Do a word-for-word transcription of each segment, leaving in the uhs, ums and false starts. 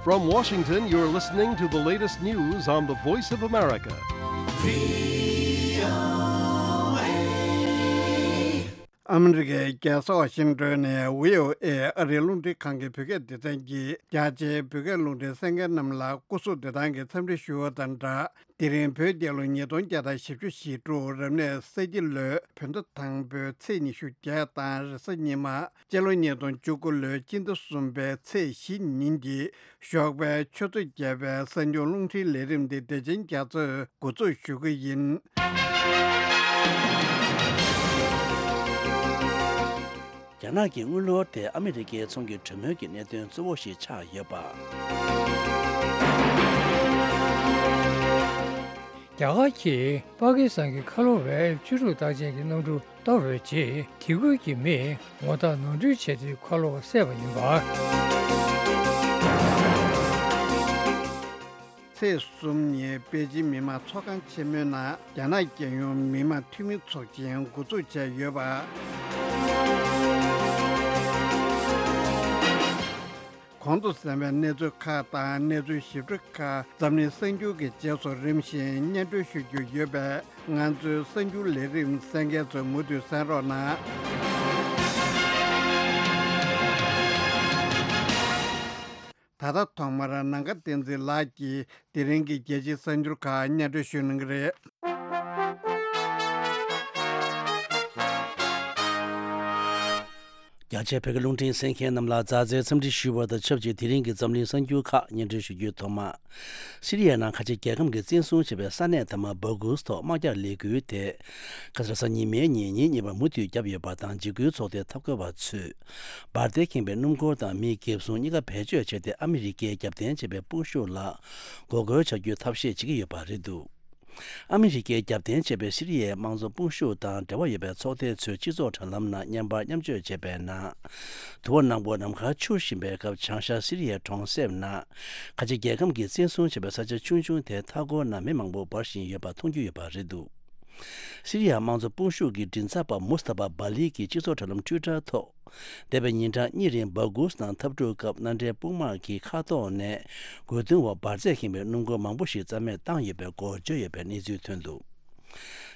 From Washington, you're listening to the latest news on the Voice of America. ཨ་མི་རི་ཀའི་རྒྱལ་ས་ཝ་ཤིང་ཏོན་ནས་བྷི་ཨོ་ཨེ་ཨ་རིའི་རླུང་འཕྲིན་ཁང་གི་བོད་སྐད་སྡེ་ཚན་གྱིས་རྒྱ་ཆེའི་བོད་སྐད་རླུང་འཕྲིན་གསན་མཁན་རྣམས་ལ་སྐུ་གཟུགས་བདེ་ཐང་གི་འཚམས་འདྲི་ཞུ་བ་དང་སྦྲགས། དེ་རིང་བོད་རྒྱལ་ལོ་ཉིས་སྟོང་བརྒྱ་དང་བཞི་བཅུ་ཞེ་དྲུག་རབ་གནས་ས་ཁྱི་ལོའི་བོད་ཟླ་དང་པོའི་ཚེས་ཉི་ཤུ་བརྒྱད་དང་རེས་གཟའ་ཉི་མ། སྤྱི་ལོ་ཉིས་སྟོང་བཅུ་དགུ་ལོའི་སྤྱི་ཟླ་གསུམ་པའི་ཚེས་བཞི་ཉིན་གྱི་ཞོགས་པའི་ཆུ་ཚོད་བརྒྱད་པའི་གསར་འགྱུར་རླུང་འཕྲིན་ལས་རིམ་འདི་བདེ་ཆེན་རྒྱ་མཚོས་འགོ་འཛུགས་ཞུ་གི་ཡིན། རྒྱ་ནག་གི་དངུལ་ལོར་དེ་ཨ་མི་རི་ཀའི་ཚོང་གི་གྲོས་མོལ་གྱི་གནད་དོན་གཙོ་བོ་ཞིག་ཆགས་ཡོད་པ། རྒྱ་གར་གྱིས་པ་ཀི་སི་ཐན་གྱི་ཁ་ལོ་བའི་བཅུ་དྲུག་རྟགས་ཅན་གྱི་གནམ་གྲུ་གཏོར་བའི་རྗེས་དེ་ཁུལ་གྱི་མིས་ངོ་རྟགས་ནོར་འཁྲུལ་བྱས་ཏེ་ཁ་ལོ་བསད་པ་ཡིན་པ། ཚེས་གསུམ་ཉིན་པེ་ཅིན་མི་དམངས་ཚོགས་ཁང་ཆེན་མོའི་ནང་རྒྱ་ནག་རྒྱལ་ཡོངས་མི་དམངས་འཐུས་མི་ཚོགས་ཆེན་འགོ་འཛུགས་བྱས་ཡོད་པ། གོང་དུ་གསན་པའི་གནས་ཚུལ་ཁག་དང་གནས་ཚུལ་ཞིབ་ཕྲ་ཁག་འཛམ་གླིང་གསར་འགྱུར་གྱི་རྗེས་སུ་རིམ་བཞིན་སྙན་སྒྲོན་ཞུ་རྒྱུ་ཡོད་པས། ང་ཚོའི་གསར་འགྱུར་ལས་རིམ་གསན་མཁན་ཚོས་མུ་མཐུད་གསན་རོགས་གནང་། ད་ལྟ་ཐོག་མར་ནམ་མཁའ་བསྟན་འཛིན་ལགས་ཀྱིས་དེ་རིང་གི་རྒྱལ་སྤྱིའི་གསར་འགྱུར་ཁག་སྙན་སྒྲོན་ཞུ་གནང་གི་རེད། རྒྱ་ཆེའི་བོད་སྐད་རླུང་འཕྲིན་གསན་མཁན་རྣམས་ལ་མཛའ་བརྩེའི་འཚམས་འདྲི་ཞུ་བ་དང་ཆབས་ཅིག་དེ་རིང་གི་འཛམ་གླིང་གསར་འགྱུར་ཁག་སྙན་སྒྲོན་ཞུ་རྒྱུའི་ཐོག་མ། སི་རི་ཡའི་ནང་ཁ་ཆེ་རྒྱལ་ཁམས་ཀྱིས་བཙན་བཟུང་བྱས་པའི་ས་གནས་དང་པོ་བྷ་གུས་ཐོག་དམག་རྒྱག་ལས་འགུལ་དེ། ཁ་སང་རེས་གཟའ་ཉི་མའི་ཉིན་ཉིན་གཉིས་པར་མུ་མཐུད་བརྒྱབ་ཡོད་པ་དང་། འཇིགས་སྐུལ་ཚོགས་སྡེའི་འཐབ་རྒོལ་བ་ཚོས་འབར་མདེལ་ཁེངས་པའི་སྣུམ་འཁོར་དང་མི་འགེབས་སྲུང་གཉིས་ཀ་བེད་སྤྱོད་བྱས་ཏེ། ཨ་མི་རི་ཀས་རྒྱབ་རྟེན་བྱས་པའི་དཔུང་ཤུགས་ལ་འགོག་རྒོལ་བྱ་རྒྱུའི་ཐབས་ཤེས་བྱེད་ཀྱི་ཡོད་པ་རེད་འདུག་ཨ་མི་རི་ཀས་རྒྱབ་རྟེན་བྱས་པའི་སི་རི་ཡའི་དམངས་གཙོ་དཔུང་ཤུགས་དང་འབྲེལ་བ་ཡོད་པའི་ཚོགས་སྡེ་ཚོས་སྤྱི་ཚོགས་དྲ་ལམ་ནང་བརྙན་པར་མཉམ་སྤྱོད་བྱས་པའི་ནང་། དུ་བ་ནག་པོ་ནམ་མཁར་འཕྱུར་བཞིན་པའི་སྐབས། བྱང་ཤར་སི་རི་ཡའི་གྲོང་གསེབ་ནང་ཁ་ཆེ་རྒྱལ་ཁམས་ཀྱིས་བཙན་བཟུང་བྱས་པའི་ས་ཆ་ཆུང་ཆུང་དེའི་མཐའ་འཁོར་ན་མེ་མང་པོ་འབར་བཞིན་ཡོད་པ་མཐོང་རྒྱུ་ཡོད་པ་རེད་འདུག་སི་རི་ཡ་དམངས་གཙོ་དཔུང་ཤུགས་ཀྱི་མགྲིན་ཚབ་པ་མུས་ཐ་པ་བྷ་ལི་གིས་སྤྱི་ཚོགས་དྲ་ལམ་ཊུའི་ཊར་ཐོག་འདས་པའི་ཉིན་གྲངས་གཉིས་རིང་བྷ་གུས་ནང་འཐབ་འཁྲུག་སྐབས་མནའ་འབྲེལ་དཔུང་དམག་གི་མཁའ་ཐོག་ནས་རྒོལ་རྡུང་འོག་འབར་རྫས་ཁེངས་པའི་སྣུམ་འཁོར་མང་པོ་ཞིག་རྩ་མེད་བཏང་ཡོད་པའི་སྐོར་བརྗོད་ཡོད་པའི་གནས་ཚུལ་ཐོན་འདུག་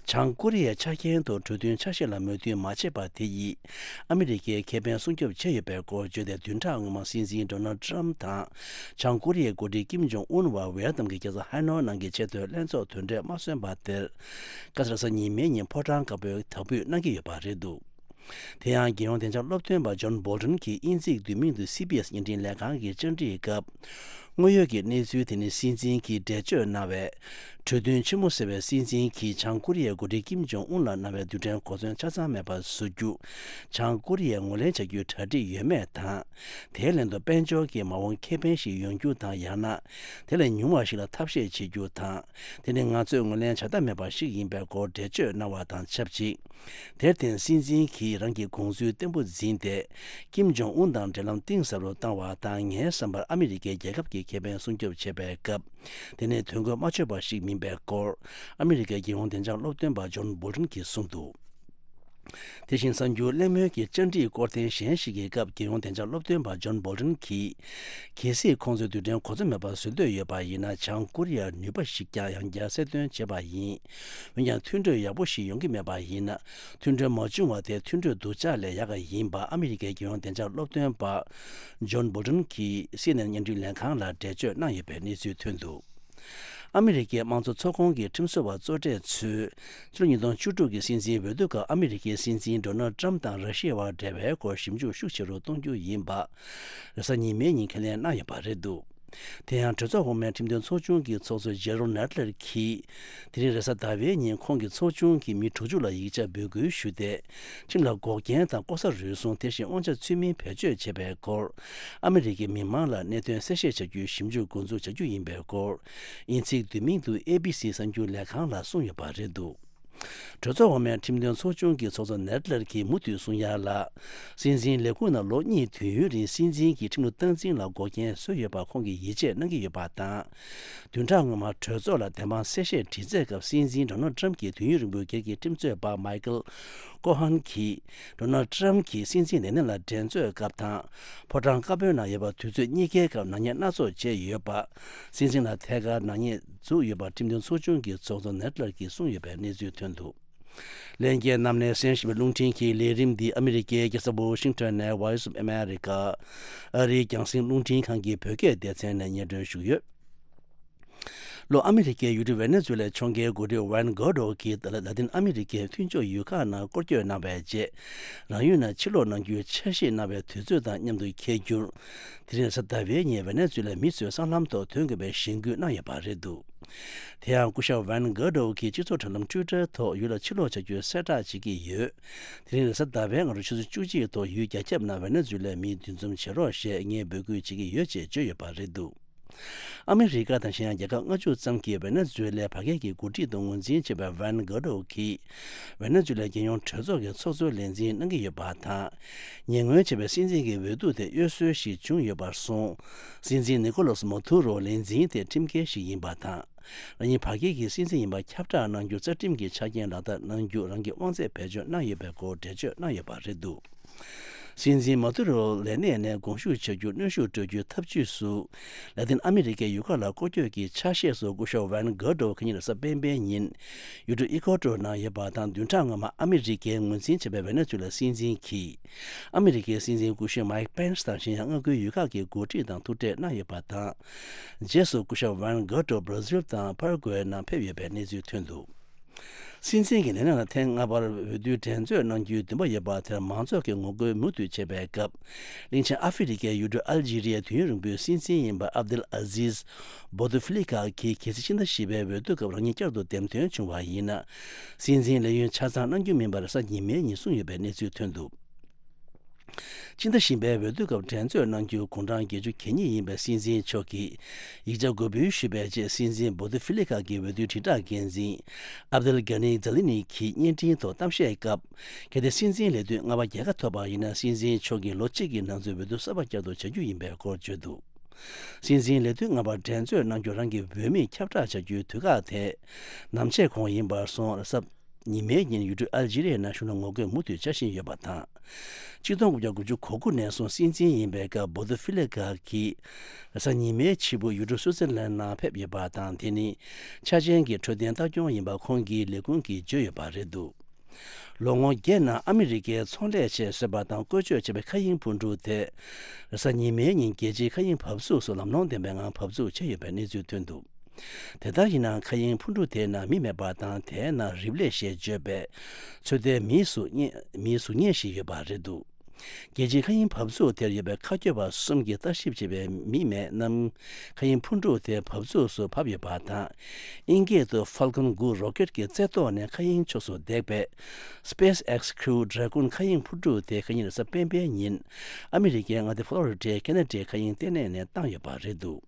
བྱང་ཀོ་རི་ཡའི་ཆ་རྐྱེན་ཐོག་གྲོས་མཐུན་ཆ་ཤས་ལ་མོས་མཐུན་མ་བྱས་པ་དེ་ཡིས་ཨ་མི་རི་ཀའི་ཁེ་ཕན་སྲུང་སྐྱོབ་བྱས་ཡོད་པའི་སྐོར་བརྗོད་དེ། བདུན་ཕྲག་སྔོན་མ་སྲིད་འཛིན་ཌོ་ནལ་ཊམ་དང་བྱང་ཀོ་རི་ཡའི་འགོ་ཁྲིད་ཀིམ་ཇོང་ཨུན་བར་ཝེ་ཡལ་ནམ་གྱི་རྒྱལ་ས་ཧ་ནོའི་ནང་གི་ཆེས་མཐོའི་ལྷན་ཚོགས་དོན་གྲོས་མ་སོན་པ་དེར། ཁ་སང་རེས་གཟའ་ཉི་མའི་ཉིན་ཕོ་བྲང་དཀར་པོའི་དག་འབུད་གནང་གི་ཡོད་པ་རེད་འདུག་དེ་ཡང་རྒྱལ་ཡོངས་བདེ་འཇགས་སློབ་སྟོན་པ་ཇོན་བོལ་ཊོན་གྱིས་དབྱིན་ཚིག་བསྡུས་མིང་དུ་སི་བི་ཨེས་བརྙན་འཕྲིན་ལས་ཁང་གི་བཅར་འདྲིའི་སྐབས། དངོས་ཡོད་ཀྱི་གནས་ཚུལ་དེ་ནི་སྲིད་འཛིན་གྱིས་འགྲེལ་བརྗོད་གནང་བའི། གྲོས་མཐུན་ཆེན་མོ་ཟེར་བའི་སྲིད་འཛིན་གྱིས་བྱང་ཀོ་རི་ཡའི་འགོ་ཁྲིད་ཀིམ་ཇོང་ཨུན་ལ་གནང་བའི་རྡུལ་ཕྲན་གོ་མཚོན་ཆ་ཚང་མེད་པར་བཟོ་རྒྱུ། བྱང་ཀོ་རི་ཡས་ངོས་ལེན་བྱ་རྒྱུའི་གྲ་སྒྲིག་ཡོད་མེད་དང་། དེའི་ལན་དུ་དཔལ་འབྱོར་གྱི་མ་འོངས་ཁེ་ཕན་ཞིག་ཡོང་རྒྱུ་དང་། ཡང་ན་དེ་ལས་ཉུང་བ་ཞིག་ལ་ཐབས་ཤེས་བྱེད་རྒྱུ་དང་། དེ་ནི་ང་ཚོས་ངོས་ལེན་བྱ་ཐབས་མེད་པ་ཞིག་ཡིན་པའི་སྐོར་འགྲེལ་བརྗོད་གནང་བ་དང་ཆབས་ཅིག་དེར་བརྟེན་སྲིད་འཛིན་གྱིས་རང་གི་དགོངས་ཚུལ་བརྟན་པོ་འཛིན་ཏེ། ཀིམ་ཇོང་ཨུན་དང་འབྲེལ་ལམ་གཏིང་ཟབ་རུ་བཏང་བ་དང་། ངའི་བསམ་པར་ཨ་མི་རི་ཀས་རྒྱལ་ཁབ་ཀྱི་ཁེ་ཕན་སྲུང་སྐྱོབ་བྱེད་པའི་སྐབས། དེ་ནི་དོན་འཁྱོལ་མ་ཆོད་པ་ཞིག་མིན་པའི་སྐོར། ཨ་མི་རི་ཀའི་རྒྱལ་ཡོངས་བདེ་འཇགས་སློབ་སྟོན་པ་ཇོན་བོལ་ཊོན་གྱིས་གསུངས་འདུག་དེ་བཞིན་གསར་འགྱུར་གླེང་མོལ་གྱི་བཅར་འདྲིའི་སྐོར་ཐེངས་གཞན་ཞིག་གི་སྐབས། རྒྱལ་ཡོངས་བདེ་འཇགས་སློབ་སྟོན་པ་ཇོན་བོལ་ཊོན་གྱིས། གལ་སྲིད་ཁོང་ཚོས་རྡུལ་ཕྲན་གོ་མཚོན་མེད་པར་བཟོ་འདོད་ཡོད་པ་ཡིན་ན། བྱང་ཀོ་རི་ཡར་ནུས་པ་ཞིག་ཀྱང་ཡང་བསྐྱར་གསལ་སྟོན་བྱས་པ་ཡིན། འོན་ཀྱང་མཐུན་གྲོས་ཡག་པོ་ཞིག་ཡོང་གི་མེད་པ་ཡིན་ན། མཐུན་གྲོས་མ་བྱུང་བ་དེ་མཐུན་གྲོས་སྡུག་ཅག་ལས་ཡག་ག་ཡིན་པ་ཨ་མི་རི་ཀའི་རྒྱལ་ཡོངས་བདེ་འཇགས་སློབ་སྟོན་པ་ཇོན་བོལ་ཊོན་གྱིས་སི་ཨེན་ཨེན་བརྙན་འཕྲིན་ལས་ཁང་ལ་འགྲེལ་བརྗོད་གནང་ཡོད་པའི་གནས་ཚུལ་ཐོན་འདུག་ཨ་མི་རི་ཀའི་དམངས་གཙོ་ཚོགས་ཁོངས་ཀྱི་ཁྲིམས་བཟོ་བ་གཙོ་གྲས་ཚོས་ཕྱི་ལོ་ཉིས་སྟོང་བཅུ་དྲུག་གི་སྲིད་འཛིན་འོས་བསྡུ་སྐབས་ཨ་མི་རི་ཀའི་སྲིད་འཛིན་ཌོ་ནལ་ཊམ་དང་ར་ཤི་ཡ་བར་འབྲེལ་བའི་སྐོར་ཞིབ་འཇུག་ཤུགས་ཆེ་རུ་གཏོང་རྒྱུ་ཡིན་པ། རེས་གཟའ་ཉི་མའི་ཉིན་ཁས་ལེན་གནང་ཡོད་པ་རེད་འདུག་དེ་ཡང་གྲོས་ཚོགས་འོག་མའི་ཁྲིམས་དོན་ཚོགས་ཆུང་གི་ཚོགས་གཙོ་ཇེ་རོམ་ནེ་ཌ་ལར་གྱིས། དེ་རིང་རེས་གཟའ་ཟླ་བའི་ཉིན་ཁོང་གིས་ཚོགས་ཆུང་གི་མི་དྲུག་ཅུ་ལ་ཡིག་ཆ་འབོད་སྐུལ་ཞུས་ཏེ། ཁྲིམས་ལ་འགོག་རྐྱེན་དང་ལྐོག་ཟ་རུལ་སུངས། དེ་བཞིན་དབང་ཆ་ཚུལ་མིན་བེད་སྤྱོད་བྱས་པའི་སྐོར། ཨ་མི་རི་ཀའི་མི་མང་ལ་གནད་དོན་གསལ་བཤད་བྱ་རྒྱུའི་ཞིབ་འཇུག་འགོ་འཛུགས་བྱ་རྒྱུ་ཡིན་པའི་སྐོར། དབྱིན་ཚིག་བསྡུས་མིང་དུ་ཨེ་བི་སི་གསར་འགྱུར་ལས་ཁང་ལ་གསུངས་ཡོད་པ་རེད་འདུག་གྲོས་ཚོགས་འོག་མའི་ཁྲིམས་དོན་ཚོགས་ཆུང་གི་ཚོགས་གཙོ་ནེད་ལར་གྱིས་མུ་མཐུད་གསུང་ཡ་ལ། སྲིད་འཛིན་ལས་ཁུངས་ནང་ལོ་གཉིས་དུས་ཡུན་རིང་སྲིད་འཛིན་གྱི་ཁྲིམས་ལུགས་སྟངས་འཛིན་ལ་འགོག་རྐྱེན་བཟོས་ཡོད་པར་ཁོང་གིས་ཡིད་ཆེས་གནང་གི་ཡོད་པ་དང་། བདུན་ཕྲག་སྔོན་མ་གྲོས་ཚོགས་ལ་བདེན་དཔང་གསལ་བཤད་དྲི་རྩད་སྐབས་སྲིད་འཛིན་ཌོ་ནལ་ཊམ་གྱི་དུས་ཡུན་རིང་པོའི་སྒེར་གྱི་ཁྲིམས་རྩོད་པ་མའི་ཀལ་ཀོ་ཧན་གྱིས། ཌོ་ནལ་ཊམ་གྱིས་སྲིད་འཛིན་ལས་གནས་ལ་འགྲན་རྩོད་སྐབས་དང་། ཕོ་བྲང་དཀར་པོའི་ནང་ཡོད་པ་དུས་ཚོད་གཉིས་ཀའི་སྐབས་ནག་ཉེས་སྣ་ཚོགས་བྱས་ཡོད་པ། སྲིད་འཛིན་ལ་ཐད་ཀར་ནག་ཉེས་འཛུགས་ཡོད་པ་ཁྲིམས་དོན་ཚོགས་ཆུང་གི་ཚོགས་གཙོ་ནེད་ལར་གྱིས་གསུངས་ཡོད་པའི་གནས་ཚུལ་ཐོན་འདུག་ལྷན་རྒྱས་རྣམས་ནས་གསན་བཞིན་པའི་རླུང་འཕྲིན་གྱི་ལས་རིམ་འདི་ཨ་མི་རི་ཀའི་རྒྱལ་ས་ཝོ་ཤིང་ཊོན་ནས་Voice of America ཨ་རིའི་རྒྱང་སྲིང་རླུང་འཕྲིན་ཁང་གི་བོད་སྐད་སྡེ་ཚན་ནས་སྙན་སྒྲོན་ཞུས་ཡོད། ལྷོ་ཨ་མི་རི་ཀའི་ཡུལ་གྲུ་ཝེ་ནེ་ཛུ་ལའི་ཕྱོགས་འགན་འགོ་ཁྲིད་ཝན་གྷོ་ཌོ་གིས་ལ་ལ་ཏིན་ཨ་མི་རི་ཀའི་མཐུན་ཕྱོགས་ཡུལ་ཁག་ནང་སྐོར་སྐྱོད་གནང་བའི་རྗེས། རང་ཡུལ་ནང་ཕྱིར་ལོག་གནང་རྒྱུའི་འཆར་གཞི་གནང་བའི་དུས་ཚོད་དང་མཉམ་དུ་འཁེལ་རྒྱུར། དེ་རིང་རེས་གཟའ་ཟླ་བའི་ཉིན་ཝེ་ནེ་ཛུ་ལའི་མི་ཚོས་སྲང་ལམ་ཐོག་ཐོན་དགོས་པའི་གཞེན་སྐུལ་གནང་ཡོད་པ་རེད་འདུག་དེ་ཡང་སྐུ་ཞབས་ཝན་གྷོ་ཌོ་གིས་སྤྱི་ཚོགས་དྲ་ལམ་ཊུའི་ཊར་ཐོག་ཡུལ་ལ་ཕྱིར་ལོག་བྱ་རྒྱུའི་གསལ་བསྒྲགས་བྱེད་ཀྱི་ཡོད། དེ་རིང་རེས་གཟའ་ཟླ་བའི་སྔ་དྲོ་ཆུ་ཚོད་བཅུ་གཅིག་ཐོག་ཡུལ་རྒྱ་ཁྱབ་ནང་ཝེ་ནེ་ཛུ་ལའི་མི་འདུ་འཛོམས་བྱེད་རོགས་ཞེས་ངས་འབོད་སྐུལ་བྱེད་ཀྱི་ཡོད་ཅེས་བརྗོད་ཡོད་པ་རེད་འདུག་ཨ་མི་རི་ཀ་དང་གཞན་ཡང་རྒྱལ་ཁབ་ལྔ་བཅུ་ཙམ་གྱིས་ཝེ་ནེ་ཛུ་ལའི་བར་བརྒལ་གྱི་འགོ་ཁྲིད་དུ་ངོས་འཛིན་བྱས་པའི་ཝན་གྷོ་ཌོ་གིས། ཝེ་ནེ་ཛུ་ལའི་རྒྱལ་ཡོངས་གྲོས་ཚོགས་ཀྱི་ཚོགས་གཙོའི་ལས་འཛིན་གནང་གི་ཡོད་པ་དང་། ཉེ་སྔོན་བྱས་པའི་སྲིད་འཛིན་གྱི་འོས་བསྡུ་དེ་གཡོ་ཟོལ་ཞིག་བྱུང་ཡོད་པར་སོང་། སྲིད་འཛིན་ནི་ཀོ་ལོ་སི་མ་ཐུ་རོ་ལས་འཛིན་དེ་ཁྲིམས་འགལ་ཞིག་ཡིན་པ་དང་། རང་ཉིད་བར་བརྒལ་གྱི་སྲིད་འཛིན་ཡིན་པ་ཁྱབ་བསྒྲགས་གནང་རྒྱུ་རྩ་ཁྲིམས་ཀྱི་ཆ་རྐྱེན་ལག་བསྟར་གནང་རྒྱུ་རང་གི་དབང་ཚད་བེད་སྤྱོད་གནང་ཡོད་པའི་སྐོར་འགྲེལ་བརྗོད་གནང་ཡོད་པ་རེད་འདུག་སྲིད་འཛིན་མ་ཏུ་རོ་ལས་གནས་ནས་དགོངས་ཞུ་བྱ་རྒྱུ་གནོན་ཤུགས་སྤྲོད་རྒྱུའི་ཐབས་ཇུས་སུ། ལ་ཏིན་ཨ་མི་རི་ཀའི་ཡུལ་ཁག་ལ་སྐོར་སྐྱོད་ཀྱི་ཆ་ཤས་སུ་སྐུ་ཞབས་ཝན་གྷོ་ཌོ་ཁ་ཉིན་རེས་གཟའ་སྤེན་པའི་ཉིན། ཡུལ་གྲུ་ཨི་ཀོ་ཏོར་ནང་ཡོད་པ་དང་བདུན་ཕྲག་སྔོན་མ་ཨ་མི་རི་ཀས་ངོས་འཛིན་བྱས་པའི་ཝེ་ནེ་ཛུ་ལ་སྲིད་འཛིན་གྱིས། ཨ་མི་རི་ཀའི་སྲིད་འཛིན་སྐུ་ཞབས་མའིག་པེན་སི་དང་གཞན་ཡང་མངའ་ཁུལ་ཡུལ་ཁག་གི་འགོ་ཁྲིད་དང་ཐུག་འཕྲད་གནང་ཡོད་པ་དང་། རྗེས་སུ་སྐུ་ཞབས་ཝན་གྷོ་ཌོ་བྷ་ར་ཟིལ་དང་པ་ར་གུ་ཝེ་ནང་ཕེབས་ཡོད་པའི་གནས་ཚུལ་ཐོན་འདུག་སྲིད་འཛིན་གྱི་ལས་གནས་ལ་ཐེངས་ལྔ་པར་འོས་བསྡུའི་འགྲན་རྩོད་གནང་རྒྱུའི་འདུན་པ་ཡོད་པ་དེར་མང་ཚོགས་ཀྱིས་ངོ་རྒོལ་མུ་མཐུད་བྱེད་པའི་སྐབས། གླིང་ཆེན་ཨ་ཧྥེ་རི་ཁའི་ཡུལ་གྲུ་ཨལ་ཇི་རི་ཡའི་དུས་ཡུན་རིང་པོའི་སྲིད་འཛིན་ཡིན་པ་ཨབ་དུལ་ཨ་ཟིས་བོ་ཏུ་ཧྥི་ལི་ཀ་གིས་གལ་སྲིད་ཕྱི་ཟླ་བཞི་པའི་འོས་བསྡུ་སྐབས་རང་ཉིད་བསྐྱར་དུ་འདེམས་ཐོན་བྱུང་བ་ཡིན་ན། སྲིད་འཛིན་ལས་ཡུན་ཆ་ཚང་གནང་རྒྱུ་མིན་པར་རེས་གཟའ་ཉི་མའི་ཉིན་གསུངས་ཡོད་པའི་གནས་ཚུལ་ཐོན་འདུག་ཕྱི་ཟླ་བཞི་པའི་འོས་བསྡུ་སྐབས་འགྲན་རྩོད་གནང་རྒྱུ་དགུང་གྲངས་བརྒྱད་ཅུ་གྱ་གཉིས་ཡིན་པའི་སྲིད་འཛིན་མཆོག་གིས་ཡིག་ཆ་འགོད་འབུལ་ཞུས་པའི་རྗེས། སྲིད་འཛིན་བོ་ཏི་ཧྥི་ལི་ཀ་གི་འོས་བསྡུའི་དྲིལ་བསྒྲགས་འགན་འཛིན་ཨབ་དེལ་གྷ་ནི་ཛ་ལི་ནི་གྱིས་བརྙན་འཕྲིན་ཐོག་གཏམ་བཤད་སྐབས། གལ་ཏེ་སྲིད་འཛིན་ལས་དུས་ལྔ་པ་རྒྱལ་ཁ་ཐོབ་པ་ཡིན་ན། སྲིད་འཛིན་མཆོག་གིས་ལོ་གཅིག་གི་ནང་ཚུད་འོས་བསྡུ་གསར་པ་བསྐྱར་དུ་བྱ་རྒྱུ་ཡིན་པའི་སྐོར་བརྗོད་འདུག་སྲིད་འཛིན་ལས་དུས་ལྔ་པར་འགྲན་རྩོད་གནང་རྒྱུ་རང་གི་འོས་མིར་ཁྱབ་བསྒྲགས་བྱ་རྒྱུའི་དུས་བཀག་དེ་ནམ་ཕྱེད་གོང་ཡིན་པར་སོང་། རེས་གཟའ་ཉི་མའི་ཉིན་ཡུལ་གྲུ་ཨལ་ཇི་རི་ཡའི་ནང་གཞུང་ལ་ངོ་རྒོལ་མུ་མཐུད་བྱ་བཞིན་ཡོད་པ་དང་། གཅིག་སྟོང་དགུ་བརྒྱ་དགུ་བཅུ་གོ་དགུ་ནས་བཟུང་སྲིད་འཛིན་ཡིན་པའི་སྐབས་བོ་ཏུ་ཧྥི་ལི་ཀ་གིས་རེས་གཟའ་ཉི་མའི་ཕྱི་པོ་ཡུལ་གྲུ་སུའུ་ཙེར་ལན་ནང་ཕེབས་ཡོད་པ་དང་། དེ་ནི་འཆར་ཅན་གྱི་འཕྲོད་བསྟེན་ལྟ་སྐྱོང་ཡིན་པ་ཁོང་གིས་ལས་ཁུངས་ཀྱིས་བརྗོད་ཡོད་པ་རེད་འདུག་ལོ་ངོ་བརྒྱད་ནང་ཨ་མི་རི་ཀའི་ཚོང་ལས་ཆེད་བཟོས་པ་དང་བཀོལ་སྤྱོད་བྱས་པའི་མཁའ་དབྱིངས་འཕུར་གྲུ་དེ། རེས་གཟའ་ཉི་མའི་ཉིན་རྒྱལ་སྤྱིའི་མཁའ་དབྱིངས་བབས་ཚུགས་སུ་ལམ་ལྷོང་ལྡན་པའི་ངང་བབས་ཚུགས་བྱས་ཡོད་པའི་གནས་ཚུལ་ཐོན་འདུག་དེ་ལྟར་ཡིན་ནའང་མཁའ་དབྱིངས་འཕུར་གྲུ་དེའི་ནང་མི་མེད་པ་དང་། དེའི་ནང་རིབ་ལེ་ཞེས་བརྗོད་པའི་ཚོད་ལྟའི་མིའི་གཟུགས་བརྙན་མིའི་གཟུགས་བརྙན་ཞིག་ཡོད་པ་རེད་འདུག་རྒྱལ་སྤྱིའི་མཁའ་དབྱིངས་བབས་ཚུགས་དེར་ཡོད་པའི་མཁའ་སྐྱོད་པ་གསུམ་གྱིས་ལྟ་ཞིབ་བྱས་པའི་མི་མེད་རྣམས་མཁའ་དབྱིངས་འཕུར་གྲུ་དེ་བབས་ཚུགས་སུ་བབས་ཡོད་པ་དང་། དབྱིན་སྐད་དུ་Falcon དགུ་རོ་ཀེད་ཀྱི་རྩེ་ཐོག་ནས་མཁའ་དབྱིངས་ཕྱོགས་སུ་འདེགས་པའི་SpaceX Crew Dragon མཁའ་དབྱིངས་འཕུར་གྲུ་དེ་ཁ་ཉིན་རེས་གཟའ་སྤེན་པའི་ཉིན་ཨ་མི་རི་ཀའི་མངའ་སྡེ་ཕོ་ལོ་རི་ཌའི་ཁེ་ན་ཌའི་མཁའ་དབྱིངས་ལྟེ་གནས་ནས་བཏང་ཡོད་པ་རེད་འདུག་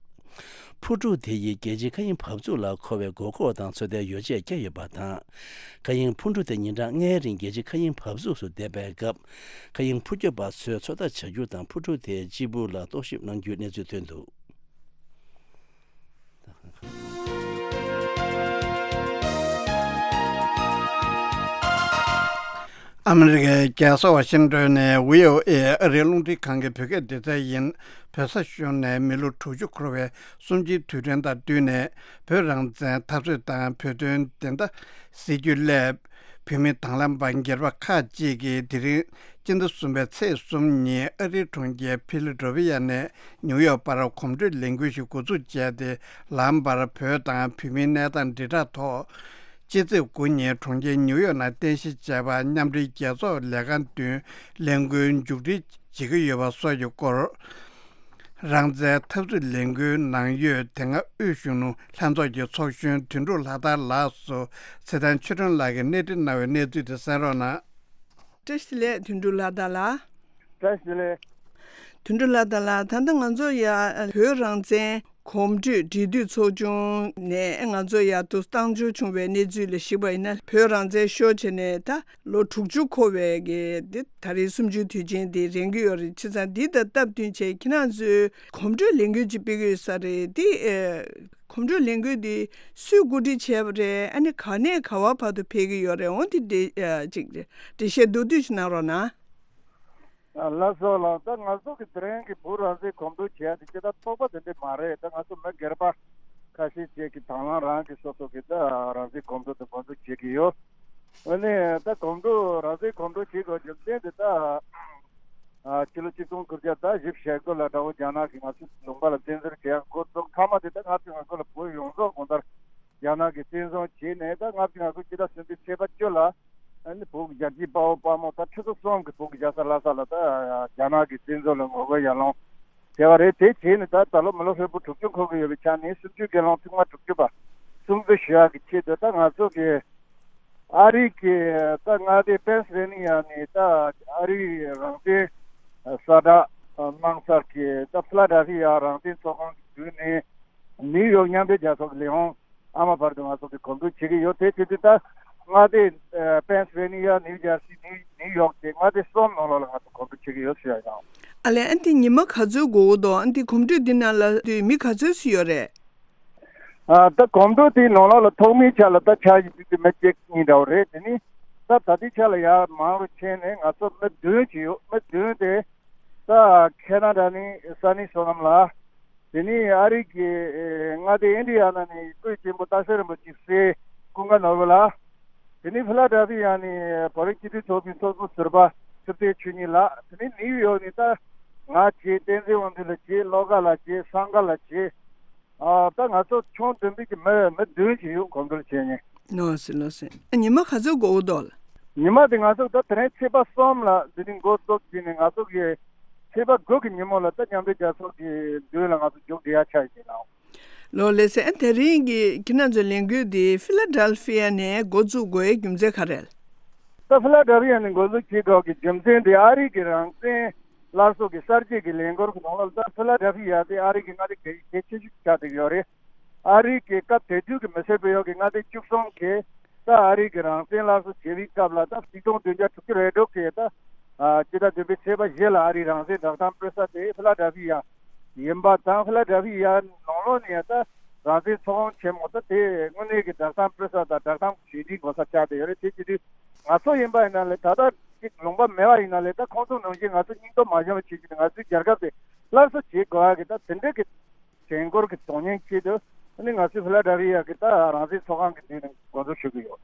འཕུར་གྲུ་དེ་ཡིས་རྒྱལ་སྤྱིའི་མཁའ་དབྱིངས་བབས་ཚུགས་ལ་མཁོ་བའི་དགོས་མཁོ་དང་ཚོད་ལྟའི་ཡོ་བྱད་བསྐྱལ་ཡོད་པ་དང་། མཁའ་དབྱིངས་འཕུར་གྲུ་དེ་ཉིན་གྲངས་ལྔའི་རིང་རྒྱལ་སྤྱིའི་མཁའ་དབྱིངས་བབས་ཚུགས་སུ་བསྡད་པའི་སྐབས། མཁའ་དབྱིངས་འཕུར་སྐྱོད་པ་ཚོས་ཚོད་ལྟ་བྱ་རྒྱུ་དང་འཕུར་གྲུ་དེའི་སྤྱིལ་བུ་ལ་རྟོག་ཞིབ་གནང་རྒྱུའི་གནས་ཚུལ་ཐོན་འདུག་ཨ་མི་རི་ཀའི་རྒྱལ་ས་ཝ་ཤིང་ཏོན་ནས་བྷི་ཨོ་ཨེ་ཨ་རིའི་རླུང་འཕྲིན་ཁང་གི་བོད་སྐད་སྡེ་ཚན་ཡིན། བོད་ས་གཞུང་ནས་མི་ལོ་དྲུག་ཅུ་འཁོར་བའི་གསུམ་བཅུའི་དུས་དྲན་དང་བསྟུན་ནས། བོད་རང་བཙན་འཐབ་རྩོད་དང་བོད་དོན་བདེན་མཐའ་གཟིགས་རྒྱུའི་སླད། བོད་མི་དང་བླངས་པ་སྒེར་པ་ཁག་ཅིག་གིས་དེ་རིང་སྤྱི་ཟླ་གསུམ་པའི་ཚེས་གསུམ་ཉིན་ཨ་རིའི་གྲོང་ཁྱེར་ཕི་ལ་ཌེལ་ཕི་ཡ་ནས་ནིའུ་ཡོག་བར་གོམ་བགྲོད་ལས་འགུལ་ཞིག་འགོ་འཛུགས་བྱས་ཏེ། ལམ་བར་བོད་དང་བོད་མིའི་གནས་སྟངས་དྲིལ་བསྒྲགས་ཐོག་ཕྱི་ཚེས་དགུ་ཉིན་གྲོང་ཁྱེར་ནིའུ་ཡོག་ནང་རྟེན་གཞི་བྱས་པ་མཉམ་འབྲེལ་རྒྱལ་ཚོགས་ལས་ཁང་མདུན་ལས་འགུལ་མཇུག་སྒྲིལ་བྱེད་ཀྱི་ཡོད་པ་སོགས་ཀྱི་སྐོར། རང་བཙན་འཐབ་རྩོད་ལས་འགུལ་ནང་ཡོད་དེ་སྔ་དབུས་གཞོན་ནུ་ལྷན་ཚོགས་ཀྱི་ཚོགས་གཞོན་དོན་གྲུབ་ལྷ་དར་ལགས་སུ་ཚེ་བརྟན་ཆོས་སྒྲོན་ལགས་ཀྱིས་གནས་འདྲི་གནང་བའི་གནས་ཚུལ་དེ་གསན་རོགས་གནང་། བཀྲ་ཤིས་བདེ་ལེགས་དོན་གྲུབ་ལྷ་དར་ལགས། བཀྲ་ཤིས་བདེ་ལེགས། དོན་གྲུབ་ལྷ་དར་ལགས། ད་ལྟ་ང་ཚོ་ཡ་བོད་རང་བཙན་ གོམ་བགྲོད་འབྲེལ་མཐུད་ཚོགས་ཆུང་ནས་ང་ཚོ་ཡར་དུ་བཏང་འབྱོར་བྱུང་བའི་གནས་ཚུལ་ལ་གཞིགས་པ་ཡིན་ན། བོད་རང་བཙན་ཤོར་བྱས་ནས་ད་ལོ་དྲུག་ཅུ་འཁོར་བའི་གི་འདི་ད་རེས་གསུམ་བཅུའི་དུས་ཆེན་འདི་རན་གྱི་ཡོད་རེད། བྱས་ཙང་འདི་དང་སྟབས་བསྟུན་བྱས་ཁྱེད་རང་ཚོས་གོམ་བགྲོད་ལས་འགུལ་ཅིག་སྤེལ་གྱི་ཡོད་ས་རེད། འདི་ཨེ། གོམ་བགྲོད་ལས་འགུལ་འདི་སུས་གོ་སྒྲིག་བྱས་པ་རེད། ཨ་ནི་ག་ནས་ག་བར་བར་དུ་ཕེབས་ཀྱི་ཡོད་རེད། འོ་འདི་འདྲ་ཅིག་འགྲེལ་བཤད་མདོར་བསྡུས་ཤིག་གནང་རོགས་གནང་། ཨ་ལགས་སོ་ལགས། ད་ང་ཚོ་གི་དེ་རིང་གི་བོད་རང་བཙན་གོམ་བགྲོད་བྱས་ཏེ་ཅི་ད་ཚོགས་པ་དེ་འདྲ་མ་རེད། ད་ང་ཚོ་མི་སྒེར་པ་ཁ་ཤས་ཅིག་གིས་དང་བླངས་རང་གི་སོ་སོ་གི་ད་རང་བཙན་གོམ་བགྲོད་དེ་འགོ་འཛུགས་བྱེད་ཀྱི་ཡོད། འོ་ནས་ད་གོམ་བགྲོད་རང་བཙན་གོམ་བགྲོད་བྱེད་དགོས་རྒྱུ་མཚན་དེ་ད། ཕྱི་ལོ་ཆིག་སྟོང་དགུ་བརྒྱ་དང་བཞི་བཅུ་ཞེ་དགུ་ལ་དགྲ་བོ་རྒྱ་ནག་གིས་ང་ཚོའི་ལུང་པ་ལ་བཙན་འཛུལ་བྱེད་ཡག་འགོ་བཙུགས། མཐའ་མ་དེ་ད་ལྔ་བཅུ་ང་དགུ་ལ་བོད་ཡོངས་རྫོགས་གང་ལྟར་རྒྱ་ནག་གིས་བཙན་བཟུང་བྱས་ནས། ད་ལྔ་བཅུ་ང་དགུ་སྤྱི་ཟླ་གསུམ་པའི་ཚེས་པ་བཅུ་ལ་ཨ་ནི་བོད་ཀྱི་རྒྱལ་གཅེས་དཔའ་བོ་དཔའ་མོ་ད་ཁྲི་ཚོ་གསུམ་གྱིས་བོད་ཀྱི་རྒྱལ་ས་ལྷ་ས་ལ་ད་རྒྱ་ནག་གི་བཙན་བཟུང་ལ་ངོ་རྒོལ་ཡར་ལངས་བྱས་པ་རེད། དེ་བྱས་ནས་ད་ད་ལོ་མི་ལོ་ཧྲིལ་པོ་དྲུག་ཅུ་འཁོར་གྱི་ཡོད་པའི་ཆ་ནས་སྲིད་བྱུས་སྒེར་ལངས་ཐེངས་མ་དྲུག་ཅུ་པ་སྲུང་བརྩི་ཞུ་ཡག་གི་ཆེད་དུ་ད་ང་ཚོ་གི་ཨ་རི་གི་ད་མངའ་སྡེ་པེན་སི་ཝེ་ནི་ཡ་ནས་ད་ཨ་རིའི་རང་བཙན་གསལ་བསྒྲགས་གནང་སར་གི་ད་ཕི་ལ་ཌེལ་ཕི་ཡ་རང་བཙན་ཚོགས་ཁང་གི་བརྒྱུད་ནས་ནིའུ་ཡོག་མཉམ་འབྲེལ་རྒྱལ་ཚོགས་ཀྱི་ལས་ཁུངས་ཨ་མ་བར་དུ་ང་ཚོ་གི་གོམ་བགྲོད་བྱེད་ཀྱི་ཡོད། དེ་བྱེད་དུས་ད་མངའ་སྡེ་པེན་སི་ཝེ་ནི་ཡ། ནིའུ་ཇར་སི། ནིའུ་ནིའུ་ཡོག་བཅས་མངའ་སྡེ་གསུམ་ནང་ལོགས་ལ་ང་ཚོ་གོམ་བགྲོད་བྱེད་ཀྱི་ཡོད་ཞུ་ཡ་ཡིན། ཨ་ལས། ཨ་འདི་ཉི་མ་ག་ཚོད་འགོར་གྱི་འདུག་ཨ་འདི་གོམ་བགྲོད་འདི་ནང་ལ་དུས་མི་ག་ཚོད་ཙམ་ཡོད་རེད། ཨ་ད་གོམ་བགྲོད་དེའི་ནང་ལོགས་ལ་ཐོག་མའི་ཆ་ལ་ད་ཆ་ཞིག་དུས་དེ་མི་གཅིག་གཉིས་འདྲ་བོ་རེད། དེ་ནི་ད་ད་ལྟའི་ཆ་ལ་ཡར་མང་རུ་ཕྱིན་ནས་ང་ཚོ་མི་བདུན་ཅིག་ཡོད། མི་བདུན་དེ་ད་ཁེ་ན་ཌ་ནས་ས་གནས་བསོད་ནམས་ལགས། དེ་ནི་ཨ་རི་གི་ཨེ་མངའ་སྡེ་ཨིན་ཌི་ཡ་ན་ནས་སྐུ་ཞབས་ཆེན་པོ་སྟག་ཤར་རིན་པོ་ཆེའི་སྲས་ཀུན་དགའ་ནོར་བུ་ལགས། དེ་ནས་ཕི་ལ་ཌེལ་ཕི་ཡ་ནས་བོད་རིགས་སྤྱི་མཐུན་ཚོགས་པའི་ཚོགས་གཙོ་ཟུར་པ་ཐུབ་བསྟན་ཆོས་ཉིད་ལགས། དེ་ནས་ནིའུ་ཡོག་ནས་ད་ང་བྱས། བསྟན་འཛིན་དབང་འདུས་ལགས་བྱས། བློ་དགའ་ལགས་བྱས། བསམ་དགའ་ལགས་བྱས། ཨ་ད་ང་ཚོ་ཆུང་དུམ་བུ་གི་མི་མི་བདུན་ཞིག་ཡོད། གོམ་བགྲོད་བྱས་ནས། ལགས་སེ་ལགས་སེ། ཉི་མ་ག་ཚོད་འགོར་འདུག་ཉི་མ་དེ་ང་ཚོ་ད་དེ་རིང་ཚེས་པ་གསུམ་ལ་འདི་ནས་འགོ་བཙུགས་བྱས་ནས་ང་ཚོ་གི་ཚེས་པ་དགུ་གི་ཉིན་མོ་ལ་ད་མཉམ་འབྲེལ་རྒྱལ་ཚོགས་ཀྱི་མདུན་ལ་ང་ཚོ་མཇུག་སྒྲིལ་ཡ་ཆགས་ཡིན་ནའང་། ལགས་སེ། ཨ་དེ་རིང་གི་ཁྱེད་རང་ཚོའི་ལས་འགུལ་འདི་ཕི་ལ་ཌེལ་ཕི་ཡ་ནས་འགོ་བཙུགས་དགོས་རྒྱུ་མཚན་ག་རེ་རེད། ད་ཕི་ལ་ཌེལ་ཕི་ཡ་ནས་འགོ་འཛུགས་བྱེད་དགོས་ཀྱི་རྒྱུ་མཚན་དེ་ཨ་རི་གི་རང་བཙན་སླར་གསོ་གི་གསར་བརྗེ་གི་ལས་འགུལ་གྱི་ནང་ལ་ད་ཕི་ལ་ཌེལ་ཕི་ཡ་དེ་ཨ་རི་གི་མངའ་སྡེ་གལ་གལ་ཆེ་ཤོས་ཆགས་བསྡད་ཡོད་རེད། ཨ་རི་གི་སྐབས་དེ་དུས་ཀྱི་མི་སེར་བོད་ཡོག་གི་མངའ་སྡེ་བཅུ་གསུམ་གྱིས་ད་ཨ་རི་གི་རང་བཙན་སླར་གསོ་བྱེད་པའི་སྐབས་ལ་ད་ཆིག་སྟོང་བདུན་བརྒྱ་དྲུག་ཅུ་རེ་དྲུག་གི་ད་ཨ་སྤྱི་ཟླ་བདུན་པའི་ཚེས་པ་བཞི་ལ་ཨ་རིའི་རང་བཙན་བསྒྲགས་གཏམ་སྤེལ་ས་དེ་ཕི་ལ་ཌེལ་ཕི་ཡ་ཡིན་པ་དང་། ཕི་ལ་ཌེལ་ཕི་ཡ་ནང་ལོགས་ནས་ད་རང་བཙན་ཚོགས་ཁང་ཆེན་མོ་ད་དེ་དངོས་གནས་ཀྱི་བསྒྲགས་གཏམ་སྤེལ་ས་དང་བསྒྲགས་གཏམ་གྲོས་འདྲི་དགོས་ས་ཆགས་བསྡད་ཡོད་རེད། དེ་བྱེད་དུས་ང་ཚོ་ཡིན་པ་ཡིན་ན་ལས་ད་ལྟ་ཅིག་ལུང་པ་མེད་པ་ཡིན་ན་ལས་ད་ཁོང་ཚོ་ནང་བཞིན་ང་ཚོ་སྙིང་སྟོབས་མ་ཞན་པ་བྱེད་ཀྱི་འདུག་ང་ཚོའི་རྒྱལ་ཁབ་དེ་སླར་གསོ་བྱེད་དགོས་ཡ་གི་ད་དེ་འདྲ་གི་དྲན་སྐུལ་གྱི་དོན་སྙིང་ཆེད་དུ་ཨ་ནི་ང་ཚོས་ཕི་ལ་ཌེལ་ཕི་ཡ་གི་ད་རང་བཙན་ཚོགས་ཁང་གི་མདུན་ནས་འགོ་འཛུགས་ཞུ་གི་ཡོད།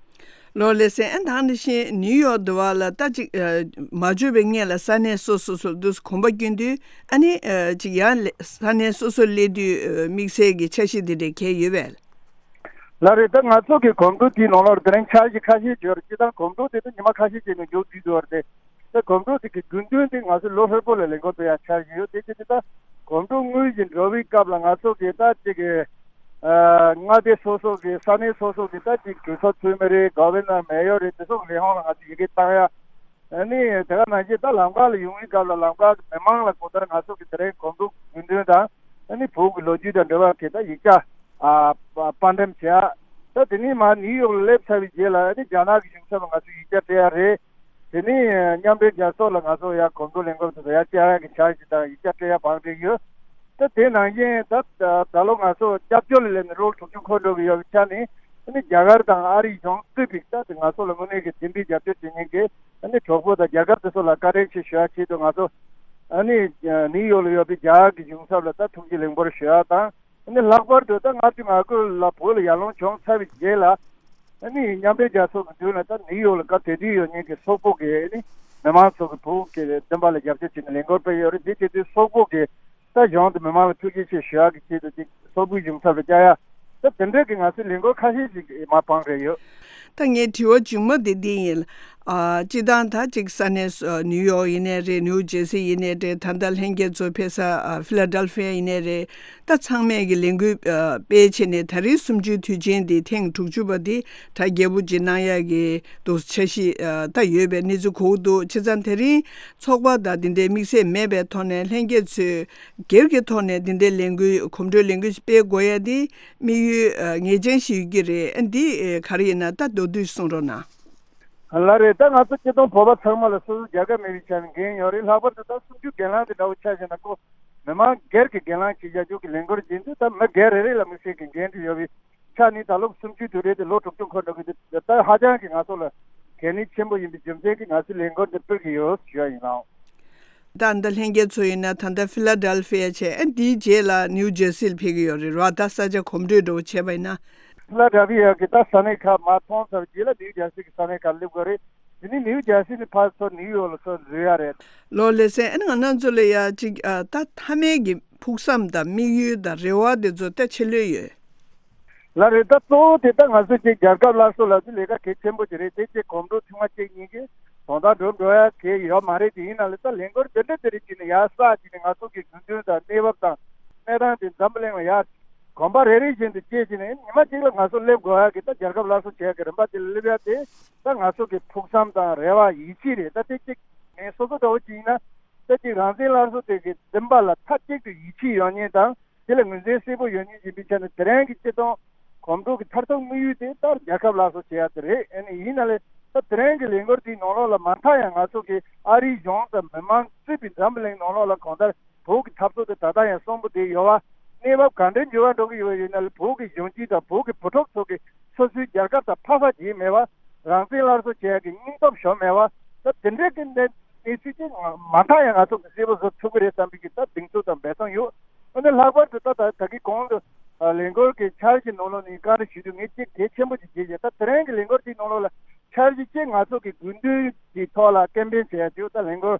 ལགས་སེ། ཨ་ད་ནི་ཤེས་ནིའུ་ཡོག་འདི་བ་ལ་ད་ཅིག་ཨ་མ་འབྱོར་བའི་སྔོན་ལ་ས་གནས་སོ་སོ་སོ་དུས་གོམ་པ་བསྐྱོན་དུས་ཨ་ནི་ཨ་ཅིག་ཡང་ལ་ས་གནས་སོ་སོ་སླེབས་དུས་ཨ་དམིགས་བསལ་གྱི་འཆར་གཞི་འདི་འདྲ་གང་ཡོད་པས། ལགས་རེད། ད་ང་ཚོ་གི་གོམ་བགྲོད་དེའི་ནང་ལོགས་དེ་རིང་འཆར་གཞི་ཁ་ཤས་ཡོད་རེད། སྤྱིར་བཏང་གོམ་བགྲོད་དེ་ད་ཉི་མ་ཁ་ཤས་ཅིག་ནས་མཇུག་སྒྲིལ་འགྲོ་བ་རེད། ད་གོམ་བགྲོད་དེ་གི་དགོས་འདུན་དེ་ང་ཚོ་ལོ་ཧྲིལ་པོ་ལ་ལས་འགུལ་སྤེལ་ཡ་འཆར་གཞི་ཡོད། དེ་བྱས་ཏེ་ད་གོམ་བགྲོད་དངོས་གཞི་འགྲོ་བའི་སྐབས་ལ་ང་ཚོ་གི་ད་ཅིག་གི་ཨ་མངའ་སྡེ་སོ་སོ་གི་ས་གནས་སོ་སོ་གི་ད་ཅིག་གྲོས་ཚོགས་འཐུས་མི་རེད། གོ་ཝི་ནར་མེ་ཡོར་རེད། དེ་ཚོ་གི་ལས་ཁུངས་ལ་ང་ཚོ་ཡི་གེ་བཏང་ཡ། ཨ་ནི་དེ་ག་ནང་བཞིན་ད་ལམ་ཁ་ལ་ཡོང་བའི་སྐབས་ལ་ལམ་ཁ་གི་མི་མང་ལ་གང་ལྟར་ང་ཚོ་གི་དེ་རིང་གོམ་བགྲོད་དགོས་འདུན་དང་ཨ་ནི་བོད་ཀྱི་ལོ་རྒྱུས་དང་འབྲེལ་བ་གི་ད་ཡིག་ཆ་ཨ་པ་དཔར་འགྲེམས་བྱས། ད་དེ་ནས་མར་ནིའུ་ཡོག་ལ་སླེབས་ཚར་བའི་རྗེས་ལ་ཨ་ནི་རྒྱ་ནག་གི་གཞུང་ཚབ་ལ་ང་ཚོས་ཡིག་ཆ་སྤྲད་ཡ་རེད། དེ་ནས་མཉམ་འབྲེལ་རྒྱལ་ཚོགས་ལ་ང་ཚོ་ཡར་གོམ་བགྲོད་ལས་འགུལ་དེ་ཚོ་ཡར་བཅར་ཡ་གི་འཆར་གཞི་དང་ཡིག་ཆ་སྤྲད་ཡ་བང་སྒྲིག་ཡོད། ད་དེ་ནང་བཞིན་ད་ད་ལོ་ང་ཚོ་སྐྱབས་བཅོལ་ལ་སླེབས་ནས་ལོ་དྲུག་ཅུ་འཁོར་འགྲོ་གི་ཡོད་པའི་ཆ་ནས་ཨ་ནི་རྒྱ་གར་དང་ཨ་རི་གཞུང་གཙོས་པའི་ད་དེ་ང་ཚོ་ལ་དངོས་གནས་ཀྱི་མཐུན་སྒྲིལ་རྒྱབ་སྐྱོར་བྱེད་མཁན་གྱི་ཨ་ནི་གྲོགས་པོ་དང་རྒྱལ་ཁབ་དེ་ཚོ་ལ་བཀའ་དྲིན་ཆེ་ཞུ་ཡ་ཆེད་དུ་ང་ཚོ་ཨ་ནི་ནིའུ་ཡོག་ལ་ཡོད་པའི་རྒྱ་གར་གྱི་གཞུང་ཚབ་ལ་ད་ཐུགས་རྗེ་ལེགས་འབུལ་ཞུ་ཡ་དང་། ཨ་ནི་ལྷག་པར་དུ་ད་ལྔ་བཅུ་ང་དགུ་ལ་བོད་ལ་ཡར་ལངས་བྱུང་ཚར་བའི་རྗེས་ལ་ཨ་ནི་མཉམ་འབྲེལ་རྒྱལ་ཚོགས་ཀྱི་མདུན་ལ་ད་ནིའུ་ཡོག་ལ་སྐབས་དེ་དུས་ཡོད་མཁན་གྱི་སོག་པོ་གི་ཨ་ནི་མི་མང་ཚོ་གི་བོད་ཀྱི་བདེན་པ་ལ་རྒྱབ་སྐྱོར་བྱས་ནས་ལས་འགུལ་སྤེལ་ཡོད་རེད། འདི་བྱེད་དུས་སོག་པོ་གི་ད་གཞུང་དུ་མི་མང་ལ་ཐུགས་རྗེ་ཆེ་ཞུ་ཡག་གི་ཆེད་དུ་ཅིག་སོག་པོའི་གཞུང་ཚབ་ལ་བཅར་ཡ། ད་དེ་འདྲ་གི་ང་ཚོའི་ལས་འགུལ་ཁ་ཤས་ཤིག་མར་སྤང་རེད་ཡོད། ད་ངའི་དྲི་བ་མཇུག་མ་དེ་འདི་ཡིན། ཨ། སྤྱི་བཏང་ད་ཅིག་ས་གནས་སུ་ནིའུ་ཡོག་ཡིན་ནའི་རེད། ནིའུ་ཇེར་སི་ཡིན་ནའི་རེད། ད་ལྟ་ལྷན་རྒྱས་ཚོ་ཕེབས་ས་ཨ་ཕི་ལ་ཌེལ་ཕི་ཡ་ཡིན་ནའི་རེད། ད་ཚང་མས་ཀྱི་ལས་འགུལ་ཨ་སྤེལ་བྱས་ནས་ད་རེས་གསུམ་བཅུའི་དུས་ཆེན་འདི་ཐེངས་དྲུག་ཅུ་པ་འདི་གྲ་རྒྱས་པོ་ཅིག་གནང་ཡག་གི་འདུག་འཆར་གཞི་ཨ་ད་ཡོད་པའི་གནས་ཚུལ་གོ་གི་འདུག་བྱས་ཙང་དེ་རིང་ཚོགས་པ་དང་འདི་འདྲའི་དམིགས་བསལ་མེད་པའི་ཐོག་ནས་ལྷན་རྒྱས་ཚོས་སྒེར་གྱི་ཐོག་ནས་འདི་འདྲའི་ལས་འགུལ་གོམ་བགྲོད་ལས་འགུལ་སྤེལ་དགོས་ཡ་འདི་དམིགས་ཡུལ་ཨ་ངེས་ཅན་ཞིག་ཡོད་ཀྱི་རེད། ཨ་འདི་ཨ་ག་རེ་ཡིན་ན་ད་མདོར་བསྡུས་གསུང་རོགས་གནང་། ལགས་རེད། ད་ང་ཚོ་སྤྱི་བཏང་བོད་པ་ཚང་མ་ལ་སོ་སོ་རྒྱལ་ཁབ་མེད་པའི་ཆ་ནས་འགན་ཡོད་རེད། ལྷག་པར་དུ་ད་གསུམ་བཅུ་སྒེར་ལངས་དེ་འདྲ་བོ་ཆ་བཞག་ན་ཁོ་མི་མང་སྒེར་གྱི་སྒེར་ལངས་བྱེད་བྱ་རྒྱུ་གི་ལས་འགུལ་ཡིན་དུས། ད་མི་སྒེར་རེ་རེ་ལ་དམིགས་བསལ་གྱི་འགན་འཁྲི་ཡོད་པའི་ཆ་ནས་ད་ལོ་གསུམ་བཅུའི་དུས་རེད་དེ་ལོ་དྲུག་ཅུ་འཁོར་འགྲོ་གི་འདུག་ད་ཧ་ཅང་གི་ང་ཚོ་ལ་གལ་གནད་ཆེན་པོ་ཡིན་པའི་རྒྱུ་མཚན་གྱིས་ང་ཚོས་ལས་འགུལ་འདི་སྤེལ་གྱི་ཡོད་ཞུ་ཡ་ཡིན་ནའང་། ད་ལྟ་ལྷན་རྒྱས་ཚོ་ཡིན་ན་ད་ལྟ་ཕི་ལ་ཌེལ་ཕི་ཡ་བྱས། ཨ་འདིའི་རྗེས་ལ་ནིའུ་ཇེར་སི་ལ་ཕེབས་ཀྱི་ཡོད་རེད་ར། ད་ས་ཆ་གོམ་བགྲོད་འདྲ་བོ་བྱས་པ་ཡིན་ན། ཕི་ལ་ཌེལ་ཕི་ཡ་གི་ད་ས་གནས་ཁག་མར་མཐོང་ཚར་རྗེས་ལ་ནིའུ་ཇེར་སི་གི་ས་གནས་ཁག་སླེབས་དགོས་རེད། དེ་ནས་ནིའུ་ཇེར་སི་ནས་ཕར་ཚུར་ནིའུ་ཡོག་ལ་ཚུར་འཛུལ་ཡ་རེད། ལགས་ལགས་སེ། ཨ་ནི་ང་རང་ཚོ་ལ་ཡ་ཅིག་ཨ་ད་མཐའ་མའི་གི་ཕུགས་བསམ་དང་དམིགས་ཡུལ་དང་རེ་བ་དེ་ཚོ་ད་ཆེ་ལོས་ཡོད། ལགས་རེད། ད་གཙོ་བོ་དེ་ད་ང་ཚོ་ཅིག་རྒྱལ་ཁབ་སླར་གསོ་ལ་ཅིག་ལས་ཀ་གལ་ཆེན་པོ་ཅིག་རེད། དེ་ཅིག་གོམ་བགྲོད་ཐེངས་མ་གཅིག་གཉིས་ཀྱིས་དོན་དག་འགྲུབ་འགྲོ་ཡ་གལ་ཡོད་མ་རེད། དེ་ཡིན་ན་ལས་ད་ལས་འགུལ་འདི་འདྲ་དེ་རིགས་ཅིག་ནས་ཡར་བསགས་ཅིག་ནས་ང་ཚོ་གི་དགོས་འདུན་དང་གནས་བབ་དང་གནས་སྟངས་དེ་འཛམ་བུ་གླིང་ལ་ཡར་གོམ་པ་རེ་རེ་བཞིན་དུ་བཅད་ཅིག་ནས་ཉི་མ་གཅིག་ལ་ང་ཚོ་སླེབས་དགོས་ཡ་གི་ད་རྒྱལ་ཁབ་སླར་གསོ་བྱེད་ཡ་གི་རིམ་པ་དེ་ལ་སླེབས་ཡ་དེ་ད་ང་ཚོ་གི་ཕུགས་བསམ་དང་རེ་བ་ཡིད་ཆེས་རེད། ད་དེ་གཅིག་ངས་སོ་སོ་འདྲ་བོ་ཅིག་ཡིན་ན་ད་ཅིག་རང་བཙན་སླར་གསོ་དེ་གི་འདུན་པ་ལ་མཐའ་གཅིག་ཏུ་ཡིད་ཆེས་ཡོད་མཁན་དང་། དེ་ལ་ངོས་འཛིན་གསལ་པོ་ཡོད་མཁན་ཡིན་པའི་ཆ་ནས་དེ་རིང་གི་སྤྱི་བཏང་གོམ་བགྲོད་ཀྱི་མཐར་ཐུག་དམིགས་ཡུལ་དེ་ལྟར་རྒྱལ་ཁབ་སླར་གསོ་བྱེད་ཡ་དེ་རེད། ཨ་ནི་ཡིན་ན་ལས་ད་དེ་རིང་གི་ལས་འགུལ་དེའི་ནང་ལོགས་ལ་མ་མཐའ་ཡང་ང་ཚོ་གི་ཨ་རིའི་གཞུང་དང་མི་མང་གཙོས་པའི་འཛམ་བུ་གླིང་ནང་ལོགས་ལ་གང་ལྟར་བོད་ཀྱི་འཐབ་རྩོད་དེ་ད་ལྟ་ཡང་གསོན་པོ་བསྡད་ཡོད་པ། གནས་བབ་ག་འདྲའི་འགྱུར་བ་འགྲོ་གི་ཡོད་པ་ཡིན་ན་ལས་བོད་ཀྱི་གཞོན་སྐྱེས་དང་བོད་ཀྱི་བུ་ཕྲུག་ཚོ་གི་སོ་སོའི་རྒྱལ་ཁབ་དང་ཕ་ས་རྗེས་མེད་པ་རང་བཙན་སླར་གསོ་བྱེད་ཡ་གི་སྙིང་སྟོབས་ཞོམ་མེད་པ། ད་དེ་འདྲའི་གི་གནས་གནས་ཚུལ་ཅིག་མ་མཐའ་ཡང་ང་ཚོ་གི་གསལ་པོ་བཟོ་ཐུབ་ཀྱི་རེད་བསམ་པའི་གི་ད་གདེང་ཚོད་དང་འབད་བརྩོན་ཡོད། འོ་ན་ལྷག་པར་དུ་ད་ད་ད་གི་གོང་དུ་ལས་འགུལ་གྱི་འཆར་གཞི་ནང་ལོགས་ནས་བཀའ་འདྲི་ཞུ་དུས་ངས་གཅིག་གལ་ཆེན་པོ་ཅིག་བརྗོད་བྱས། ད་དེ་རིང་གི་ལས་འགུལ་དེའི་ནང་ལོགས་ལ་འཆར་གཞི་གཅིག་ང་ཚོ་གི་དགོས་འདུན་གྱི་ཐོག་ལ་ཀེམ་པེན་བྱེད་ཡ་ཅིག་ད་ལས་འགུལ་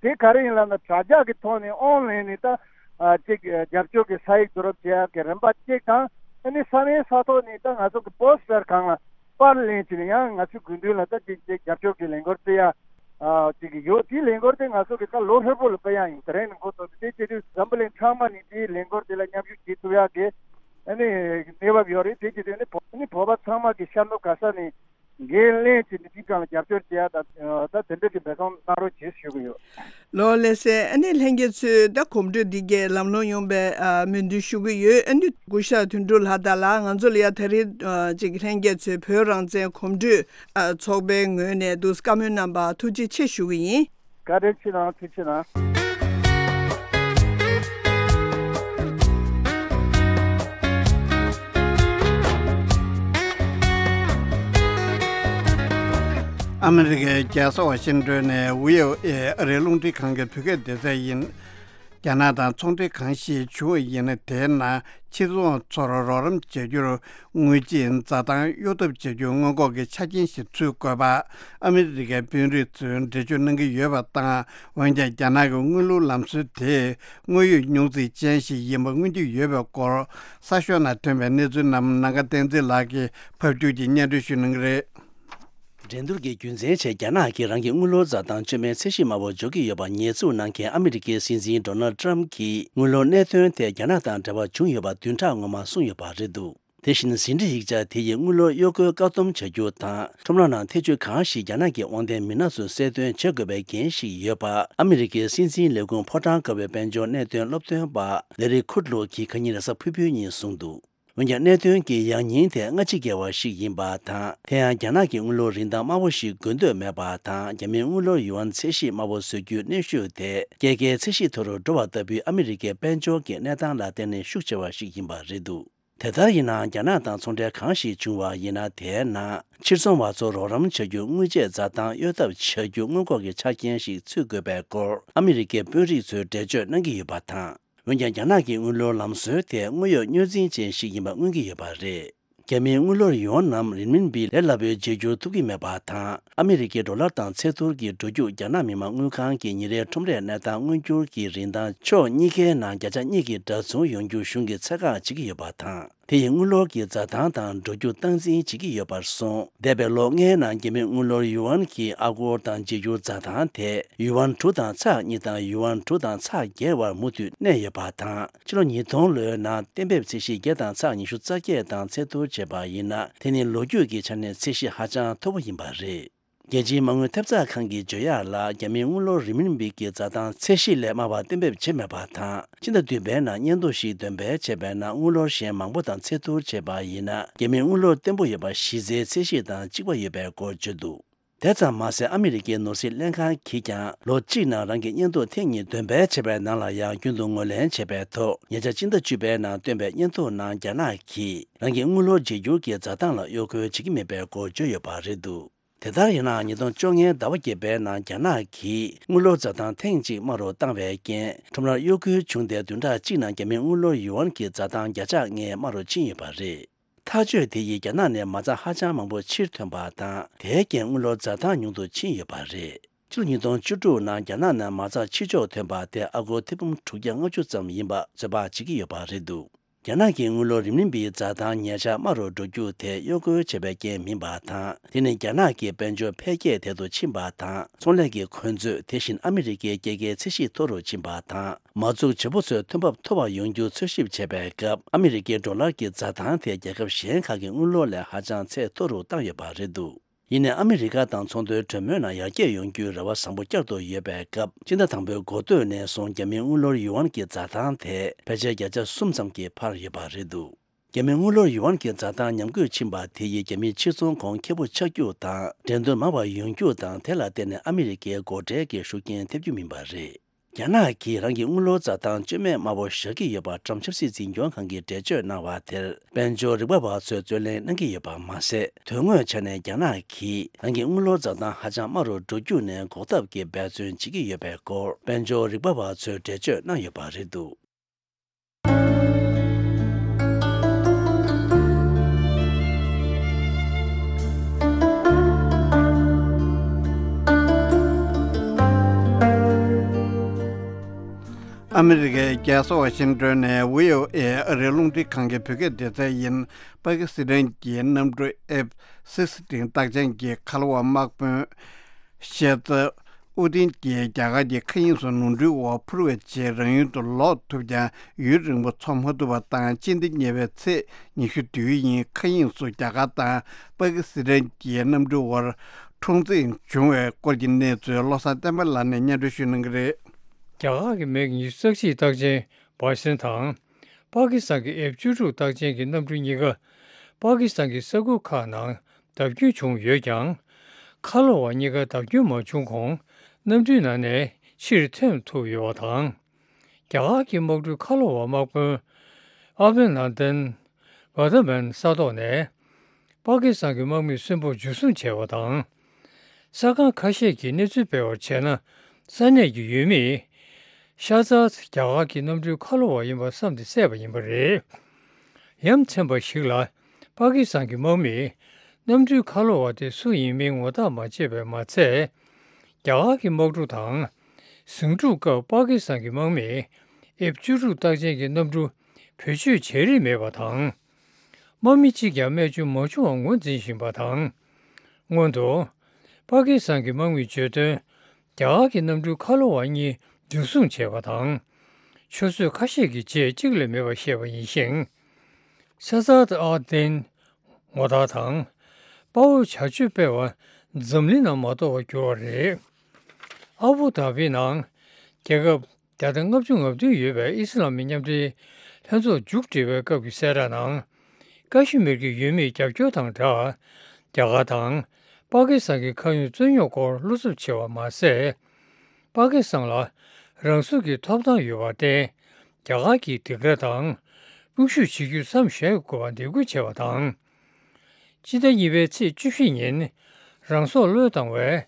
དེ་ག་རེ་ཡིན་ལབ་ན་དྲ་རྒྱ་གི་ཐོག་ནས་ཨོན་ལན་ནས་ད་ཨ་གཅིག་རྒྱབ་སྐྱོར་གྱི་ས་ཡིག་བསྡུ་རུབ་བྱེད་ཡ་གི་རིམ་པ་གཅིག་དང་། ཨ་ནི་ས་གནས་ས་ཐོག་ནས་ད་ང་ཚོ་གི་པོ་སི་ཊར་སྒང་ལ་པར་ལེན་བྱས་ནས་ཡང་ང་ཚོའི་དགོས་འདུན་ལ་ད་ཅིག་ཅིག་རྒྱབ་སྐྱོར་གྱི་ལས་འགུལ་སྤེལ་ཡ་ཨ་ཅིག་ཡོད། དེའི་ལས་འགུལ་དེ་ང་ཚོ་གི་ད་ལོ་ཧྲིལ་པོ་ལ་སྤེལ་ཡ་ཡིན། དེ་རིང་ནས་འགོ་བཙུགས་ཏེ་དེ་བྱེད་དུས་འཛམ་བུ་གླིང་ཚང་མ་ནས་དེའི་ལས་འགུལ་དེ་ལ་མཉམ་ཞུགས་བྱེད་ཐུབ་ཡ་གི་ཨ་ནི་གནས་བབ་ཡོད་རེད། དེ་བྱེད་དུས་ཨ་ནི་བོ་ཨ་ནི་བོད་པ་ཚང་མ་གི་ཤར་ནུབ་ག་ས་ནས་འགན་ལེན་བྱས་ནས་དེའི་སྒང་ལ་རྒྱབ་སྐྱོར་བྱེད་ཡ་ད་ད་དེ་འདྲ་གི་འབད་བརྩོན་གནང་རོགས་བྱེད་ཞུ་གི་ཡོད། ལགས་ལགས་སེ། ཨ་ནི་ལྷན་རྒྱས་ཚོས་ད་གོམ་བགྲོད་འདི་གའི་ལམ་ལྷོང་ཡོང་བའི་ཨ་སྨོན་འདུན་ཞུ་གི་ཡོད། ཨ་ནི་སྐུ་ཞབས་དོན་གྲུབ་ལགས་དང་ལགས་ང་ཚོ་ལ་ཡ་ད་རེས་ཨ་ཅིག་ལྷན་རྒྱས་ཚོས་བོད་རང་བཙན་གོམ་བགྲོད་ཨ་ཚོགས་པའི་ངོས་ནས་འདུག་བཀའ་མོལ་གནང་བར་ཐུགས་རྗེ་ཆེ་ཞུ་གི་ཡིན། བཀའ་དྲིན་ཆེ་གནང་། ཐུགས་རྗེ་ཆེ་གནང་། ཨ་མི་རི་ཀའི་རྒྱལ་ས་ཝ་ཤིང་ཏོན་ནས་བྷི་ཨོ་ཨེ་ཨ་རིའི་རླུང་འཕྲིན་ཁང་གི་བོད་སྐད་སྡེ་ཚན་ཡིན། རྒྱ་ནག་དང་ཚོང་འབྲེལ་གང་ཞིག་བྱུང་བ་ཡིན་ན། དེའི་ནང་ཕྱིར་ཚོང་ཚོར་རོགས་རམ་བྱ་རྒྱུར་དངུལ་ཆད་འཛའ་ཐང་གཡོལ་ཐབས་བྱ་རྒྱུའི་སྔོན་འགོག་གི་ཆ་རྐྱེན་ཞིག་ཚུད་དགོས་པ། ཨ་མི་རི་ཀའི་དཔོན་རིགས་ཚོས་འགྲེལ་བརྗོད་གནང་གི་ཡོད་པ་དང་། འོན་ཀྱང་རྒྱ་ནག་གི་དངུལ་ལོར་ལམ་སྲོལ་དེ་དངོས་ཡོད་རྙོག་འཛིང་ཅན་ཞིག་ཡིན་པ་མངོན་གྱི་ཡོད་པའི་སྐོར། གསར་ཤོག་ནང་ཐོན་པའི་གནས་ཚུལ་རྣམས་ནམ་མཁའ་བསྟན་འཛིན་ལགས་ཀྱིས་ཕབ་སྒྱུར་གྱིས་སྙན་སྒྲོན་ཞུ་གནང་གི་རེད། འགྲན་བསྡུར་གྱི་རྒྱུ་མཚན་ཆེད་རྒྱ་ནག་གིས་རང་གི་དངུལ་ལོར་འཛའ་ཐང་བཅོས་མའི་ཚད་གཞི་དམའ་བོ་འཇོག་གི་ཡོད་པ་ཉེས་འཛུགས་གནང་མཁན་ཨ་མི་རི་ཀའི་སྲིད་འཛིན་ཌོ་ནལ་ཊམ་གྱིས་དངུལ་ལོར་གནད་དོན་ཐད་རྒྱ་ནག་དང་འབྲེལ་བ་བྱུང་ཡོད་པ་བདུན་ཕྲག་སྔོན་མ་གསུངས་ཡོད་པ་རེད་འདུག་དེ་བཞིན་ཟིན་བྲིས་ཡིག་ཆ་དེ་ཡིས་དངུལ་ལོར་གཡོ་སྐོལ་བཀག་སྡོམ་བྱ་རྒྱུ་དང་། ཁྲོམ་ར་ནང་ཐེ་བྱུས་གང་ཞིག་རྒྱ་ནག་གི་དབང་ལྡན་མི་སྣ་ཚོས་གསལ་སྟོན་བྱེད་དགོས་པའི་འགན་ཞིག་ཡོད་པ། ཨ་མི་རི་ཀའི་སྲིད་འཛིན་ལས་ཁུངས་ཕོ་བྲང་དཀར་པོའི་དཔལ་འབྱོར་གནད་དོན་སློབ་སྟོན་པ་ལེ་རི་ཁུད་ལོ་གིས་ཁ་ཉིན་རེས་གཟའ་ཕུར་བུའི་ཉིན་གསུངས་འདུག་འོན་ཀྱང་གནད་དོན་གྱི་ཡང་སྙིང་དེ་སྔ་ཕྱི་འགལ་བ་ཞིག་ཡིན་པ་དང་། དེ་ཡང་རྒྱ་ནག་གི་དངུལ་ལོར་རིན་ཐང་དམའ་བོ་ཞིག་དགོས་འདོད་མེད་པ་དང་། རྒྱ་མིའི་དངུལ་ལོར་ཡུའན་ཚད་གཞི་དམའ་བོ་བཟོ་རྒྱུའི་གནོན་ཤུགས་དེ་རྒྱལ་ཁའི་ཚད་གཞི་མཐོ་རུ་འགྲོ་བ་ལྟ་བུའི་ཨ་མི་རི་ཀའི་དཔལ་འབྱོར་གྱི་གནས་སྟངས་ལ་བརྟེན་ནས་ཤུགས་ཆེ་བ་ཞིག་ཡིན་པ་རེད་འདུག་དེ་ལྟར་ཡིན་ནའང་རྒྱ་ནག་དང་ཚོང་འབྲེལ་གང་ཞིག་བྱུང་བ་ཡིན་ན། དེའི་ནང་ཕྱིར་ཚོང་བ་ཚོར་རོགས་རམ་བྱ་རྒྱུར་དངུལ་ཆད་འཛའ་ཐང་གཡོལ་ཐབས་བྱ་རྒྱུ་སྔོན་འགོག་གི་ཆ་རྐྱེན་ཞིག་ཚུད་དགོས་པའི་སྐོར་ཨ་མི་རི་ཀའི་དཔོན་རིགས་ཚོས་འགྲེལ་བརྗོད་གནང་གི་ཡོད་པ་དང་། འོན་ཀྱང་རྒྱ་ནག་གི་དངུལ་ལོར་ལམ་སྲོལ་དེ་དངོས་ཡོད་རྙོག་འཛིང་ཅན་ཞིག་ཡིན་པ་མངོན་གྱི་ཡོད་པ་རེད། རྒྱ་མིའི་དངུལ་ལོར་ཡུའན་ནམ་རིན་མིན་པི་ལས་སླ་པོའི་བརྗེ་བསྒྱུར་ཐུབ་ཀྱི་མེད་པ་དང་། ཨ་མི་རི་ཀའི་ཌོ་ལར་དང་ཚད་ཐུར་གྱི་འགྲོ་རྒྱུག་རྒྱ་ནག་མི་དམངས་དངུལ་ཁང་གི་ཉིན་རེའི་ཁྲོམ་རའི་གནས་སྟངས་མངོན་འགྱུར་གྱི་རིན་ཐང་ཕྱོགས་གཉིས་ཀའི་ནང་བརྒྱ་ཆ་གཉིས་ཀྱི་འདྲ་མཚུངས་ཡོང་རྒྱུ་གཞུང་གིས་ཚད་བཀག་བྱེད་ཀྱི་ཡོད་པ་དང་། དེ་ཡིས་དངུལ་ལོར་གྱི་འཛའ་ཐང་དང་འགྲོ་རྒྱུ་སྟངས་འཛིན་བྱེད་ཀྱི་ཡོད་པར་གསུངས། འདས་པའི་ལོ་ལྔའི་ནང་རྒྱ་མིའི་དངུལ་ལོར་ཡུ་ཨན་གྱི་ཨ་སྒོར་དང་བརྗེ་སྒྱུར་འཛའ་ཐང་དེ་ཡུ་ཨན་དྲུག་དང་ཚེག་གཉིས་དང་ཡུ་ཨན་དྲུག་དང་ཚེག་བརྒྱད་བར་མུ་མཐུད་གནས་ཡོད་པ་དང་། ཕྱི་ལོ་ཉིས་སྟོང་ལོའི་ནང་གཏན་འབེབས་ཚད་གཞི་བརྒྱ་དང་ཚེག་ཉི་ཤུ་རྩ་བརྒྱད་དང་ཚད་བསྡུར་བྱས་པ་ཡིན་ན། དེ་ནི་ལོ་རྒྱུས་ཀྱི་ཆ་ནས་ཚད་གཞི་ཧ་ཅང་མཐོ་པོ་ཡིན་པ་རེད། རྒྱལ་སྤྱིའི་མ་དངུལ་ཐེབས་རྩ་ཁང་གིས་བརྗོད་ཡག་ལ། རྒྱ་མིའི་དངུལ་ལོར་རི་མིན་བི་གི་འཛའ་ཐང་ཚད་གཞི་ལས་དམའ་བ་གཏན་འབེབས་བྱས་མེད་པ་དང་། སྤྱི་ཟླ་བདུན་པའི་ནང་སྙན་ཐོ་ཞིག་འདོན་སྤེལ་བྱས་པའི་ནང་། དངུལ་ལོར་གཞན་མང་པོ་དང་ཚད་བསྡུར་བྱས་པ་ཡིན་ན། རྒྱ་མིའི་དངུལ་ལོར་བརྟན་པོ་ཡོད་པ་གཞི་རྩའི་ཚད་གཞི་དང་གཅིག་པ་ཡོད་པའི་སྐོར་བརྗོད་འདུག་དེ་ཙམ་མ་ཟད། ཨ་མི་རི་ཀའི་ནོར་སྲིད་ལྷན་ཁང་གིས་ཀྱང་ལོ་གཅིག་ནང་རང་གི་སྙན་ཐོ་ཐེངས་གཉིས་འདོན་སྤེལ་བྱས་པའི་ནང་ལ་ཡང་། རྒྱུན་དུ་ངོས་ལེན་བྱས་པའི་ཐོག་ཉེ་ཆར་སྤྱི་ཟླ་བཅུ་པའི་ནང་བཏོན་པའི་སྙན་ཐོ་ནང་། རྒྱ་ནག་གིས་རང་གི་དངུལ་ལོར་བརྗེ་སྒྱུར་གྱི་འཛའ་ཐང་ལ་གཡོ་སྐོལ་བྱེད་ཀྱི་མེད་པའི་སྐོར་བརྗོད་ཡོད་པ་རེད་འདུག་དེ་ལྟར་ཡིན་ནའང་། ཉིས་སྟོང་བཅོ་ལྔའི་ཟླ་བ་བརྒྱད་པའི་ནང་རྒྱ་ནག་གིས་དངུལ་ལོར་འཛའ་ཐང་ཐེངས་གཅིག་དམའ་རུ་བཏང་བའི་རྐྱེན། ཁྲོམ་རར་གཡོ་འགུལ་བྱུང་སྟེ། བདུན་ཕྲག་གཅིག་ནང་རྒྱ་མིའི་དངུལ་ལོར་ཡུ་ཨན་གྱི་འཛའ་ཐང་བརྒྱ་ཆ་ལྔའི་དམའ་རུ་ཕྱིན་ཡོད་པ་རེད། ཐག་གཅོད་དེ་ཡིས་རྒྱ་ནག་ནས་མ་རྩ་ཧ་ཅང་མང་པོ་ཕྱིར་ཐོན་པ་དང་། དེའི་རྐྱེན་དངུལ་ལོར་འཛའ་ཐང་ཉུང་དུ་ཕྱིན་ཡོད་པ་རེད། ཕྱི་ལོ་ཉིས་སྟོང་བཅུ་དྲུག་ནང་རྒྱ་ནག་ནས་མ་རྩ་ཕྱིར་འཇོག་ཐོན་པ་དེ་ཨ་སྒོར་ཐེར་འབུམ་དྲུག་བརྒྱ་ལྔ་བཅུ་ཙམ་ཡིན་པ་ཚོད་དཔག་བྱེད་ཀྱི་ཡོད་པ་རེད་འདུག་རྒྱ་ནག་གི་དངུལ་ལོར་རི་མིན་པིའི་འཛའ་ཐང་ཉེ་ཆར་དམའ་རུ་འགྲོ་རྒྱུ་དེ་གཡོ་སྐོལ་བྱས་པའི་རྐྱེན་མིན་པ་དང་། དེ་ནི་རྒྱ་ནག་གི་དཔལ་འབྱོར་འཕེལ་རྒྱས་དལ་དུ་ཕྱིན་པ་དང་། ཚོང་ལས་ཀྱི་འཁོན་རྩོད། དེ་བཞིན་ཨ་མི་རི་ཀའི་སྐྱེད་ཀའི་ཚད་གཞི་མཐོ་རུ་ཕྱིན་པ་དང་། མ་འཛུགས་བྱེད་པོ་ཚོས་ཐོན་འབབ་མཐོ་བ་ཡོང་རྒྱུ་འཚོལ་ཞིབ་བྱས་པའི་སྐབས། ཨ་མི་རི་ཀའི་ཌོ་ལར་གྱི་འཛའ་ཐང་དེ་རྒྱལ་ཁབ་གཞན་ཁག་གི་དངུལ་ལོར་ལས་ཧ་ཅང་ཚད་མཐོ་རུ་བཏང་ཡོད་པ་རེད་འདུག་ཡིན་ནའི། ཨ་མི་རི་ཀ་དང་ཚོང་དོན་གྲོས་མོལ་ནང་ཡར་རྒྱས་ཡོང་རྒྱུའི་རེ་བ་བཟང་པོ་བསྐྱར་དུ་ཡོད་པའི་སྐབས། སྤྱི་ཟླ་དང་པོའི་འགོ་སྟོད་ནས་བཟུང་རྒྱ་མིའི་དངུལ་ལོར་ཡུ་ཨན་གྱི་འཛའ་ཐང་དེ་ཕལ་ཆེར་བརྒྱ་ཆ་གསུམ་ཙམ་གྱིས་འཕར་ཡོད་པ་རེད་འདུག་རྒྱ་མིའི་དངུལ་ལོར་ཡུ་ཨན་གྱི་འཛའ་ཐང་ཉམས་རྒུད་ཕྱིན་པ་དེ་ཡིས་རྒྱ་མིའི་ཕྱིར་ཚོང་གོང་ཁེ་པོ་ཆགས་རྒྱུ་དང་། འགྲན་བསྡུར་མང་བ་ཡོང་རྒྱུ་དང་། དེ་ལ་བརྟེན་ནས་ཨ་མི་རི་ཀའི་སྒོ་ཁྲལ་གྱི་ཤུགས་རྐྱེན་ཐེབས་རྒྱུ་མིན་པ་རེད། རྒྱ་ནག་གིས་རང་གི་དངུལ་ལོར་འཛའ་ཐང་སྤྱོད་མེད་དམའ་བོ་བཞག་གི་ཡོད་པ་ཊམ་ཆབ་སྲིད་འཛིན་སྐྱོང་ཁང་གིས་འགྲེལ་བརྗོད་གནང་བ་དེར། དཔལ་འབྱོར་རིག་པ་བ་ཚོས་རྩོད་གླེང་གནང་གི་ཡོད་པ་མ་ཟད། དོན་དངོས་ཆ་ནས་རྒྱ་ནག་གིས་རང་གི་དངུལ་ལོར་འཛའ་ཐང་ཧ་ཅང་དམའ་རུ་འགྲོ་རྒྱུ་ནས་འགོག་ཐབས་ཀྱི་འབད་བརྩོན་བྱེད་ཀྱི་ཡོད་པའི་སྐོར། དཔལ་འབྱོར་རིག་པ་བ་ཚོས་འགྲེལ་བརྗོད་གནང་ཡོད་པ་རེད་འདུག་ཨ་མི་རི་ཀའི་རྒྱལ་ས་ཝ་ཤིང་ཏོན་ནས་བྷི་ཨོ་ཨེ་ཨ་རིའི་རླུང་འཕྲིན་ཁང་གི་བོད་སྐད་སྡེ་ཚན་ཡིན། པ་ཀི་སི་ཐན་གྱི་གནམ་གྲུ་ཨེཕ་སིག་སི་ཊིན་རྟགས་ཅན་གྱི་ཁ་ལོ་བ་དམག་དཔོན་ཤེ་ཛ་ཨུ་དིན་གྱིས་རྒྱ་གར་གྱི་མཁའ་དབྱིངས་སུ་ནོར་འཁྲུལ་འོག་འཕུར་བའི་རྗེས་རང་ཡུལ་དུ་ལོག་ཐུབ་ཀྱང་། ཡུན་རིང་པོ་འཚོ་མ་ཐུབ་པ་དང་། སྤྱི་ཟླ་གཉིས་པའི་ཚེས་ཉི་ཤུ་དུས་ཡུན། མཁའ་དབྱིངས་སུ་རྒྱ་གར་དང་པ་ཀི་སི་ཐན་གྱི་གནམ་གྲུའི་དབར་འཁྲུག་འཛིང་བྱུང་བའི་སྐོར་གྱི་གནས་ཚུལ་བློ་བཟང་བསྟན་པ་ལགས་ནས་སྙན་སྒྲོན་ཞུ་གནང་གི་རེད། རྒྱ་གར་གྱི་མིག་ཉི་ཤུ་རྩ་གཅིག་རྟགས་ཅན་བྷ་སན་དང་། པ་ཀི་སི་ཐན་གྱི་ཨེཕ་བཅུ་དྲུག་རྟགས་ཅན་གྱི་གནམ་གྲུ་གཉིས་ཀ་པ་ཀི་སི་ཐན་གྱི་ས་ཁུལ་ཁག་ནང་བརྡབ་སྐྱོན་བྱུང་ཡོད་ཀྱང་། ཁ་ལོ་བ་གཉིས་ཀ་བརྡབ་སྐྱོན་མ་བྱུང་གོང་གནམ་གྲུའི་ནང་ནས་ཕྱིར་ཐོན་ཐུབ་ཡོད་པ་དང་། རྒྱ་གར་གྱི་དམག་གྲུའི་ཁ་ལོ་བ་དམག་དཔོན་ཨ་བྷི་ནན་དན་བར་དྷ་མན་ས་ཐོག་ནས་པ་ཀི་སི་ཐན་གྱི་དམག་མིའི་གསོན་པོ་འཇུ་བཟུང་བྱས་པ་དང་། གསར་ཁང་ཁ་ཤས་ཀྱིས་གནས་ཚུལ་སྤེལ་བར་བྱས་ན། ས་གནས་ཀྱི་ཡུལ་མིས་ཤ་ཛ་རྒྱ་གར་གྱི་གནམ་གྲུའི་ཁ་ལོ་བ་ཡིན་པ་བསམ་སྟེ་བསད་པ་ཡིན་པ་རེད། ཡ་མཚན་པ་ཞིག་ལ། པ་ཀི་སི་ཐན་གྱི་དམག་མིས་གནམ་གྲུའི་ཁ་ལོ་བ་དེ་སུ་ཡིན་མིན་ངོ་ཐག་མ་ཆོད་པས་མ་ཚད། རྒྱ་གར་གྱི་དམག་གྲུ་དང་ཟིང་འཁྲུག་སྐབས་པ་ཀི་སི་ཐན་གྱི་དམག་མིས་ཨེཕ་བཅུ་དྲུག་རྟགས་ཅན་གྱི་གནམ་གྲུ་བེད་སྤྱོད་བྱེད་རིན་མེད་པ་དང་། དམག་མི་གཅིག་ཀྱང་རྨས་སྐྱོན་མ་བྱུང་བ་ངོས་འཛིན་བཞིན་པ་དང་། སྔོན་དུ། པ་ཀི་སི་ཐན་གྱི་དམག་མིས་བརྗོད་དོན། རྒྱ་གར་གྱི་གནམ་གྲུའི་ཁ་ལོ་བ་གཉིས་འཇུ་བཟུང་བྱས་པ་དང་། ཆུ་ཚོད་ཁ་ཤས་ཀྱི་རྗེས་གཅིག་ལས་མེད་པར་བཤད་པ་ཡིན་ཞིང་། ས་ཛ་ཨ་དིན་ངོ་ཐག་དང་། པའོ་བྱ་སྤྱོད་སྤེལ་བ་འཛམ་གླིང་ནང་མ་གཏོགས་པར་གྱུར་བ་རེད། ཨ་བུ་དྷ་བི་ནང་རྒྱལ་ཁབ་བརྒྱ་དང་ལྔ་བཅུ་ང་བདུན་ཡོད་པའི་ཨི་སི་ལམ་མི་མཉམ་འབྲེལ་ལྷན་ཚོགས་མཇུག་སྒྲིལ་བའི་སྐབས་ཀྱི་གསལ་བསྒྲགས་ནང་། ཀ་ཤི་མིར་གྱི་ཡུལ་མིའི་རྒྱབ་སྐྱོར་དང་སྦྲགས། རྒྱ་གར་དང་པ་ཀི་སི་ཐན་གྱི་ཁ་གཡོག་རྩོད་རྙོག་སྐོར་བློ་འཚབ་ཆེ་བ་མ་ཟད། པ་ཀི་སི་ཐན་ལ་རང་སྲུང་གི་ཐོབ་ཐང་ཡོད་པར་བརྟེན། རྒྱ་གར་གྱིས་སྡིགས་ར་དང་དབུལ་ཞུགས་བྱེད་རྒྱུ་མཚམས་བཞག་དགོས་པར་འདེད་སྐུལ་བྱས་པ་དང་། སྤྱི་ཟླ་གཉིས་པའི་ཚེས་བཅུ་བཞི་ཉིན་རང་སྲོག་བློས་བཏང་བའི།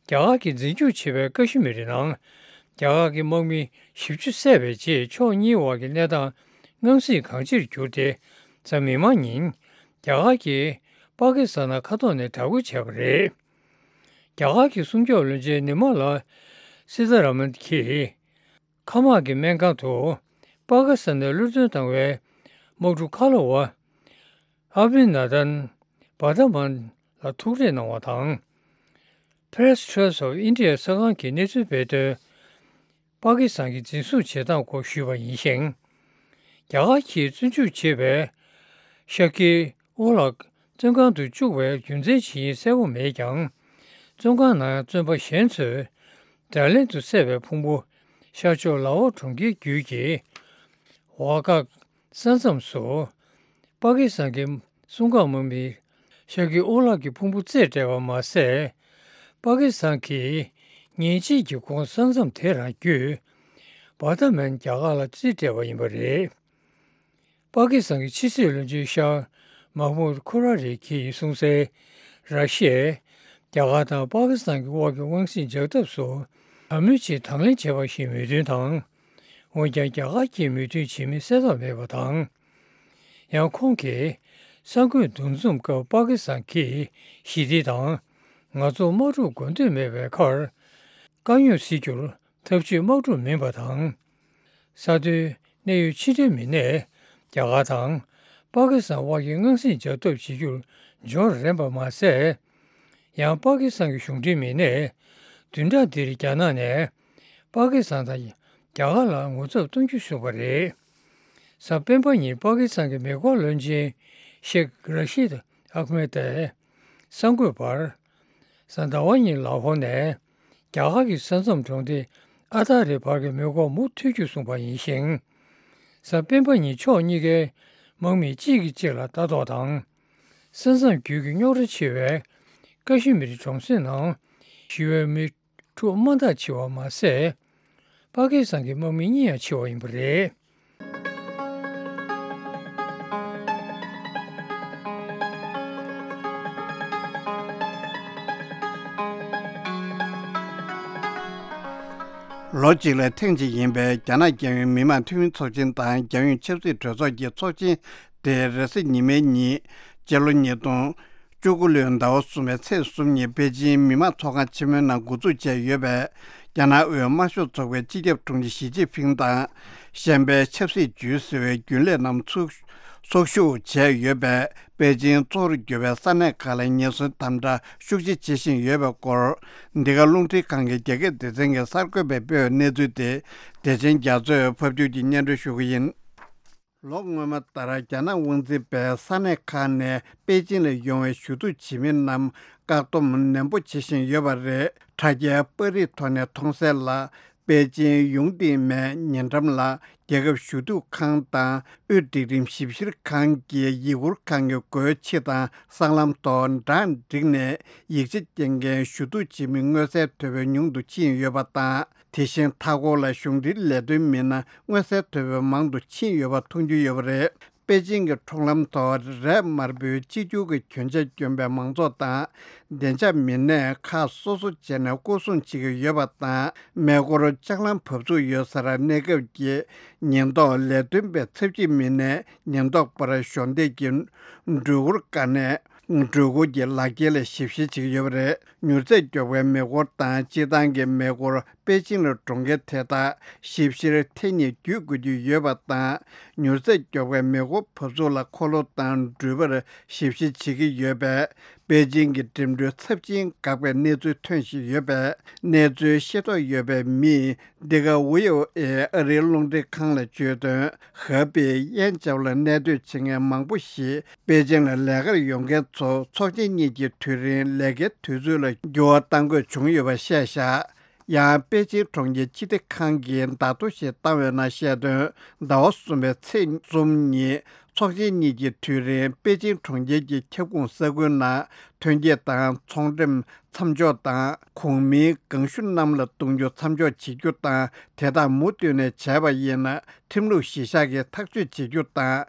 རྒྱ་གར་གྱིས་འཛིན་སྐྱོང་བྱེད་པའི་ཀ་ཤི་མིར་ནང་། རྒྱ་གར་གྱི་དམག་མི་བཞི་བཅུ་བསད་པའི་རྗེས། ཕྱོགས་གཉིས་དབར་གྱི་གནས་སྟངས་དངངས་སྲིད་གང་ཆེར་གྱུར་ཏེ། གཟའ་མིག་དམར་ཉིན། རྒྱ་གར་གྱིས་པ་ཀི་སི་ཐན་ནང་མཁའ་ཐོག་ནས་དྲག་རྒོལ་བྱས་པ་རེད། རྒྱ་གར་གྱི་སྲུང་སྐྱོབ་བློན་ཆེན་ནི་མ་ལ་སི་ཐ་ར་མན་གྱིས། མཁའ་དམག་གི་སྨན་ཁང་དུ། པ་ཀི་སི་ཐན་ནས་གློད་གྲོལ་བཏང་བའི། དམག་འཁྲུག་ཁ་ལོ་བ་ཨ་བྷི་ནན་དན་བྷར་དྷ་མན་ལ་ཐུག་འཕྲད་གནང་བ་དང་། Press Trust of India གསར་ཁང་གིས་གནས་ཚུལ་སྤེལ་དོན། པ་ཀི་སི་ཐན་གྱི་འཛིན་བཟུང་བྱེད་སྟངས་སྐོར་ཞུས་པ་ཡིན་ཞིང་། རྒྱ་གར་གྱིས་བཙོན་འཇུག་བྱས་པའི་ཤཱ་ཀི་ཨོ་ལགས་བཙོན་ཁང་དུ་བཅུག་པའི་རྒྱུ་མཚན་ཇི་ཡིན་གསལ་པོ་མེད་ཀྱང་། བཙོན་ཁང་ནང་བཙོན་པ་གཞན་ཚོས་ཌལ་ལན་དུ་བསད་པའི་ཕུང་པོ་ཤར་ཕྱོགས་ལ་ཧོར་གྲོང་ཁྱེར་བརྒྱུད་ཀྱི་ཝ་གྷག་ས་མཚམས་སུ། པ་ཀི་སི་ཐན་གྱི་གསུང་བཀའ་དམག་མིས་ཤཱ་ཀི་ཨོ་ལགས་ཀྱི་ཕུང་པོ་རྩིས་སྤྲད་པ་མ་ཟད། པ་ཀི་སི་ཐན་གྱིས་ཉིན་གཅིག་གི་གོང་ས་མཚམས་དེ་རང་བརྒྱུད། བྷར་དྷ་མན་རྒྱ་གར་ལ་རྩིས་སྤྲད་པ་ཡིན་པ་རེད། པ་ཀི་སི་ཐན་གྱི་ཕྱི་སྲིད་བློན་ཆེན་ཤཱ་མཱ་མུད་ཁུ་ར་རེ་གིས་གསུངས་གསལ། ར་ཤི་ཡས་རྒྱ་གར་དང་པ་ཀི་སི་ཐན་གྱི་དབར་གྱི་དབང་སྲིད་འཇགས་ཐབས་སུ་དྲག་གནོན་ཆེད་དང་ལེན་བྱས་པ་ཞིག་མོས་མཐུན་དང་། འོན་ཀྱང་རྒྱ་གར་གྱིས་མོས་མཐུན་བྱེད་མིན་གསལ་ཐག་མེད་པ་དང་། ཡང་ཁོང་གིས་གསར་འགོད་འདུ་འཛོམས་སྐབས་པ་ཀི་སི་ཐན་གྱིས་ཞི་བདེ་དང་ང་ཚོར་དམག་འཁྲུག་དགོས་འདོད་མེད་པའི་ཁར་དཀའ་རྙོག་སེལ་རྒྱུར་ཐབས་ཇུས་དམག་འཁྲུག་མིན་པ་དང་། ས་མཐོའི་གནད་ཡོད་ཕྱི་འབྲེལ་མི་སྣས་རྒྱ་གར་དང་པ་ཀི་སི་ཐན་དབར་གྱི་དབང་སྲིད་འཇགས་ཐབས་བྱེད་རྒྱུར་འབྱོར་རན་པ་མ་ཟད། ཡང་པ་ཀི་སི་ཐན་གྱི་གཞུང་འབྲེལ་མི་སྣས་བདུན་ཕྲག་འདིར་རྒྱ་ནག་ནས་པ་ཀི་སི་ཐན་དང་རྒྱ་གར་ལ་ངོ་ཚབ་གཏོང་རྒྱུ་གསུངས་པ་རེད། གཟའ་སྤེན་པ་ཉིན་པ་ཀི་སི་ཐན་གྱི་མེ་འཁོར་བློན་ཆེན་ཤེག་ར་ཤིད་ཨག་མེད་དེ་གསར་འགོད་པར། གཟའ་ཟླ་བ་ཉིན་ལ་ཧོར་ནས་རྒྱ་གར་གྱི་ས་མཚམས་གྲོང་སྡེ་ཨ་ཐ་རི་བར་གྱི་མེ་འཁོར་མུ་མཐུད་རྒྱུ་གསུངས་པ་ཡིན་ཞིང་། གཟའ་སྤེན་པ་ཉིན་ཕྱོགས་གཉིས་ཀའི་དམག་མི་གཅིག་གིས་གཅིག་ལ་ལྟ་རྟོག་དང་། ས་མཚམས་བརྒྱུད་ཀྱི་རྙོག་དྲ་ཆེ་བའི་ཀ་ཤི་མིར་གྲོང་གསེབ་ནང་ཞི་བའི་མི་ཕྲུག་དམའ་འཐག་ཆེ་བ་མ་ཟད། པ་ཀི་སི་ཐན་གྱི་དམག་མི་གཉིས་ཡང་ཆེ་བ་ཡིན་པ་རེད། ལོ་གཅིག་ལ་ཐེངས་གཅིག་ཡིན་པའི་རྒྱ་ནག་རྒྱལ་ཡོངས་མི་དམངས་འཐུས་མི་ཚོགས་ཆེན་དང་རྒྱལ་ཡོངས་ཆབ་སྲིད་གྲོས་ཚོགས་ཀྱི་ཚོགས་ཆེན་དེ་རེས་གཟའ་ཉི་མའི་ཉིན་སྤྱི་ལོ་ཉིས་སྟོང་བཅུ་དགུ་ལོའི་ཟླ་བ་གསུམ་པའི་ཚེས་གསུམ་ཉིན་པེ་ཅིང་མི་དམངས་ཚོགས་ཁང་ཆེན་མོའི་ནང་འགོ་འཛུགས་བྱས་ཡོད་པའི་རྒྱ་ནག་དབུས་དམར་ཤོག་ཚོགས་པའི་སྤྱི་ཁྱབ་དྲུང་ཆེ་ཞི་ཅིན་ཕིང་དང་། གཞན་པའི་ཆབ་སྲིད་ཇུས་ཟེར་བའི་རྒྱུན་ལས་རྣམས་ཚུགས་ཚོགས་ཞུགས་བྱས་ཡོད་པས། པེ་ཅིང་གཙོ་བོར་གྱུར་པའི་ས་གནས་ཁག་ལ་ཉེན་ཟོན་དམ་དྲག་ཤུགས་ཆེ་བྱེད་བཞིན་ཡོད་པའི་སྐོར། འདི་ག་རླུང་འཕྲིན་ཁང་གི་རྒྱ་སྐད་སྡེ་ཚན་གྱི་གསར་འགོད་པས་སྤེལ་བའི་གནས་ཚུལ་དེ། བདེ་ཆེན་རྒྱ་མཚོས་ཕབ་སྒྱུར་གྱིས་སྙན་སྒྲོན་ཞུ་གི་ཡིན། ལོ་སྔོན་མ་ལྟར་རྒྱ་ནག་དབང་འཛིན་པས་ས་གནས་ཁག་ནས་པེ་ཅིང་ལ་ཡོང་བའི་ཞུ་གཏུག་བྱེད་མི་རྣམས་བཀག་སྡོམ་ནན་པོ་བྱེད་བཞིན་ཡོད་པ་རེད། དྲ་རྒྱའི་པར་རིས་ཐོག་ནས་མཐོང་གསལ་ལ། པེ་ཅིང་ཡུང་ཏིང་མའེ་ཉེ་འགྲམ་ལ་རྒྱལ་ཁབ་ཞུ་གཏུག་ཁང་དང་དབུས་སྒྲིག་རིམ་ཞིབ་བཤེར་ཁང་གི་ཡིག་སྐུར་ཁང་གི་སྒོའི་ཕྱི་དང་སྲང་ལམ་ཐོག་འབྲང་བསྒྲིགས་ནས་ཡིག་ཆ་སྐྱེལ་མཁན་ཞུ་གཏུག་བྱེད་མི་མངོན་གསལ་དོད་པོས་ཉུང་དུ་ཕྱིན་ཡོད་པ་དང་། དེ་བཞིན་མཐའ་འཁོར་ལ་གཞུང་འབྲེལ་ལས་དོན་མི་སྣ་མངོན་གསལ་དོད་པོས་མང་དུ་ཕྱིན་ཡོད་པ་མཐོང་རྒྱུ་ཡོད་པ་རེད། པེ་ཅིང་གི་འཁྲུངས་ལམ་ཐོག་རས་དམར་པོའི་གཅིག་གྱུར་གྱི་གྱོན་ཆས་གྱོན་པའི་མང་ཚོགས་དང་བདེ་འཇགས་མི་སྣས་ཁག་སོ་སོ་བྱས་ནས་སྐོར་སྲུང་བྱེད་ཀྱི་ཡོད་པ་དང་། མེ་འཁོར་ལྕགས་ལམ་བབས་ཚུགས་ཡོད་སར་གནས་སྐབས་ཀྱི་ཉེན་རྟོག་ལས་དོན་པའི་ཚབ་ཆེ་མི་སྣས་ཉེན་རྟོག་པར་གཞོགས་འདེགས་ཀྱིས་སྒྲོལ་སྒོར་བཀག་ནས། སྒྲོལ་སྒོ་གི་ལག་ཁྱེར་ལ་ཞིབ་བཤེར་བྱེད་ཀྱི་ཡོད་པ་རེད། མྱུར་ཚད་མགྱོགས་པའི་མེ་འཁོར་དང་སྤྱིར་བཏང་གི་མེ་འཁོར་པེ་ཅིང་ལ་འགྲོ་མཁན་དེ་དག་ཞིབ་བཤེར་ཐེངས་གཉིས་བརྒྱུད་དགོས་ཀྱི་ཡོད་པ་དང་། མྱུར་ཚད་མགྱོགས་པའི་མེ་འཁོར་བབས་ཚུགས་ལ་འཁོར་ལོ་དང་འགྲུལ་པར་ཞིབ་བཤེར་བྱེད་ཀྱི་ཡོད་པས། པེ་ཅིང་གི་འགྲིམ་འགྲུལ་ཚབས་ཆེན་འགག་པའི་གནས་ཚུལ་ཐོན་བཞིན་ཡོད་པས། གནས་ཚུལ་ཤེས་རྟོགས་ཡོད་པའི་མིས། འདི་ག་ཝི་ཨོ་ཨེ་ཨ་རིའི་རླུང་འཕྲིན་ཁང་ལ་བརྗོད་དོན། ཧ་པེ་དབྱིན་ཇའོ་ལ་གནས་སྡོད་བྱེད་མཁན་མང་པོ་ཞིག་པེ་ཅིང་ལ་ལས་ཀར་ཡོང་མཁན་ཚོ་ཚོགས་ཆེན་གཉིས་ཀྱི་དུས་རིང་ལས་ཀའི་དུས་ཚོད་ལ་འགྱུར་བ་གཏང་དགོས་བྱུང་ཡོད་པ་བཤད་བཞག་ཡང་པེ་ཅིང་གྲོང་ཁྱེར་སྤྱི་བདེ་ཁང་གིས་བརྡ་ཐོ་ཞིག་བཏང་བའི་ནང་བཤད་དོན། ཟླ་བ་གསུམ་པའི་ཚེས་གསུམ་ཉིན་ཚོགས་ཆེན་གཉིས་ཀྱི་དུས་རིང་པེ་ཅིང་གྲོང་ཁྱེར་གྱི་ཁྱབ་ཁོངས་ས་ཁུལ་ནང་ཐོན་སྐྱེད་དང་ཚོང་འགྲེམས་མཚམས་འཇོག་དང་། གོང་མིའི་ཁང་ཤུལ་གནམ་ལ་གཏོང་རྒྱུ་མཚམས་འཇོག་བྱེད་རྒྱུ་དང་། དེ་དག་མུ་མཐུད་ནས་བྱས་པ་ཡིན་ན། ཁྲིམས་ལུགས་གཞིར་བཞག་གིས་ཐག་གཅོད་བྱེད་རྒྱུ་དང་།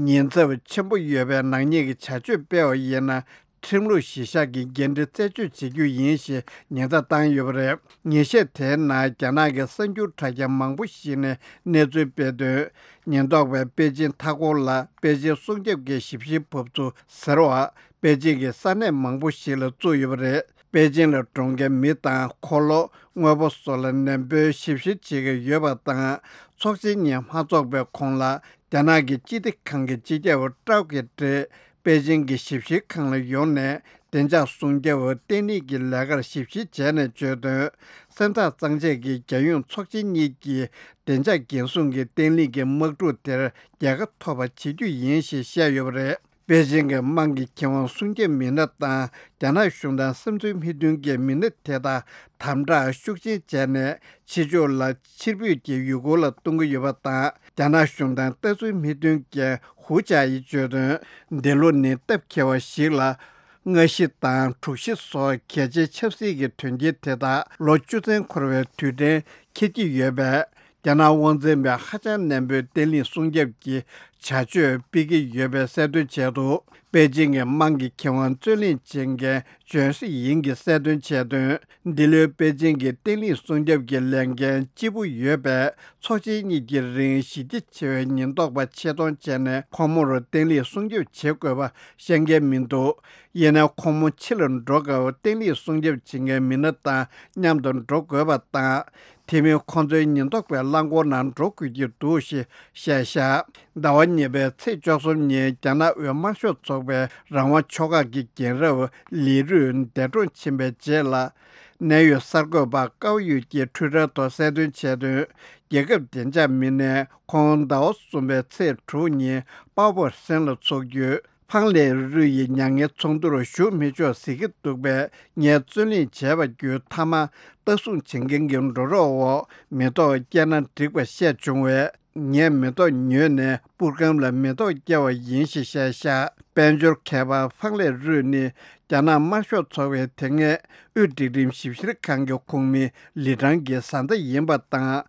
ཉེན་ཚབས་ཆེན་པོ་ཡོད་པའི་ནག་ཉེས་ཀྱི་བྱ་སྤྱོད་སྤེལ་བ་ཡིན་ན། ཁྲིམས་ལུགས་གཞིར་བཞག་གིས་འགན་འཁྲི་རྩད་གཅོད་བྱེད་རྒྱུ་ཡིན་ཞེས་ཉེན་བརྡ་བཏང་ཡོད་པ་རེད། ཉིན་ཤས་དེའི་ནང་རྒྱ་ནག་གི་གསར་འགྱུར་དྲ་རྒྱ་མང་པོ་ཞིག་ནས་གནས་ཚུལ་སྤེལ་དོན། ཉེན་རྟོག་པས་པེ་ཅིང་མཐའ་འཁོར་ལ་པེ་ཅིང་སྲུང་སྐྱོབ་ཀྱི་ཞིབ་བཤེར་བབས་ཚུགས་ཟེར་བ། པེ་ཅིང་གི་ས་གནས་མང་པོ་ཞིག་ལ་བཙུགས་ཡོད་པ་རེད། པེ་ཅིང་ལ་འགྲོ་མཁན་མི་དང་འཁོར་ལོ། དངོས་པོ་སོགས་ལ་ནན་པོས་ཞིབ་བཤེར་བྱེད་ཀྱི་ཡོད་པ་དང་། ཚོགས་ཆེན་གཉིས་མ་འཚོགས་པའི་གོང་ལ། རྒྱ་ནག་གི་སྤྱི་བདེ་ཁང་གི་སྤྱི་ཁྱབ་ཀྲའོ་ཀེ་ཀྲེ་པེ་ཅིང་གི་ཞིབ་བཤེར་ཁང་ལ་ཡོང་ནས། བདེ་འཇགས་སྲུང་སྐྱོབ་བརྟན་ལྷིང་གི་ལས་ཀར་ཞིབ་བཤེར་བྱས་ནས་བརྗོད་དོན། སེམས་ཐག་གཙང་བཅད་ཀྱིས་རྒྱལ་ཡོངས་ཚོགས་ཆེན་གཉིས་ཀྱི་བདེ་འཇགས་འགན་སྲུང་གི་བརྟན་ལྷིང་གི་དམག་འཁྲུག་དེར་རྒྱལ་ཁ་ཐོབ་པ་བྱེད་རྒྱུ་ཡིན་ཞེས་བཤད་ཡོད་པ་རེད། པེ་ཅིང་གི་དམངས་ཀྱི་ཁེ་དབང་སྲུང་སྐྱོབ་མི་སྣ་དང་རྒྱ་ནག་གཞུང་དང་བསམ་ཚུལ་མི་མཐུན་གྱི་མི་སྣ་དེ་དག་དམ་དྲག་ཤུགས་ཆེན་བྱས་ནས། ཕྱི་ཕྱོགས་ལ་ཕྱིར་འབུད་ཀྱིས་ཡུལ་སྐོར་ལ་གཏོང་གི་ཡོད་པ་དང་། རྒྱ་ནག་གཞུང་དང་ལྟ་ཚུལ་མི་མཐུན་མཁན་ཧུའུ་ཅཱ་ཡིས་བརྗོད་དོན། འདི་ལོ་ནི་སྟབས་འཁེལ་བ་ཞིག་ལ། སྔ་ཕྱི་དང་དྲུག་ཕྱི་སོགས་གལ་ཆེའི་ཆབ་སྲིད་ཀྱི་དོན་རྐྱེན་དེ་དག་ལོ་བཅུ་ཚན་འཁོར་བའི་དུས་དྲན་འཁེལ་གྱི་ཡོད་པས། རྒྱ་ནག་དབང་འཛིན་པས་ཧ་ཅང་ནན་པོས་བརྟན་ལྷིང་སྲུང་སྐྱོབ་ཀྱི་བྱ་སྤྱོད་སྤེལ་གྱི་ཡོད་པའི་གསལ་སྟོན་བྱས་འདུག་པེ་ཅིང་གི་དམངས་ཀྱི་ཁེ་དབང་རྩོད་ལེན་བྱེད་མཁན་ཇོན་ཧྲི་ཡིང་གིས་གསལ་སྟོན་བྱས་དོན། འདི་ལོའི་པེ་ཅིང་གི་བརྟན་ལྷིང་སྲུང་སྐྱོབ་ཀྱི་ལས་འགན་ལྕི་པོ་ཡོད་པས། ཚོགས་ཆེན་གཉིས་ཀྱི་རིང་ཞི་བདེ་ཆེ་བའི་ཉེན་རྟོག་པ་ཆེད་གཏོང་བྱས་ནས། ཁོང་མོར་བརྟན་ལྷིང་སྲུང་སྐྱོབ་བྱེད་དགོས་པ་བཤད་མཁན་མི་འདུག་ཡིན་ནའི་ཁོང་མོ་ཕྱི་ལ་འགྲོ་སྐབས་བརྟན་ལྷིང་སྲུང་སྐྱོབ་བྱེད་མཁན་མི་སྣ་དང་མཉམ་དུ་འགྲོ་དགོས་པ་དང་། དེ་མིན་ཁོང་ཚོའི་ཉེན་རྟོག་པའི་རླངས་འཁོར་ནང་འགྲོ་དགོས་ཀྱི་འདུག་ཞེས་བཤད་བཞག་ཟླ་བ་གཉིས་པའི་ཚེས་བཅུ་གསུམ་ཉིན་རྒྱ་ནག་དབུས་དམར་ཤོག་ཚོགས་པའི་རང་དབང་ཕྱོགས་ཁག་གི་རྒན་རབས་ལི་རུས་འདས་གྲོངས་ཕྱིན་པའི་རྗེས་ལ། གནད་ཡོད་གསར་འགོད་པ་ཀའོ་ཡུས་ཀྱིས་ཊུའི་ཊར་ཐོག་གསལ་སྟོན་བྱས་དོན། རྒྱལ་ཁབ་བདེ་འཇགས་མི་སྣས་ཁོང་ཟླ་བ་གསུམ་པའི་ཚེས་དྲུག་ཉིན་པའོ་པོ་ཧྲེན་ལ་འཚོགས་རྒྱུའི་ཕང་ལེ་རུས་ཡི་མྱ་ངན་ཚོགས་འདུར་ཞུགས་མི་ཆོག་ཟེར་གྱི་འདུག་པས། ངས་རྩོད་གླེང་བྱས་པ་བརྒྱུད་མཐའ་མ་ལྟ་སྲུང་བྱེད་མཁན་གྱི་འགྲོ་གྲོགས་འོག་མེ་ཏོག་བཀལ་ན་འགྲིག་པ་བཤད་བྱུང་བས། ངས་མེ་ཏོག་ཉོས་ནས་པུར་སྒམ་ལ་མེ་ཏོག་བཀལ་བ་ཡིན་ཞེས་བཤད་བཞག་དཔལ་འབྱོར་མཁས་པ་ཕང་ལེ་རུས་ནི་རྒྱ་ནག་དམར་ཤོག་ཚོགས་པའི་དེ་སྔའི་དབུས་སྒྲིག་ཁྲིམས་ཞིབ་བཤེར་ཁང་གི་ཁོངས་མི་ལི་ཁྲང་གི་བཟའ་ཟླ་ཡིན་པ་དང་།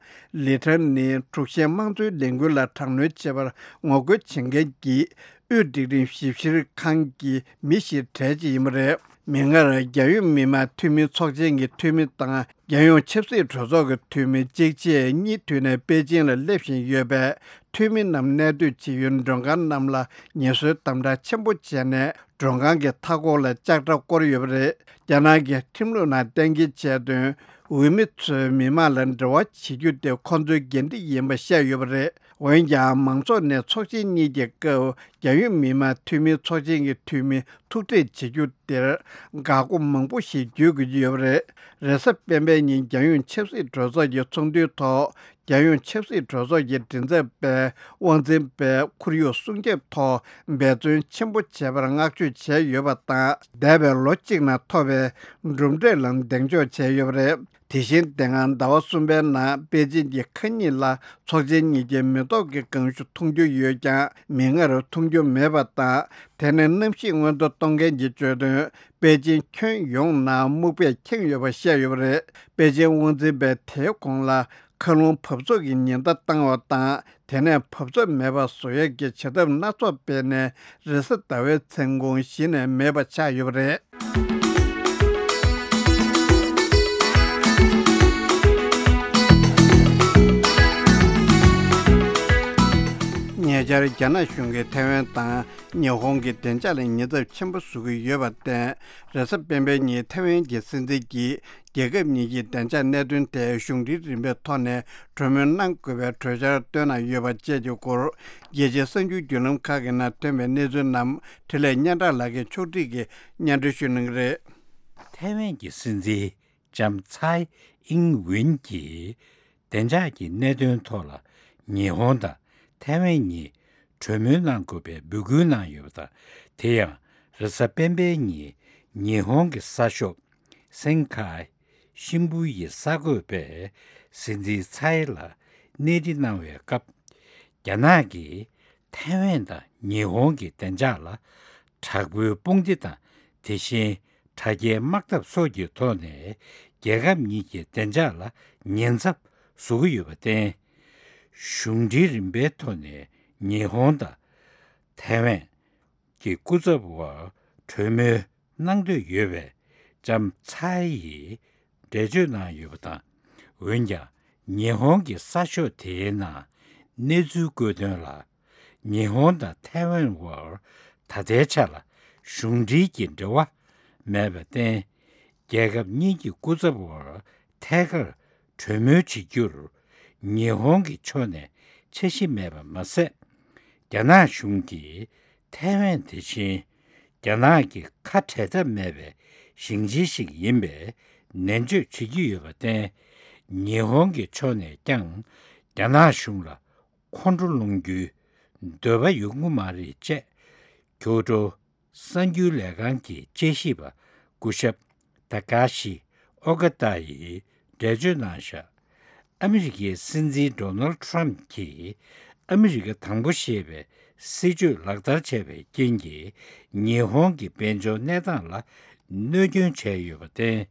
ལི་ཁྲང་ནི་དྲུག་བཞིའི་དམངས་གཙོའི་ལས་འགུལ་ལ་དྲག་གནོན་བྱེད་པར་ངོ་རྒོལ་བྱེད་མཁན་གྱི་དབུས་སྒྲིག་ཁྲིམས་ཞིབ་བཤེར་ཁང་གི་མི་ཞིག་གྲས་ཅིག་ཡིན་པ་རེད། མིག་སྔར་རྒྱལ་ཡོངས་མི་དམངས་འཐུས་མི་ཚོགས་ཆེན་གྱི་འཐུས་མི་དང་། རྒྱལ་ཡོངས་ཆབ་སྲིད་གྲོས་ཚོགས་ཀྱི་འཐུས་མི་གཅིག་རྗེས་གཉིས་མཐུད་ནས་པེ་ཅིང་ལ་སླེབས་བཞིན་ཡོད་པས། འཐུས་མི་རྣམས་གནས་སྡོད་བྱེད་ཡུལ་མགྲོན་ཁང་རྣམས་ལ་ངལ་གསོའི་དམ་དྲག་ཆེན་པོ་བྱས་ནས། མགྲོན་ཁང་གི་མཐའ་འཁོར་ལ་ལྕགས་དྲ་བསྐོར་ཡོད་པ་རེད། རྒྱ་ནག་གི་ཁྲིམས་ལུགས་ནང་གཏན་འཁེལ་བྱས་དོན། འོས་མི་ཚོས་མི་མང་ལ་འབྲེལ་བ་བྱེད་རྒྱུ་དེ་ཁོང་ཚོའི་འགན་འཁྲི་ཡིན་པ་བཤད་ཡོད་པ་རེད། འོན་ཀྱང་མང་ཚོགས་ནས་ཚོགས་ཆེན་གཉིས་ཀྱི་སྐབས་རྒྱལ་ཡོངས་མི་དམངས་འཐུས་མིའི་ཚོགས་ཆེན་གྱི་འཐུས་མི་ཐུག་འཕྲད་བྱེད་རྒྱུ་དེར་འགག་སྒོ་མང་པོ་ཞིག་བརྒྱུད་དགོས་ཀྱི་ཡོད་པ་རེད། རེས་གཟའ་སྤེན་པའི་ཉིན་རྒྱལ་ཡོངས་ཆབ་སྲིད་གྲོས་ཚོགས་ཀྱི་ཚོགས་འདུའི་ཐོག་རྒྱལ་ཡོངས་ཆབ་སྲིད་གྲོས་ཚོགས་ཀྱི་མགྲིན་ཚབ་པས་དབང་འཛིན་པས་ཁོར་ཡུག་སྲུང་སྐྱོབ་ཐོག་འབད་བརྩོན་ཆེན་པོ་བྱས་པར་བསྔགས་བརྗོད་བྱས་ཡོད་པ་དང་། འདས་པའི་ལོ་གཅིག་ནང་ཐོབ་པའི་གྲུབ་འབྲས་ལ་གདེང་འཇོག་བྱས་ཡོད་པ་རེད། དེ་བཞིན་དེ་སྔ་ཟླ་བ་གསུམ་པའི་ནང་པེ་ཅིན་གྱི་ཁ་ཉིན་ལ་ཚོགས་ཆེན་གཉིས་ཀྱི་མེ་ཏོག་གི་སྒང་ཤུ་མཐོང་རྒྱུ་ཡོད་ཀྱང་། མིག་སྔར་མཐོང་རྒྱུ་མེད་པ་དང་། དེ་ནི་གནམ་གཤིས་སྔོན་གཏོང་གཏོང་མཁན་གྱིས་བརྗོད་དོན། པེ་ཅིན་ཁྱོན་ཡོངས་ནང་སྨུག་པས་ཁེངས་ཡོད་པ་བཤད་ཡོད་པ་རེད། པེ་ཅིན་དབང་འཛིན་པས་དེའི་གོང་ལ་མཁའ་རླུང་འབབ་ཚུགས་ཀྱི་ཉེན་བརྡ་བཏང་བ་དང་། དེ་ནས་འབབ་ཚུགས་མེད་པ་བཟོ་ཡས་ཀྱི་བྱེད་ཐབས་སྣ་ཚོགས་སྤེལ་ནས། རེས་གཟའ་ཟླ་བའི་མཚན་གུང་གཞི་ནས་མེད་པ་ཆགས་ཡོད་པ་རེད། ཉེ་ཆར་རྒྱ་ནག་གཞུང་གིས་ཐའེ་ཝན་དང་ཉི་ཧོང་གི་བདེ་འཇགས་ལ་ཉེན་ཚབས་ཆེན་པོ་བཟོ་གི་ཡོད་པར་བརྟེན། རེས་གཟའ་སྤེན་པའི་ཉིན་ཐའེ་ཝན་གྱི་སྲིད་འཛིན་གྱིས་རྒྱལ་ཁབ་གཉིས་ཀྱི་བདེ་འཇགས་གནད་དོན་ཐད་གཞུང་འབྲེལ་རིམ་པའི་ཐོག་ནས་གྲོས་མོལ་གནང་དགོས་པའི་གྲོས་འཆར་བཏོན་གནང་ཡོད་པ་བཅས་ཀྱི་སྐོར། རྒྱལ་སྤྱིའི་གསར་འགྱུར་བརྒྱུད་ལམ་ཁག་གི་ནང་ཐོན་པའི་གནས་ཚུལ་རྣམས་འཕྲིན་ལས་སྙན་གྲགས་ལགས་ཀྱིས་ཕྱོགས་སྒྲིག་གིས་སྙན་སྒྲོན་ཞུ་གནང་གི་རེད། ཐའེ་ཝན་གྱི་སྲིད་འཛིན་ལྕམ་ཚའེ་ཨིང་ཝུན་གྱིས་བདེ་འཇགས་ཀྱི་གནད་དོན་ཐོག་ལ་ཉི་ཧོང་དང་ཐའེ་ཝན་གཉིས་གྲོས་མོལ་གནང་དགོས་པའི་འབོད་སྐུལ་གནང་ཡོད་པ་དང་། དེ་ཡང་རེས་གཟའ་སྤེན་པའི་ཉིན་ཉི་ཧོང་གི་གསར་ཤོག་སེན་ཁའེ་ཤིན་བུ་ཡི་གསར་འགོད་པས་སྲིད་འཛིན་ཚའེ་ལ་གནས་འདྲི་གནང་བའི་སྐབས། རྒྱ་ནག་གིས་ཐའེ་ཝན་དང་ཉི་ཧོང་གི་བདེ་འཇགས་ལ་དྲག་པོའི་དཔུང་སྡེ་དང་། དེ་བཞིན་དྲ་རྒྱའི་དམག་འཐབ་སོགས་ཀྱི་ཐོག་ནས་རྒྱལ་ཁབ་གཉིས་ཀྱི་བདེ་འཇགས་ལ་ཉེན་ཚབས་བཟོ་གི་ཡོད་པར་བརྟེན། གཞུང་འབྲེལ་རིམ་པའི་ཐོག་ནས་ཉི་ཧོང་དང་ཐའེ་ཝན་གྱི་སྐུ་ཚབ་དབར་གྲོས་མོལ་གནང་འདོད་ཡོད་པའི་ལྕམ་ཚའེ་ཡིས་འགྲེལ་བརྗོད་གནང་ཡོད་པ་དང་། འོན་ཀྱང་ཉི་ཧོང་གི་གསར་ཤོག་དེའི་ནང་གནས་ཚུལ་བཀོད་དོན་ལ། ཉི་ཧོང་དང་ཐའེ་ཝན་དབར་ད་ལྟའི་ཆ་ལ་གཞུང་འབྲེལ་གྱི་འབྲེལ་བ་མེད་པར་བརྟེན། རྒྱལ་ཁབ་གཉིས་ཀྱི་སྐུ་ཚབ་དབར་ཐད་ཀར་གྲོས་མོལ་བྱེད་རྒྱུར་ཉི་ཧོང་གི་ཕྱོགས་ནས་འཆར་གཞི་མེད་པ་མ་ཟད། རྒྱ་ནག་གཞུང་གིས་ཐའེ་ཝན་དེ་བཞིན་རྒྱ་ནག་གི་ཁ་བྲལ་ཐབས་མེད་པའི་ཞིང་ཆེན་ཞིག་ཡིན་པའི་ནན་བརྗོད་བྱེད་ཀྱི་ཡོད་པར་བརྟེན། ཉི་ཧོང་གི་ཕྱོགས་ནས་ཀྱང་རྒྱ་ནག་གཞུང་ལ་ཁོང་ཁྲོ་སློང་རྒྱུའི་འདོད་པ་ཡོང་གི་མ་རེད་ཅེས། ཁྱོ་ཀྲོའུ་གསར་འགྱུར་ལས་ཁང་གི་དཔྱད་ཞིབ་པ་སྐུ་ཞབས་ཏཱ་ཀ་ཤི་ཨོ་ཀ་ཏཱ་ཡིས་འགྲེལ་བརྗོད་གནང་བཞག་ཨ་མི་རི་ཀའི་སྲིད་འཛིན་ཌོ་ནལ་ཁྲམ་གྱིས་ཨ་མི་རི་ཀ་དང་པོ་ཞེས་པའི་སྲིད་བྱུས་ལག་བསྟར་བྱས་པའི་རྐྱེན་གྱིས་ཉི་ཧོང་གི་དཔལ་འབྱོར་གནས་སྟངས་ལ་གནོད་སྐྱོན་བྱས་ཡོད་པར་བརྟེན།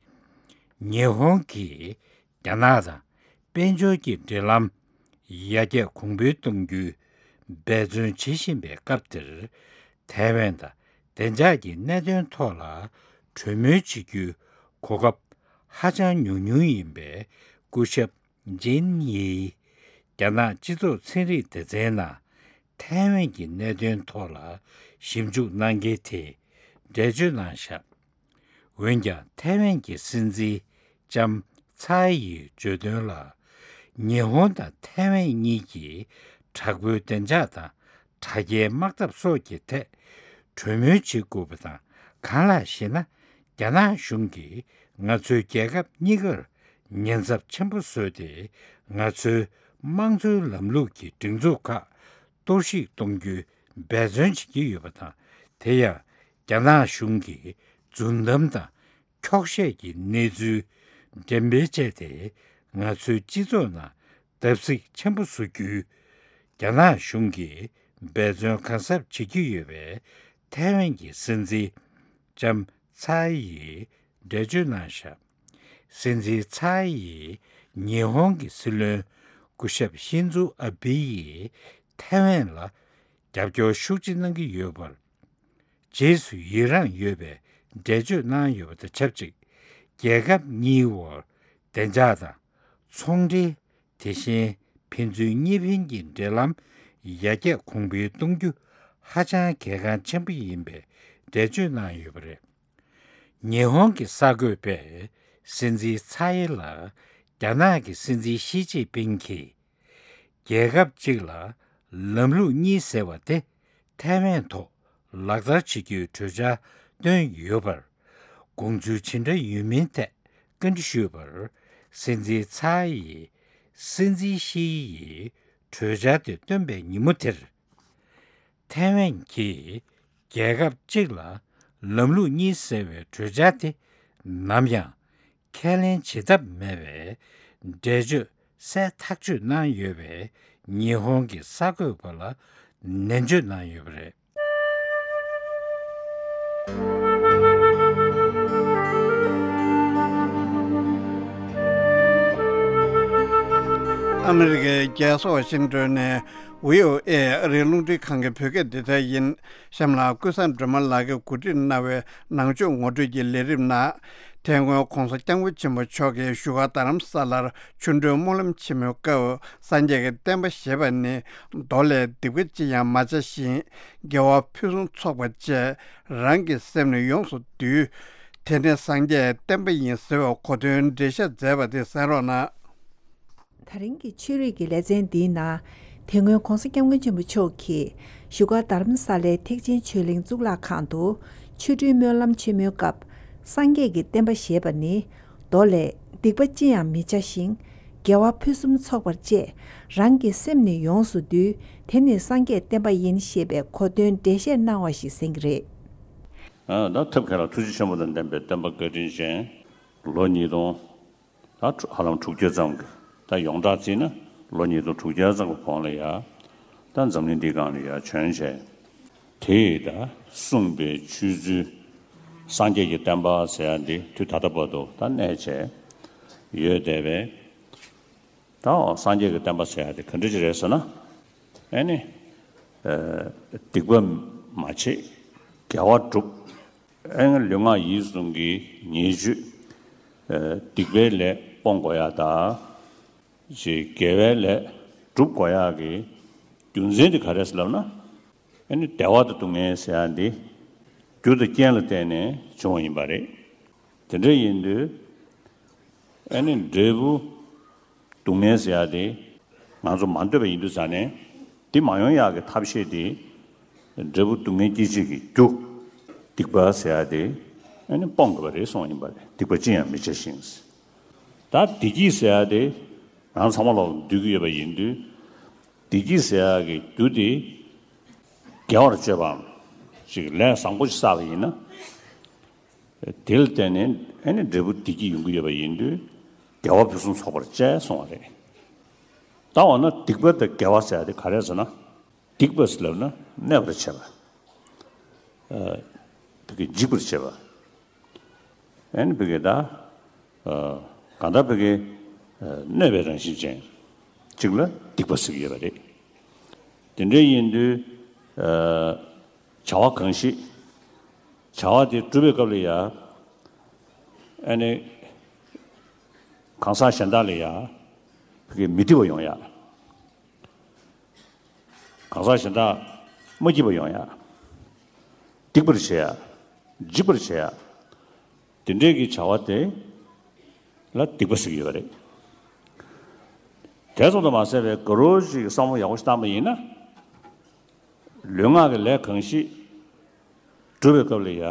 ཉི་ཧོང་གིས་རྒྱ་ནག་དང་དཔལ་འབྱོར་གྱི་འབྲེལ་ལམ་ཡར་རྒྱས་གོང་འཕེལ་གཏོང་རྒྱུའི་འབད་བརྩོན་བྱེད་བཞིན་པའི་སྐབས་འདིར། ཐའེ་ཝན་དང་བདེ་འཇགས་ཀྱི་གནད་དོན་ཐོག་ལ་གྲོས་མོལ་བྱེད་རྒྱུའི་གོ་སྐབས་ཧ་ཅང་ཉུང་ཉུང་ཡིན་པས། སྐུ་ཞབས་ཇིན་ཡིས་རྒྱ་ནག་སྤྱི་ཚོགས་ཚན་རིག་སྡེ་ཚན་ནང་ཐའེ་ཝན་གྱི་གནད་དོན་ཐོག་ལ་ཞིབ་འཇུག་གནང་མཁན་དེས་འགྲེལ་བརྗོད་གནང་བཞག་འོན་ཀྱང་ཐའེ་ཝན་གྱི་སྲིད་འཛིན་ལྕམ་ཚའེ་ཡིས་བརྗོད་དོན་ལ། ཉི་ཧོང་དང་ཐའེ་ཝན་གཉིས་ཀྱིས་དྲག་པོའི་བདེ་འཇགས་དང་དྲ་རྒྱའི་དམག་འཐབ་སོགས་ཀྱི་ཐད་གྲོས་མོལ་བྱེད་དགོས་པ་དང་། གང་ལགས་ཤེ་ན། རྒྱ་ནག་གཞུང་གིས་ང་ཚོའི་རྒྱལ་ཁབ་གཉིས་ཀར་ཉེན་ཚབས་ཆེན་པོ་བཟོས་ཏེ། ང་ཚོའི་དམངས་གཙོའི་ལམ་ལུགས་ཀྱི་སྒྲིག་འཛུགས་ཁག་གཏོར་བཤིག་གཏོང་རྒྱུའི་འབད་བརྩོན་བྱེད་ཀྱི་ཡོད་པ་དང་། དེ་ཡང་རྒྱ་ནག་གཞུང་གིས་རྫུན་གཏམ་དང་འཁྱོག་བཤད་ཀྱི་གནས་ཚུལ་འགྲེམས་སྤེལ་བྱས་ཏེ། ང་ཚོའི་སྤྱི་ཚོགས་ནང་བརྡབ་གསིག་ཆེན་པོ་བཟོ་རྒྱུའི་རྒྱ་ནག་གཞུང་གིས་འབད་བརྩོན་གང་གཟབ་བྱེད་ཀྱི་ཡོད་པས། ཐའེ་ཝན་གྱི་སྲིད་འཛིན་ལྕམ་ཚའེ་ཡིས་འགྲེལ་བརྗོད་གནང་བཞག་སྲིད་འཛིན་ཚའེ་ཡིས་ཉི་ཧོང་གི་སྲིད་བློན་སྐུ་ཞབས་ཤིན་ཛུ་ཨ་བྷི་ཡིས་ཐའེ་ཝན་ལ་རྒྱབ་སྐྱོར་ཤུགས་ཆེ་གནང་གི་ཡོད་པར་རྗེས་སུ་ཡི་རངས་ཡོད་པའི་འགྲེལ་བརྗོད་གནང་ཡོད་པ་དང་ཆབས་ཅིག་རྒྱལ་ཁབ་གཉིས་དབར་བདེ་འཇགས་དང་ཚོང་འབྲེལ། དེ་བཞིན་ཕན་ཚུན་གཉིས་ཕན་གྱི་འབྲེལ་ལམ་ཡར་རྒྱས་གོང་འཕེལ་གཏོང་རྒྱུ་ཧ་ཅང་གལ་འགངས་ཆེན་པོ་ཡིན་པའི་འགྲེལ་བརྗོད་གནང་ཡོད་པ་རེད། ཉི་ཧོང་གི་གསར་འགོད་པས་སྲིད་འཛིན་ཚའེ་ལ་རྒྱ་ནག་གི་སྲིད་འཛིན་ཞི་ཅིན་ཕིང་གིས། རྒྱལ་ཁབ་གཅིག་ལ་ལམ་ལུགས་གཉིས་ཟེར་བ་དེ་ཐའེ་ཝན་ཐོག་ལག་བསྟར་བྱེད་རྒྱུའི་གྲོས་འཆར་བཏོན་ཡོད་པར། དགོངས་ཚུལ་ཇི་འདྲ་ཡོད་མིན་ཐད་བཀའ་འདྲི་ཞུས་པར། སྲིད་འཛིན་ཚའེ་ཡིས་སྲིད་འཛིན་ཞི་ཡིས་གྲོས་འཆར་དེ་བཏོན་པའི་ཉིན་མོ་དེར། ཐའེ་ཝན་གྱིས་རྒྱལ་ཁབ་གཅིག་ལ་ལམ་ལུགས་གཉིས་ཟེར་བའི་གྲོས་འཆར་དེ་ནམ་ཡང་ཁས་ལེན་བྱེད་ཐབས་མེད་པའི་འགྲེལ་བརྗོད་གསལ་ཐག་ཆོད་གནང་ཡོད་པས། ཉི་ཧོང་གི་གསར་འགོད་པ་ལ་ནན་བརྗོད་གནང་ཡོད་པ་རེད། ཨ་མི་རི་ཀའི་རྒྱལ་ས་ཝ་ཤིང་ཏོན་ནས་བྷི་ཨོ་ཨེ་ཨ་རིའི་རླུང་འཕྲིན་ཁང་གི་བོད་སྐད་སྡེ་ཚན་ཡིན། གཤམ་ལ་ཀུན་བཟང་སྒྲོལ་མ་ལགས་ཀྱིས་གོ་སྒྲིག་གནང་བའི་ནང་ཆོས་ངོ་སྤྲོད་ཀྱི་ལས་རིམ་ནང་། དེ་སྔོན་༸གོང་ས་༸སྐྱབས་མགོན་ཆེན་པོ་མཆོག་གིས་བཞུགས་སྒར་རྡ་རམ་ས་ལར་ཆོ་འཕྲུལ་སྨོན་ལམ་ཆེན་མོའི་སྐབས། སངས་རྒྱས་ཀྱི་བསྟན་པ་ཞེས་པ་ནི། མདོ་ལས། སྡིག་པ་ཅི་ཡང་མ་བྱ་ཞིང་། དགེ་བ་ཕུན་སུམ་ཚོགས་པར་སྤྱད། རང་གི་སེམས་ནི་ཡོངས་སུ་འདུལ། དེ་ནི་སངས་རྒྱས་བསྟན་པ་ཡིན་ཟེར་བའི་གོ་དོན་འགྲེལ་བཤད་མཛད་པ་དེ་གསན་རོགས་གནང་། ད་རིང་གི་ཆོས་རིག་གི་ལེ་ཚན་འདིའི་ནང་། དེ་སྔོན་༸གོང་ས་༸སྐྱབས་མགོན་ཆེན་པོ་མཆོག་གིས་བཞུགས་སྒར་རྡ་རམ་ས་ལའི་ཐེག་ཆེན་ཆོས་གླིང་གཙུག་ལག་ཁང་དུ་ཆོ་འཕྲུལ་སྨོན་ལམ་ཆེན་མོའི་སྐབས། སངས་རྒྱས་ཀྱི་བསྟན་པ་ཞེས་པ་ནི། མདོ་ལས། སྡིག་པ་ཅི་ཡང་མི་བྱ་ཞིང་། དགེ་བ་ཕུན་སུམ་ཚོགས་པར་སྤྱད། རང་གི་སེམས་ནི་ཡོངས་སུ་འདུལ། དེ་ནི་སངས་རྒྱས་བསྟན་པ་ཡིན་ཞེས་པའི་གོ་དོན་འགྲེལ་བཤད་གནང་བ་ཞིག་གསན་གྱི་རེད། ཨ། ད་ཐབས་མཁས་ལ་ཐུགས་རྗེ་ཆེན་པོ་དང་ལྡན་པའི་སྟོན་པ་བཀའ་དྲིན་ཅན། ལོ་ཉིས་སྟོང་། ད་ཧ་ལམ་དྲུག་ཅུ་ཙམ་གྱི། ད་ཡོངས་གྲགས་བརྩིས་ན་ལོ་ཉིས་སྟོང་དྲུག་བརྒྱ་ཙམ་གྱི་གོང་ལ་ཡ། ད་འཛམ་གླིང་འདིའི་སྒང་ལ་ཡ་བྱོན་བྱས། དེས་ད་གསུངས་པའི་ཆོས་ཚུལ། སངས་རྒྱས་ཀྱི་བསྟན་པ་ཟེར་ཡ་འདི་དུས་ད་ལྟ་བར་དུ་ད་གནས་བྱས་ཡོད་བསྡད་པས། ད་སངས་རྒྱས་ཀྱི་བསྟན་པ་ཟེར་ཡ་དེ་ག་འདྲ་ཅིག་རེད་ཟེར་ན། ཨེ་ནི། ཨ། སྡིག་པ་མ་བྱེད། དགེ་བ་སྒྲུབ། ཨེ་ནི་ལུས་ངག་ཡིད་གསུམ་གྱི་ཉེས་སྤྱོད། ཨ། སྡིག་པའི་ལས་སྤོང་དགོས་ཡ་དང་། ཅིག་དགེ་བའི་ལས་སྒྲུབ་དགོས་ཡག་གི་རྒྱུ་མཚན་དེ་ག་རེ་ཟེར་ལབ་ན། ཨ་ནི་བདེ་བ་དང་སྡུག་བསྔལ་ཟེར་ཡག་འདི་རྒྱུ་དང་རྐྱེན་ལ་བརྟེན་ནས་བྱུང་བ་ཡིན་པ་རེད། དེ་འདྲ་ཡིན་དུས་ཨ་ནི་འབྲས་བུ་སྡུག་བསྔལ་ཟེར་ཡ་དེ་ང་ཚོ་མ་འདོད་པ་ཡིན་དུས་ཙང་ནས་དེ་མ་ཡོང་ཡག་གི་ཐབས་ཤེས་དེ་འབྲས་བུ་སྡུག་བསྔལ་སྐྱེད་བྱེད་ཀྱི་རྒྱུ་སྡིག་པ་ཟེར་ཡ་དེ་ཨ་ནི་སྤོང་དགོས་པ་རེད་གསུངས་ཡིན་པ་རེད། སྡིག་པ་ཅི་ཡང་མི་བྱ་ཞིང་། ད་བདེ་སྐྱིད་ཟེར་ཡ་དེ་རང་ཚང་མ་ལོག་འདོད་ཀྱི་ཡོད་པ་ཡིན་དུས་བདེ་སྐྱིད་ཟེར་ཡ་གི་རྒྱུ་དེ་དགེ་བར་སྤྱོད་པའམ་ཅིག་ལས་བཟང་པོ་ཞིག་བསགས་པ་ཡིན་ན། དེ་ལ་བརྟེན་ནས་ཨ་ནི་འབྲས་བུ་བདེ་སྐྱིད་ཡོང་གི་ཡོད་པ་ཡིན་དུས་དགེ་བ་ཕུན་སུམ་ཚོགས་པར་སྤྱད་གསུངས་པ་རེད། ད་འོ་ན་སྡིག་པ་དང་དགེ་བ་ཟེར་ཡ་དེ་ག་རེ་ཟེར་ན། སྡིག་པ་ཟེར་ལབ་ན་གནོད་པར་བྱེད་པ། ཨ། བི་གེ་འཇིགས་པར་བྱེད་པ། ཨ་ནི་བི་གེ་ད། ཨ། གང་ལྟར་བི་གེ་ཨ། གནོད་པའི་རང་བཞིན་ཅན་གཅིག་ལ་སྡིག་པ་ཟེར་གྱི་ཡོད་པ་རེད། དེ་འདྲ་ཡིན་དུས་ཨ། བྱ་བ་གང་ཞིག་བྱ་བ་དེ་སྒྲུབ་པའི་སྐབས་ལ་ཡ། ཨ་ནི། གང་ཟག་གཞན་དག་ལ་ཡ། བི་གེ་མི་སྡིག་པ་ཡོང་ཡ། གང་ཟག་གཞན་དག་མ་སྐྱིད་པ་ཡོང་ཡ། སྡིག་པར་བྱེད་ཡ། འཇིགས་པར་བྱེད་ཡ། དེ་འདྲའི་གི་བྱ་བ་དེ་ལ་སྡིག་པ་ཟེར་གྱི་ཡོད་པ་རེད། དེ་ཙམ་དུ་མ་ཟད་པའི་དགའ་རོགས་ཅིག་བསམ་བློ་ཡག་པོ་ཞིག་བཏང་པ་ཡིན་ན། ལུས་ངག་གི་ལས་གང་ཞིག་སྒྲུབ་པའི་སྐབས་ལ་ཡ།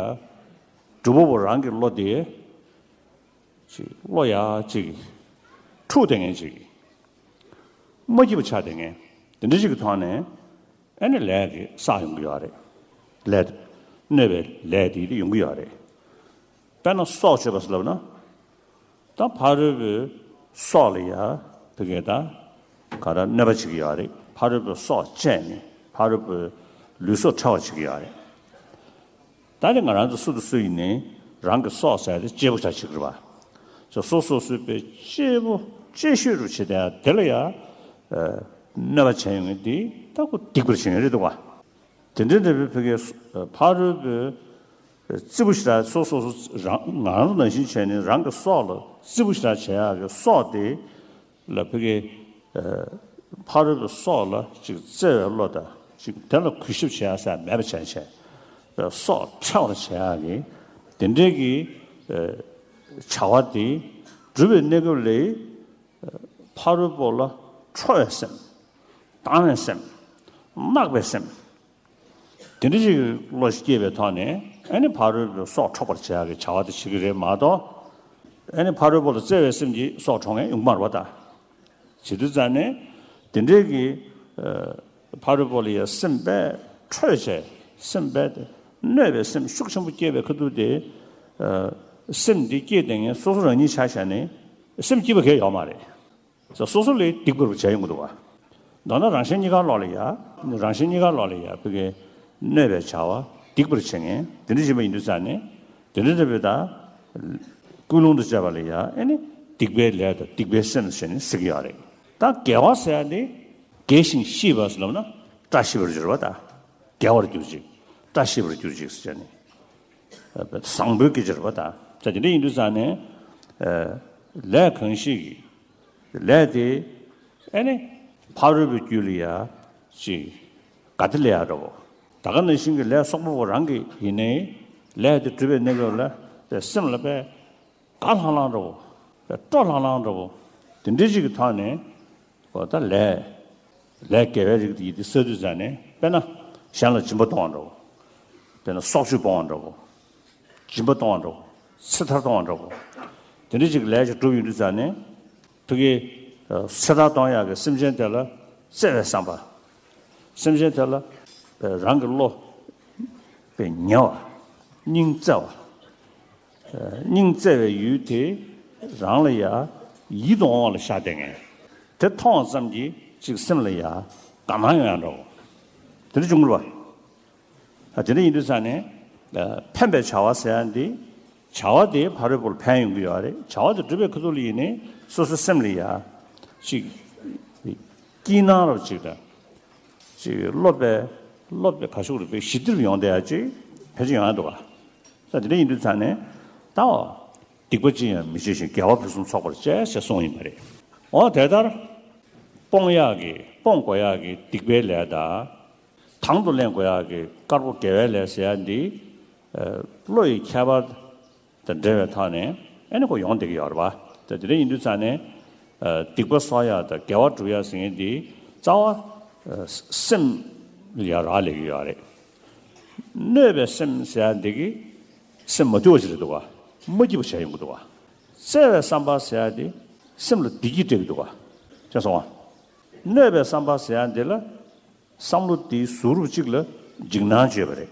སྒྲུབ་པ་པོ་རང་གི་བློ་དེ། ཅིག་བློ་ཡ་ཅིག་འཁྲུག་བསྡད་མཁན་ཅིག་མ་སྐྱིད་པ་ཆགས་བསྡད་མཁན། དེ་འདྲ་ཅིག་གི་ཐོག་ནས་ཨ་ནི་ལས་ཀྱི་བསགས་ཡོང་གི་ཡོད་རེད། ལས། གནོད་པའི་ལས་དེ་ཡོང་གི་ཡོད་རེད། དཔེར་ན་སྲོག་གཅོད་པ་ཟེར་ལབ་ན། ད་ཕ་རོལ་པོའི་སྲོག་ལ་ཡ་བི་གེ་ད་ག་རེ་གནོད་པ་བྱེད་ཀྱི་ཡོད་རེད། ཕ་རོལ་པོའི་སྲོག་བཅད་ནས་ཕ་རོལ་པོའི་ལུས་སྲོག་འཕྲོག་པ་བྱེད་ཀྱི་ཡོད་རེད། ད་ནི་ང་རང་ཚོ་སུ་དང་སུ་ཡིན་ནའི་རང་གི་སྲོག་ཟེར་དེ་གཅེས་པོ་ཆགས་བྱེད་ཀྱི་རེད་པ། ཅིག་སོ་སོ་སོ་སོའི་གཅེས་པོ་གཅེས་ཤོས་རུ་བྱེད་དེ་དེ་ལ་ཡ། ཨ། གནོད་པ་བྱས་ཡོང་གི་འདི་ད་ཁོ་སྡིག་པར་བྱེད་ཡོང་རེད་འདུག་པ། དེ་འདྲའི་འདྲ་བའི་བི་གེ་ཕ་རོལ་པོའི་རྩི་བོ་ཞེ་དྲག་སོ་སོ་སོ་རང་ང་རང་ཚོ་ནང་བཞིན་བྱས་ནས་རང་གི་སྲོག་ལ་རྩི་བོ་ཞེ་དྲག་བྱེད་ཡག་གི་སྲོག་དེ་ལ་བི་གེ་ཕ་རོལ་པོའི་སྲོག་ལ་ཅིག་བརྩེ་བའི་བློ་དང་ཅིག་དེ་ལ་གུས་ཞབས་བྱེད་ཡག་ཟེར་མེད་པ་བྱས་བྱས་སྲོག་འཕྲོག་པར་བྱེད་ཡག་གི་དེ་འདྲའི་གི་བྱ་བ་དེ་སྒྲུབ་པའི་གནས་སྐབས་ལ་ཕ་རོལ་པོ་ལ་ཁྲོ་བའི་སེམས། སྡང་བའི་སེམས། བརྣག་པའི་སེམས། དེ་འདྲ་ཞིག་གི་བློ་ཞིག་སྐྱེས་པའི་ཐོག་ནས་ཨ་ནི་ཕ་རོལ་པོའི་སྲོག་འཕྲོག་པར་བྱེད་ཡག་གི་བྱ་བ་དེ་བྱེད་ཀྱི་རེད་མ་གཏོགས། ཨ་ནི་ཕ་རོལ་པོ་ལ་བརྩེ་བའི་སེམས་ཀྱིས་སྲོག་འཕྲོག་མཁན་ཡོང་གི་མ་རེད་པ་ད། བྱེད་དུས་ཙང་ནས་དེ་འདྲའི་གི་ཨ། ཕ་རོལ་པོ་ལ་ཡ་སེམས་དཔའ་ཁྲོས་བྱས་སེམས་དཔའ་དེ་གནོད་པའི་སེམས་ཤུགས་ཆེན་པོ་སྐྱེས་པའི་ཁ་ཐུག་དེ་ཨ། སེམས་འདི་སྐྱེས་བསྡད་མཁན་སོ་སོ་རང་ཉིད་ཆ་བཞག་ནས་སེམས་སྐྱིད་པ་གང་ཡང་ཡོད་མ་རེད། སོ་སོ་ལ་སྡིག་པར་བྱས་ཡོང་གི་འདུག་པ། མདོར་ན་རང་གཞན་གཉིས་ཀ་ལོག་ལ་ཡ། རང་གཞན་གཉིས་ཀ་ལོག་ལ་ཡ་བི་གེ་གནོད་པའི་བྱ་བ་སྡིག་པར་བྱེད་མཁན་དེ་འདྲ་ཞིག་ཡིན་དུས་ཙང་ནས་དེ་འདྲ་འདྲ་བའི་ད་ཀུན་སློང་དུ་བྱས་པ་ལ་ཡ་ཨ་ནི་སྡིག་པའི་ལས་དང་སྡིག་པའི་སེམས་ཟེར་ནས་ཟེར་གྱི་ཡོད་རེད། ད་དགེ་བ་ཟེར་ཡ་ནི་དགེ་ཞིང་ཤེས་པ་ཟེར་ལབ་ན་བཀྲ་ཤིས་པར་གྱུར་པ་ད། དགེ་བར་གྱུར་ཅིག་བཀྲ་ཤིས་པར་གྱུར་ཅིག་ཟེར་ནས། བཟང་པོའི་སྐད་ཆ་རེད་པ་ད། ད་དེ་འདྲ་ཡིན་དུས་ཙང་ནས། ལས་གང་ཞིག་གི་ལས་དེ་ཨ་ནི་ཕ་རོལ་པོའི་རྒྱུད་ལ་ཡ་ཅིག་དགའ་བདེ་སླེབས་ཡག་འདྲ་བོ། ད་ག་ནང་བཞིན་གྱི་ལས་བསོག་པ་པོ་རང་གི་ཡིན་ནའི་ལས་དེ་སྒྲུབ་པའི་གནས་སྐབས་ལ་དེ་སེམས་ལ་དཔེ་དགའ་ལྷང་ལྷང་འདྲ་བོ། དཔེ་སྤྲོ་ལྷང་ལྷང་འདྲ་བོ། དེ་འདྲའི་ཅིག་གི་ཐོག་ནས། འོ་ད་ལས། ལས་དགེ་བའི་རིགས་དེ་ཡིན་དེ་བསགས་དུས་ཙང་ནས་དཔེར་ན་གཞན་ལ་སྦྱིན་པ་གཏོང་བ་འདྲ་བོ། དཔེར་ན་སྲོག་གཅོད་སྤོང་བ་འདྲ་བོ། སྦྱིན་པ་གཏོང་བ་འདྲ་བོ། ཚེ་ཐར་གཏོང་བ་འདྲ་བོ། དེ་འདྲ་ཅིག་ལས་ཅིག་སྒྲུབ་ཡོང་དུས་ཙང་ནས་ཕ་གི་ཚེ་ཐར་གཏོང་ཡག་གི་སེམས་ཅན་དེ་ལ་བརྩེ་བའི་བསམ་པ། སེམས་ཅན་དེ་ལ་རང་གི་བློ་དཔེ་ཉེ་བ། སྙིང་བརྩེ་བ། སྙིང་བརྩེ་བའི་ཡུལ་དེ་རང་ལ་ཡ་ཡིད་དུ་འོང་བ་ལ་ཤར་བསྡད་མཁན། དེ་མཐོང་བ་ཙམ་གྱིས་ཅིག་སེམས་ལ་ཡ་དགའ་སྣང་ཡོང་ཡག་འདྲ་བོ། དེ་འདྲ་བྱུང་གི་རེད་པ། ཨ། དེ་འདྲ་ཡིན་དུས་ཙང་ནས། ཨ། ཕན་པའི་བྱ་བ་ཟེར་ཡག་འདི། བྱ་བ་དེ་ཕ་རོལ་པོར་ཕན་ཡོང་གི་ཡོད་རེད། བྱ་བ་དེ་སྒྲུབ་པའི་ཁ་ཐུག་ལ་ཡིན་ནའི་སོ་སོའི་སེམས་ལ་ཡ་ཅིག་སྐྱིད་སྣང་རབ་ཅིག་དང་། ཅིག་བློ་དཔེ། བློ་དཔེ་ག་ཤུགས་རེད་པས་ཞི་བདེ་རུ་ཡོང་བསྡད་ཡག་ཅིག་ཕལ་ཆེར་ཡོང་ཡག་འདུག་ག། ས་དེ་འདྲ་ཡིན་དུས་ཙང་ནས་ད་འོ། སྡིག་པ་ཅི་ཡང་མི་བྱེད་ཅིང་དགེ་བ་ཕུན་སུམ་ཚོགས་པར་སྤྱད་ཅེས་གསུངས་ཡིན་པ་རེད། འོ་དེ་ལྟར། སྤོང་ཡག་གི་སྤོང་དགོས་ཡག་གི་སྡིག་པའི་ལས་དང་། དང་དུ་ལེན་དགོས་ཡག་གི་དཀར་པོ་དགེ་བའི་ལས་ཟེར་ཡག་འདི། ཨ། བློ་ཡི་ཁྱད་པར། དང་འབྲེལ་བའི་ཐོག་ནས་ཨ་ནི་ཁོ་ཡོང་བསྡད་ཀྱི་ཡོད་རེད་པ། ད་དེ་འདྲ་ཡིན་དུས་ཙང་ནས་ཨ་སྡིག་པ་གསོག་ཡག་དང་དགེ་བ་སྒྲུབ་ཡག་ཟེར་མཁན་འདི་རྩ་བ་ཨ་སེམས་ལ་ཡ་རག་ལས་ཀྱི་ཡོད་རེད། གནོད་པའི་སེམས་ཟེར་ཡག་འདི་གི་སེམས་མ་དུལ་བ་ཞིག་རེད་འདུག་ག་མ་སྐྱིད་པ་བྱས་ཡོང་གི་འདུག་ག་བརྩེ་བའི་བསམ་པ་ཟེར་ཡག་འདི་སེམས་ལ་བདེ་སྐྱིད་སྤྲད་ཀྱི་འདུག་ག་བྱས་སོང་ང་། གནོད་པའི་བསམ་པ་ཟེར་ཡག་འདི་ལ་བསམ་བློ་དེའི་ཟུར་རུབ་ཅིག་ལ་འཇིགས་སྣང་བྱས་པ་རེད།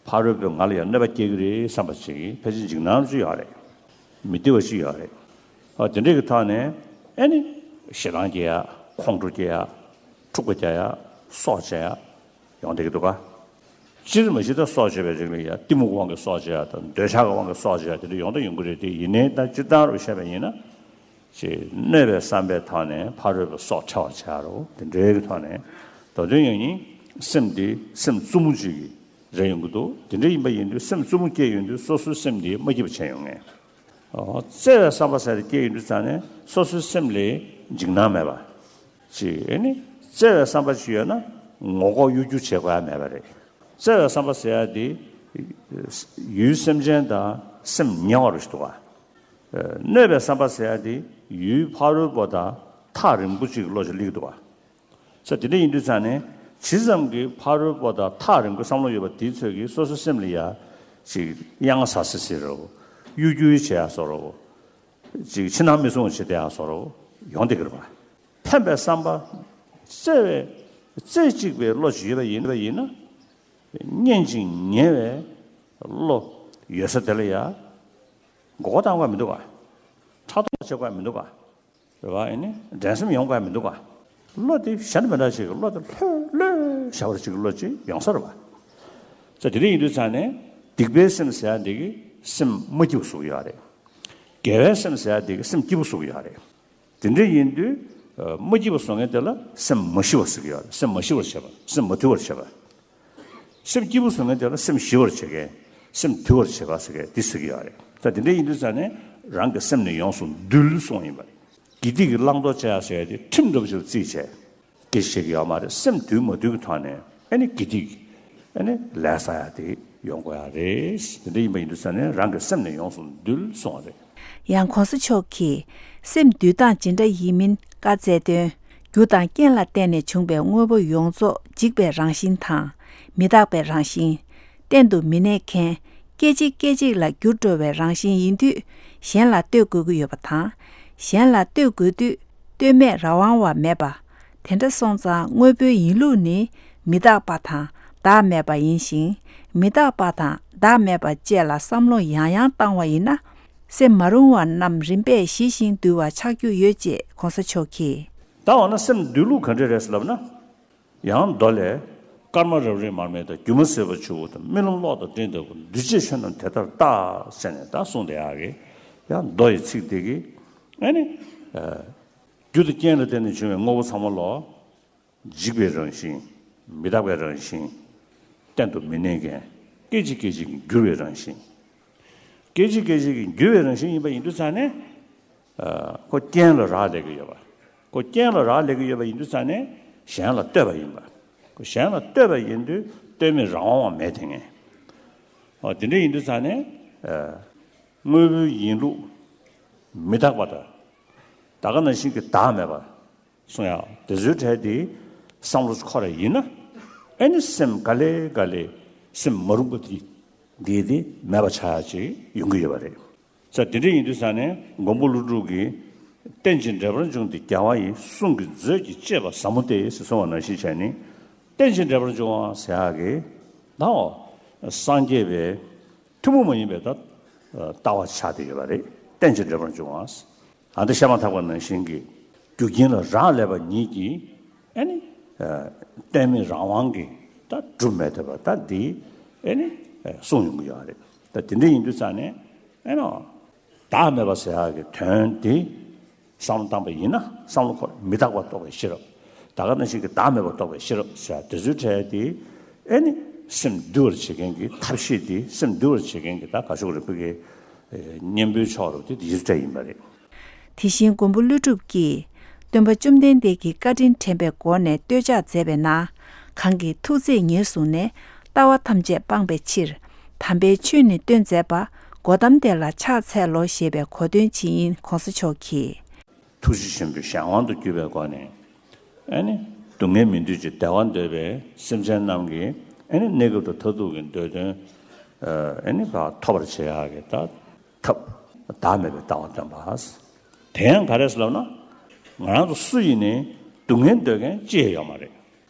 ཕ་རོལ་པོས་ང་ལ་ཡང་གནོད་པ་སྐྱེལ་གྱི་རེད་བསམ་པ་ཅིག་ཕལ་ཆེར་འཇིགས་སྣང་ཅིག་ཡོད་རེད། མི་བདེ་བ་ཅིག་ཡོད་རེད། ཨ་དེ་འདྲས་ཀྱི་ཐོག་ནས་ཨ་ནི་ཞེ་སྡང་སྐྱེ་ཡག་ཁོང་ཁྲོ་སྐྱེ་ཡག་འཁྲུག་པ་སྐྱེ་ཡག་སྲོག་བཅད་ཡག་ཡོང་བསྡད་ཀྱི་འདུག་ག་སྤྱིར་མ་གཞི་ད་སྲོག་བཅད་པའི་རིགས་ལ་ཡ་གཏི་མུག་དབང་གིས་སྲོག་བཅད་ཡག་དང་འདོད་ཆགས་ཀྱི་དབང་གིས་སྲོག་བཅད་ཡག་དེ་འདྲ་ཡོང་དང་ཡོང་གི་རེད་དེ། ཡིན་ནའི་ད་སྤྱིར་བཏང་རུ་བཤད་པ་ཡིན་ན། ཅེས་གནོད་པའི་བསམ་པའི་ཐོག་ནས་ཕ་རོལ་པོའི་སྲོག་འཕྲལ་བར་བྱ་རོགས། དེ་འདྲའི་གི་ཐོག་ནས་ད་དུང་ཡང་ཡིན་སེམས་འདི་སེམས་རྩུབ་མོ་ཅིག་གི་རེ་ཡོང་གི་འདུག་དེ་འདྲ་ཡིན་པ་ཡིན་དུས་སེམས་རྩུབ་མོ་སྐྱེས་ཡོང་དུས་སོ་སོའི་སེམས་འདི་མ་སྐྱིད་པ་བྱས་ཡོང་ངེས། ཨོ་བརྩེ་བའི་བསམ་པ་ཟེར་དེ་སྐྱེས་ཡོང་དུས་ཙང་ནས་སོ་སོའི་སེམས་ལ་འཇིགས་སྣང་མེད་པ། ཅིག་ཨེ་ནི་བརྩེ་བའི་བསམ་པ་ཅིག་ཡོད་ན་ངོ་ལྐོག་གཡོ་སྒྱུ་བྱེད་དགོས་ཡ་མེད་པ་རེད། བརྩེ་བའི་བསམ་པ་ཟེར་ཡ་དེ་ཡུལ་སེམས་ཅན་དང་སེམས་ཉེ་བ་རུ་ཞིག་འདུག་ག་གནོད་པའི་བསམ་པ་ཟེར་ཡ་དེ་ཡུལ་ཕ་རོལ་པོ་དང་ཐག་རིང་པོ་ཅིག་གི་བློ་ཞིག་སླེབས་ཀྱི་འདུག་ག་ས་དེ་འདྲ་ཡིན་དུས་ཙང་ནས་ཇི་ཙམ་གྱིས་ཕ་རོལ་པོ་དང་ཐག་རིང་པོའི་བསམ་བློ་ཡོད་པ་དེའི་ཚོད་ཀྱིས་སོ་སོའི་སེམས་ལ་ཡ་ཅིག་གཡང་ཟ་སི་སི་རོ། གཡོ་སྒྱུ་བྱེད་ཡ་བཟོ་རོ། ཅིག་ཕྱི་ནང་མི་སྲུང་བ་བྱེད་བསྡད་ཡ་བཟོ་རོ། ཡོང་བསྡད་ཀྱི་རེད་པ། ཕན་པའི་བསམ་པ། བརྩེ་བའི་རྩེ་གཅིག་པའི་བློ་ཞིག་ཡོད་པ་ཡིན་པ་ཡིན་ན། སྙན་ཅིང་ཉེ་བའི་བློ་ཡོད་ས་དེ་ལ་ཡ་མགོ་སྐོར་བཏང་དགོས་མི་འདུག་ག་ཕྲག་དོག་བྱེད་དགོས་མི་འདུག་ག་རེད་པ། ཨེ་ནི་འགྲན་སེམས་ཡོང་དགོས་མི་འདུག་ག་བློ་དེ་གཞན་དང་མི་འདྲ་ཞིག་གི་བློ་དེ་ལྷོད་ལྷོད་བྱ་བ་ཅིག་གི་བློ་ཅིག་ཡོང་ས་རེད་པ། ས་དེ་འདྲ་ཡིན་དུས་ཙང་ནས་སྡིག་པའི་སེམས་ཟེར་ཡ་འདི་གི་སེམས་མ་སྐྱིད་པོ་བཟོ་གི་ཡོད་རེད། དགེ་བའི་སེམས་ཟེར་ཡ་འདི་གི་སེམས་སྐྱིད་པོ་བཟོ་གི་ཡོད་རེད། དེ་འདྲ་ཡིན་དུས་ཨ་མ་སྐྱིད་པ་བཟོ་མཁན་དེ་ལ་སེམས་མ་ཞི་བར་ཟེར་གྱི་ཡོད་རེད། སེམས་མ་ཞི་བར་བྱེད་པ། སེམས་མ་དུལ་བར་བྱེད་པ། སེམས་སྐྱིད་པོ་བཟོ་མཁན་དེ་ལ་སེམས་ཞི་བར་བྱེད་མཁན། སེམས་དུལ་བར་བྱེད་པ་ཟེར་མཁན་འདི་ཟེར་གྱི་ཡོད་རེད། ད་དེ་འདྲ་ཡིན་དུས་ཙང་ནས་རང་གི་སེམས་ནི་ཡོངས་སུ་འདུལ་གསུངས་ཡིན་པ་རེད། དགེ་སྡིག་གི་བླང་དོར་བྱེད་ཡ་ཟེར་ཡ་དེ་ཁྲིམས་འདྲ་པོ་ཞིག་ལ་བརྩིས་བྱས། སྐད་ཆ་བཤད་ཀྱི་ཡོད་མ་རེད། སེམས་དུལ་མ་དུལ་གྱི་ཐོག་ནས་ཨ་ནི་དགེ་སྡིག་ཨ་ནི་ལས་བསགས་ཡ་དེ་ཡོང་དགོས་ཡ་རེད། དེ་འདྲ་ཡིན་པ་ཡིན་དུས་ཙང་ནས་རང་གི་སེམས་ནི་ཡོངས་སུ་འདུལ་གསུངས་པ་རེད། ཡང་གོང་ས་མཆོག་གིས་སེམས་འདུལ་སྟངས་ཇི་འདྲ་ཡིན་མིན་བཀའ་སྩལ་དོན། རྒྱུ་དང་རྐྱེན་ལ་བརྟེན་ནས་བྱུང་བའི་དངོས་པོ་ཡོངས་རྫོགས་འཇིག་པའི་རང་བཞིན་དང་། མི་རྟག་པའི་རང་བཞིན། གཏན་དུ་མི་གནས་མཁན། སྐད་ཅིག་སྐད་ཅིག་ལ་འགྱུར་འགྲོ་བའི་རང་བཞིན་ཡིན་དུས། གཞན་ལ་ལྟོས་དགོས་ཀྱི་ཡོད་པ་དང་། གཞན་ལ་ལྟོས་དགོས་དུས། ལྟོས་མེད་རང་དབང་བ་མེད་པ། དེ་འདྲ་སོང་ཙང་དངོས་པོའི་ཡིན་ལུགས་ནི་མི་རྟག་པ་དང་བདག་མེད་པ་ཡིན་ཞིང་། མི་རྟག་པ་དང་བདག་མེད་པ་བཅས་ལ་བསམ་བློ་ཡང་ཡང་བཏང་བ་ཡིན་ན། སེམས་མ་རུང་བ་རྣམས་རིམ་པས་ཞི་ཞིང་དུལ་བ་ཆགས་རྒྱུ་ཡོད་ཅེས་གོང་ས་མཆོག་གིས། ད་འོ་ན་སེམས་འདུལ་ལུགས་ག་འདྲ་རེད་ཟེར་ལབ་ན། ཡང་མདོ་ལས། སྐར་མ་རབ་རིབ་མར་མེ་དང་། སྒྱུ་མ་ཟིལ་པ་ཆུ་བོ་དང་། རྨི་ལམ་གློག་དང་སྤྲིན་ལྟ་བུ། འདུས་བྱས་ཆོས་རྣམས་དེ་ལྟར་བལྟ། ཟེར་ནས་ད་གསུངས་བསྡད་ཡག་གི། ཡང་མདོ་ཡི་ཚིག་འདི་གིས་ཨ་ནི། ཨ་རྒྱུ་དང་རྐྱེན་ལ་བརྟེན་ནས་བྱུང་བའི་དངོས་པོ་ཚང་མ་ལོ། འཇིག་པའི་རང་བཞིན། མི་རྟག་པའི་རང་བཞིན། གཏན་དུ་མི་གནས་མཁན། སྐད་ཅིག་སྐད་ཅིག་གིས་འགྱུར་བའི་རང་བཞིན། སྐད་ཅིག་སྐད་ཅིག་གིས་འགྱུར་བའི་རང་བཞིན་ཡིན་པ་ཡིན་དུས་ཙང་ནས། ཨ་ཁོ་རྐྱེན་ལ་རག་ལས་ཀྱི་ཡོད་པ། ཁོ་རྐྱེན་ལ་རག་ལས་ཀྱི་ཡོད་པ་ཡིན་དུས་ཙང་ནས་གཞན་ལ་ལྟོས་པ་ཡིན་པ། ཁོ་གཞན་ལ་ལྟོས་པ་ཡིན་དུས་ལྟོས་མེད་རང་དབང་བ་མེད་དེ་ངས། ཨོ་དེ་འདྲ་ཡིན་དུས་ཙང་ནས། ཨ་དངོས་པོའི་ཡིན་ལུགས་མི་རྟག་པ་དང་། ད་ག་ནང་བཞིན་གྱི་བདག་མེད་པ། གསུང་ཡག་དེ་ཚོའི་གྲས་དེ་བསམ་བློ་འཁོར་བ་ཡིན་ན། ཨེ་ནི་སེམས་ག་ལེ་ག་ལེ་སེམས་མ་རུངས་པ་དེ་དེ་དེ་མེད་པ་ཆགས་ཡག་ཅིག་ཡོང་གི་ཡོད་པ་རེད། ས་དེ་འདྲ་ཡིན་དུས་ས་ནས་མགོན་པོ་ཀླུ་སྒྲུབ་ཀྱིས། རྟེན་ཅིང་འབྲེལ་པར་འབྱུང་སྟེ་རྒྱལ་བ་ཡི། གསུང་གི་མཛོད་ཀྱིས་གཅེས་པ་ཟབ་མོ་སྟེ། ཟེར་གསུངས་པ་ནང་བཞིན་བྱས་ནས། རྟེན་ཅིང་འབྲེལ་པར་འབྱུང་བ་ཟེར་ཡག་གི་ནའོ། སངས་རྒྱས་པའི་ཐུན་མོང་མ་ཡིན་པའི་ད་ལྟ་བ་ཆགས་བསྡད་ཡོད་པ་རེད། རྟེན་ཅིང་འབྲེལ་པར་འབྱུང་བ། ཨ་ནི་བཤད་མ་ཐག་པ་ནང་བཞིན་གྱི་རྒྱུ་རྐྱེན་ལ་རག་ལས་པ་ཉིད་ཀྱིས་ཨ་ནི་ལྟོས་མེད་རང་དབང་གིས་ད་སྒྲུབ་མེད་ཐུབ་པ་ད་འདི་ཨ་ནི་གསུངས་ཡོང་གི་ཡོད་རེད། ད་དེ་འདྲ་ཡིན་དུས་ཙང་ནས་ཨ་ནི་བདག་མེད་པ་ཟེར་ཡག་གི་དོན་དེ་བསམ་བློ་བཏང་པ་ཡིན་ན། བསམ་བློ་འཁོར་མི་རྟག་པ་རྟོགས་པའི་ཤེས་རབ། ད་ག་ནང་བཞིན་གྱི་བདག་མེད་པ་རྟོགས་པའི་ཤེས་རབ་ཟེར་ཡག་དེ་ཚོའི་གྲས་དེ་ཨ་ནི་སེམས་འདུལ་བར་བྱེད་མཁན་གྱི་ཐབས་ཤེས་དེ། སེམས་འདུལ་བར་བྱེད་མཁན་གྱི་ད་ག་ཤོག་རིག་པའི་གི་གཉེན་པོའི་ཕྱོགས་རུ་དེ་དེ་ཚོའི་གྲས་ཡིན་པ་རེད། དེ་བཞིན་མགོན་པོ་ཀླུ་སྒྲུབ་ཀྱིས་སྟོན་པ་བཅོམ་ལྡན་འདས་ཀྱི་བཀའ་དྲིན་དྲན་པའི་སྒོ་ནས་བསྟོད་ཕྱག་མཛད་པའི་ནང་། གང་གིས་ཐུགས་བརྩེས་ཉེར་བཟུང་ནས། ལྟ་བ་ཐམས་ཅད་སྤངས་པའི་ཕྱིར། དམ་པའི་ཆོས་ནི་སྟོན་མཛད་པ། སྒོ་གཏམ་དེ་ལ་ཕྱག་འཚལ་ལོ་ཞེས་པའི་གོ་སྟོན་ཇི་ཡིན་གོང་ས་མཆོག་གིས། ཐུགས་རྗེ་ཆེན་པོའི་གཞན་དབང་དུ་གྱུར་པའི་སྒོ་ནས། ཨེ་ནི། སྡུག་བསྔལ་མི་འདོད་ཅིང་བདེ་བ་འདོད་པའི་སེམས་ཅན་རྣམས་ཀྱི་ཨེ་ནི་གནས་སྐབས་དང་མཐར་ཐུག་གི་འདོད་དོན་ཨེ་ནི་ཐོབ་པར་བྱེད་ཡག་གི་ད་ཐབས་བདག་མེད་པའི་ལྟ་བ་སྟོན་པ། དེ་ཡང་ག་རེ་ཟེར་ལབ་ན། ང་རང་ཚོ་སུ་ཡིན་ནའི་སྡུག་བསྔལ་འདོད་མཁན་ཅི་ཡང་ཡོད་མ་རེད།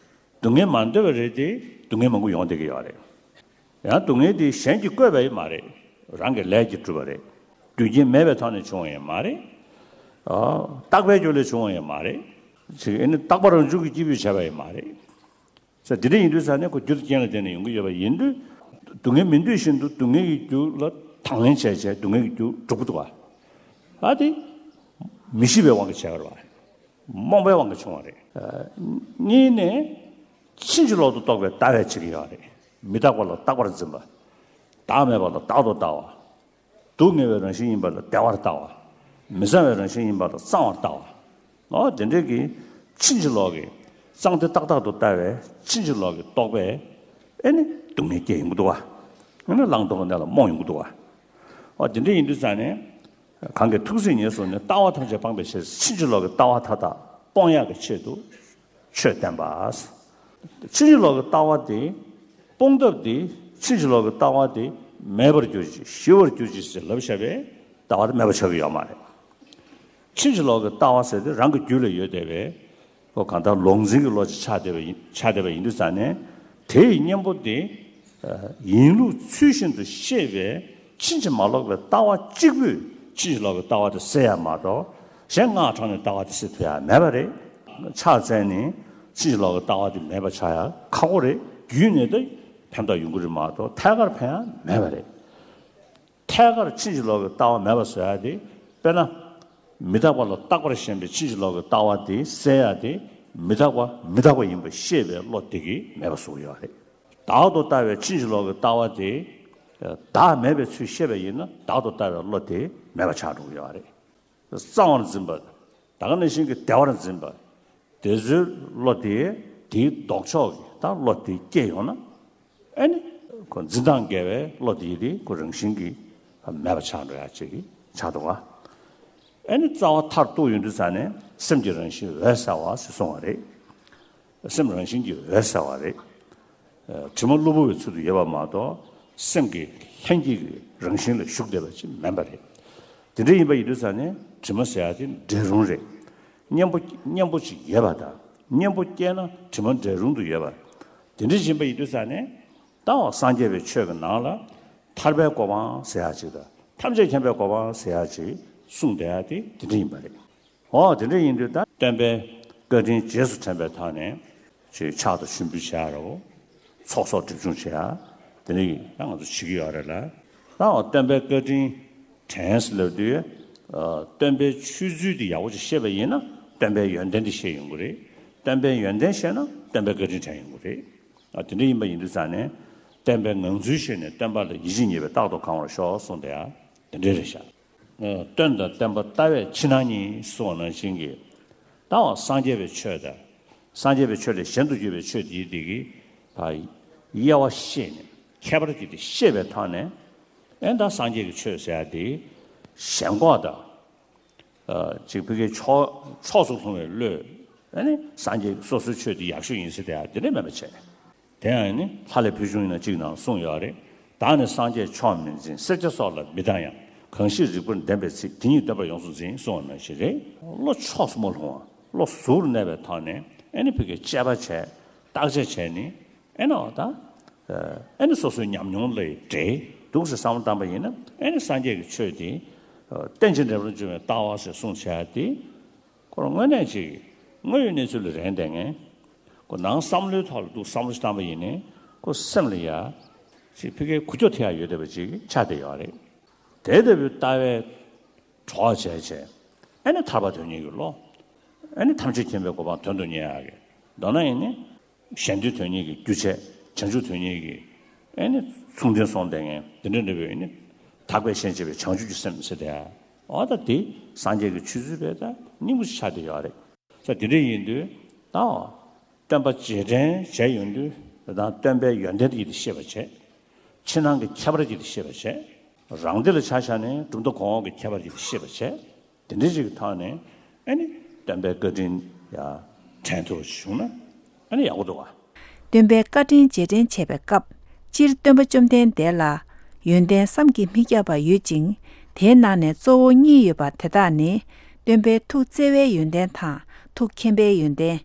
སྡུག་བསྔལ་མ་འདོད་པ་རེད་དེ་སྡུག་བསྔལ་མང་པོ་ཡོང་བསྡད་ཀྱི་ཡོད་རེད། ཡང་སྡུག་བསྔལ་དེ་གཞན་གྱིས་བཀོད་པ་ཡང་མ་རེད། རང་གི་ལས་ཀྱིས་གྲུབ་པ་རེད། རྒྱུ་རྐྱེན་མེད་པའི་ཐོག་ནས་བྱུང་བ་ཡང་མ་རེད། ཨ། རྟག་པའི་རྒྱུ་ལས་བྱུང་བ་ཡང་མ་རེད། ཅིག་ཨེ་ནི་རྟག་པ་རང་བྱུང་གི་སྐྱེས་བུས་བྱས་པ་ཡང་མ་རེད། ས་དེ་འདྲ་ཡིན་དུས་ཙང་ནས་ཁོ་རྒྱུ་དང་རྐྱེན་ལ་བརྟེན་ནས་ཡོང་གི་ཡོད་པ་ཡིན་དུས། སྡུག་བསྔལ་མི་འདོད་བཞིན་དུ་སྡུག་བསྔལ་གྱི་རྒྱུ་ལ་དང་ལེན་བྱས་བྱས་སྡུག་བསྔལ་གྱི་རྒྱུ་སྒྲུབ་ཀྱི་འདུག་ག་ཨ་དེ་མི་ཤེས་པའི་དབང་གིས་བྱས་པ་རེད་པ། རྨོངས་པའི་དབང་གིས་བྱུང་བ་རེད། གཉིས་ནས། ཕྱིན་ཅི་ལོག་ཏུ་རྟོག་པའི་ལྟ་བས་བྱེད་ཀྱི་ཡོད་རེད། མི་རྟག་པ་ལ་རྟག་པར་འཛིན་པ། བདག་མེད་པ་ལ་བདག་ཏུ་ལྟ་བ། སྡུག་བསྔལ་བའི་རང་བཞིན་ཡིན་པ་ལ་བདེ་བར་ལྟ་བ། མི་གཙང་བའི་རང་བཞིན་ཡིན་པ་ལ་གཙང་བར་ལྟ་བ། འོ་དེ་འདྲའི་གི་ཕྱིན་ཅི་ལོག་གི་གཙང་བདེ་རྟག་བདག་ཏུ་ལྟ་བའི་ཕྱིན་ཅི་ལོག་གི་རྟོག་པས་ཨེ་ནི་སྡུག་བསྔལ་སྐྱེ་ཡོང་གི་འདུག་བ། ཨེ་ནི་བླང་དོར་གྱི་གནས་ལ་རྨོངས་ཡོང་གི་འདུག་བ། འོ་དེ་འདྲ་ཡིན་དུས་ཙང་ནས། གང་གིས་ཐུགས་བརྩེ་ཉེར་བཟུང་ནས། ལྟ་བ་ཐམས་ཅད་སྤངས་པའི་ཕྱིར། ཕྱིན་ཅི་ལོག་གི་ལྟ་བ་མཐའ་དག་སྤོང་ཡག་གི་ཆེད་དུ་ཆོས་བསྟན་པ། ཕྱིན་ཅི་ལོག་གི་ལྟ་བ་དེ་སྤོང་ཐབས་དེ། ཕྱིན་ཅི་ལོག་གི་ལྟ་བ་དེ་མེད་པར་གྱུར་ཅིག་ཞི་བར་གྱུར་ཅིག་ཟེར་ལབ་བཞག་པའི་ལྟ་བ་དེ་མེད་པ་ཆགས་ཀྱི་ཡོད་མ་རེད། ཕྱིན་ཅི་ལོག་གི་ལྟ་བ་ཟེར་དེ་རང་གི་རྒྱུད་ལ་ཡོད་བསྡད་པའི། ཁོ་གང་ལྟར་ལོག་འཛིན་གྱི་བློ་ཅིག་ཆགས་བསྡད་པ་ཡིན། ཆགས་བསྡད་པ་ཡིན་དུས་ཙང་ནས། དེ་ཡི་གཉེན་པོ་དེ། ཡིན་ལུགས་ཚུལ་བཞིན་དུ་ཤེས་པའི་ཕྱིན་ཅི་མ་ལོག་པའི་ལྟ་བ་གཅིག་པུས་ཕྱིན་ཅི་ལོག་པའི་ལྟ་བ་དེ་སེལ་ཡ་མ་གཏོགས། གཞན་སྔགས་དྲངས་ནས་ལྟ་བ་དེ་སེལ་ཐུབ་ཡ་མེད་པ་རེད། ཕྱག་འཚལ་ནས་ཕྱིན་ཅི་ལོག་པའི་ལྟ་བ་དེ་མེད་པ་ཆགས་ཡ་ཁག་པོ་རེད། རྒྱུད་ནས་ད་ཕན་ཐོགས་ཡོང་གི་རེད་མ་གཏོགས་ཐད་ཀར་ཕན་ཡ་མེད་པ་རེད། ཐད་ཀར་ཕྱིན་ཅི་ལོག་གི་ལྟ་བ་མེད་པ་བཟོ་ཡ་དེ། དཔེར་ན། མི་རྟག་པ་ལ་རྟག་པར་ཞེན་པའི་ཕྱིན་ཅི་ལོག་གི་ལྟ་བ་དེ་སེལ་ཡ་དེ། མི་རྟག་པ་མི་རྟག་པ་ཡིན་པ་ཤེས་པའི་བློ་དེ་གིས་མེད་པ་བཟོ་གི་ཡོད་རེད། བདག་ཏུ་ལྟ་བའི་ཕྱིན་ཅི་ལོག་གི་ལྟ་བ་དེ། བདག་མེད་པའི་ཚུལ་ཤེས་པ་ཡིན་ན་བདག་ཏུ་ལྟ་བའི་བློ་དེ་མེད་པ་ཆགས་འགྲོ་གི་ཡོད་རེད། གཙང་བར་འཛིན་པ། ད་ག་ནང་བཞིན་གྱི་བདེ་བར་འཛིན་པ། དེ་ཚོའི་བློ་དེ་དེའི་ལྡོག་ཕྱོགས་ཀྱི་ད་བློ་དེ་སྐྱེས་ཡོང་ན། ཨེ་ནི། ཁོ་འཛིན་སྟངས་འགལ་བའི་བློ་དེ་དེ་ཁོ་རང་བཞིན་གྱིས་མེད་པ་ཆགས་འགྲོ་ཡ་ཅིག་གི་ཆགས་འདུག་ག་ཨེ་ནི་རྩ་བ་མཐར་གཏུགས་ཡོང་དུས་ཙང་ནས་སེམས་ཀྱི་རང་བཞིན་འོད་གསལ་བ་ཞེས་གསུངས་པ་རེད། སེམས་རང་བཞིན་གྱིས་འོད་གསལ་བ་རེད། དྲི་མ་གློ་བུར་བའི་ཚུལ་དུ་ཡོད་པ་མ་གཏོགས་སེམས་ཀྱི་ལྷན་སྐྱེས་ཀྱི་རང་བཞིན་ལ་ཞུགས་བསྡད་པ་ཅིག་མིན་པ་རེད། དེ་འདྲ་ཡིན་པ་ཡིན་དུས་ཙང་ནས་དྲི་མ་ཟེར་ཡ་དེ་འབྲས་རུང་རེད། གཉེན་པོ་གཉེན་པོ་ཅིག་ཡོད་པ་དང་གཉེན་པོ་སྐྱེས་ན་དྲི་མ་འབྲས་རུང་དུ་ཡོད་པ། དེ་འདྲ་ཡིན་པ་ཡིན་དུས་ཙང་ནས་ད་འོ་སངས་རྒྱས་པའི་ཆོས་ཀྱི་ནང་ལ་ཐར་པའི་གོ་འཕང་ཟེར་ཡ་ཅིག་དང་ཐམས་ཅད་མཁྱེན་པའི་གོ་འཕང་ཟེར་ཡ་ཅིག་གསུངས་བསྡད་ཡ་དེ་དེ་འདྲ་ཡིན་པ་རེད། འོ་དེ་འདྲ་ཡིན་དུས་ད་སྟོན་པའི་བཀའ་དྲིན་རྗེས་སུ་དྲན་པའི་ཐོག་ནས་ཅིག་ཕྱག་ཏུ་ཞུ་འབུལ་བྱ་རོགས། ཚོགས་གསོག་སྒྲིབ་སྦྱོང་བྱེད་ཡ། དེ་འདྲ་ཡིན་ད་ང་ཚོ་བྱེད་ཀྱི་ཡོད་རེད་ལ། ད་འོ་སྟོན་པའི་བཀའ་དྲིན་དྲན་ཟེར་ལབ་དུས། སྟོན་པའི་ཆོས་ཚུལ་དེ་ཡག་པོ་ཅིག་ཤེས་པ་ཡིན་ན་སྟོན་པའི་ཡོན་ཏན་དེ་ཤེས་ཡོང་གི་རེད། སྟོན་པའི་ཡོན་ཏན་ཤེས་ན་སྟོན་པའི་བཀའ་དྲིན་དྲན་ཡོང་གི་རེད། ཨ་དེ་འདྲ་ཡིན་པ་ཡིན་དུས་ཙང་ནས་བསྟན་པའི་ངང་ཚུལ་ཤེས་ནས་བསྟན་པ་ལ་ཡིད་ཆེས་ཉེས་པས་རྟག་ཏུ་གང་བར་ཤོག་གསུངས་ཏེ་ཡང་དེ་འདྲ་རེད་ཤག་ཨ་སྟོན་དང་བསྟན་པ་ལྟ་བས་ཕྱི་ནང་གཉིས་གསུངས་པ་ནང་བཞིན་གྱི། ད་འོ་སངས་རྒྱས་པའི་ཆོས་དང་། སངས་རྒྱས་པའི་ཆོས་ལས་གཞན་དུ་གྱུར་པའི་ཆོས་དེའི་དེ་གི་ད་དབྱེ་བ་ཤེས་ནས་ཁྱད་པར་གྱི་དེ་ཤེས་པའི་ཐོག་ནས། ཨེ་ད་སངས་རྒྱས་ཀྱི་ཆོས་ཟེར་ཡ་དེ་ཞེན་ཁོག་དང་། ཅིག་ཕ་གིའི་ཕྱོགས་ཕྱོགས་སུ་ལྷུང་བའི་བློས་ཨ་ནི་སངས་རྒྱས་སོ་སོའི་ཆོས་དེ་ཡག་ཤོས་ཡིན་ཟེར་དེ་ཡང་དེ་འདྲ་མེད་པ་བྱས། དེ་ཡང་ནི་ལྷ་ལས་ཕུལ་བྱུང་ཡིན་ན་གཅིག་ནང་གསུངས་ཡོད་རེད། བདག་ནི་སངས་རྒྱས་མཆོག་མིན་འཛིན། སེར་སྐྱ་སོགས་ལ་མི་སྡང་ཡང་། གང་ཞིག་རིགས་པར་ལྡན་པའི་ཚིག །དེ་ཉིད་སྟོན་པ་ཡོངས་སུ་འཛིན། གསུངས་པ་ནང་བཞིན་རེད། བློ་ཕྱོགས་སུ་མ་ལྷུང་བ་བློ་གཟུར་གནས་པའི་ཐོག་ནས་ཨ་ནི་ཕ་གིའི་དཔྱད་པ་བྱས་བརྟག་དཔྱད་བྱས་ནི་ཨེ་ནོ་ད། ཨེ་ནི་སོ་སོའི་ཉམས་མྱོང་ལས་འབྲས་འདུག་ཟེར་བསམ་བློ་བཏང་པ་ཡིན་ན་ཨེ་ནི་སངས་རྒྱས་ཀྱི་ཆོས་དེ། རྟེན་ཅིང་འབྲེལ་པར་འབྱུང་བའི་ལྟ་བ་ཞེས་གསུངས་བྱས་ཏེ། ཁོ་རང་དངོས་གནས་ཅིག་དངོས་ཡོད་གནས་ཚུལ་ལ་རན་བསྡད་མཁན། ཁོ་ནང་བསམ་བློའི་ཐོག་ལ་འདུག་བསམ་བློ་ཞིག་བཏང་པ་ཡིན་ནའི་ཁོ་སེམས་ལ་ཡ། ཅིག་ཕ་གིའི་འགུལ་སྐྱོད་ཐེབས་ཡ་ཡོད་བསྡད་པ་ཅིག་ཆགས་བསྡད་ཡོད་རེད། དེ་ལྟ་བུའི་ལྟ་བའི་གྲོགས་བྱས་བྱས། ཨེ་ནི་ཐར་པ་དོན་གཉེར་གྱི་བློ། ཨེ་ནི་ཐམས་ཅད་མཁྱེན་པའི་གོ་འཕང་དོན་དུ་གཉེར་ཡག་གི། མདོར་ན་ཡིན་ནི། གཞན་དོན་དོན་གཉེར་གྱི་རྒྱུ་བྱས། བྱང་ཆུབ་དོན་གཉེར་གྱི། ཨེ་ནི། མཚུངས་ལྡན་སོང་བསྡད་མཁན་དེ་འདྲ་འདྲ་བའི་ནི། དག་པའི་ཞེན་བྱེད་པའི་བྱང་ཆུབ་ཀྱི་སེམས་ཟེར་དེ། འོ་ད་དེ་སངས་རྒྱས་ཀྱི་ཆོས་ཚུལ་བས་ད་སྙིང་པོ་ཞིག་ཆགས་བསྡད་ཡོད་རེད། ས་དེ་འདྲ་ཡིན་དུས་ད། སྟོན་པ་རྗེས་དྲན་བྱས་ཡོང་དུས་ད་སྟོན་པའི་ཡོན་ཏན་དེ་ཤེས་པ་བྱས། ཕྱི་ནང་གི་ཁྱད་པར་ཅིག་ཤེས་པ་བྱས། རང་སྡེ་ལ་ཆ་བཞག་ནས་གྲུབ་མཐའ་གོང་འོག་གི་ཁྱད་པར་ཅིག་ཤེས་པ་བྱས། དེ་འདྲའི་ཅིག་གི་ཐོག་ནས་ཨ་ནི་སྟོན་པའི་བཀའ་དྲིན་ཡ་དྲན་ཐུབ་པ་ཞིག་བྱུང་ན་ཨ་ནི་ཡག་པོ་འདུག་བ། སྟོན་པའི་བཀའ་དྲིན་རྗེས་དྲན་བྱེད་པའི་སྐབས། སྤྱིར་སྟོན་པ་བཅོམ་ལྡན་འདས་ལ་ཡོན་ཏན་བསམ་གྱིས་མི་ཁྱབ་པ་ཡོད་ཅིང་། དེའི་ནང་ནས་གཙོ་བོ་གཉིས་ཡོད་པ་དེ་དག་ནི། སྟོན་པའི་ཐུགས་བརྩེ་བའི་ཡོན་ཏན་དང་ཐུགས་མཁྱེན་པའི་ཡོན་ཏན།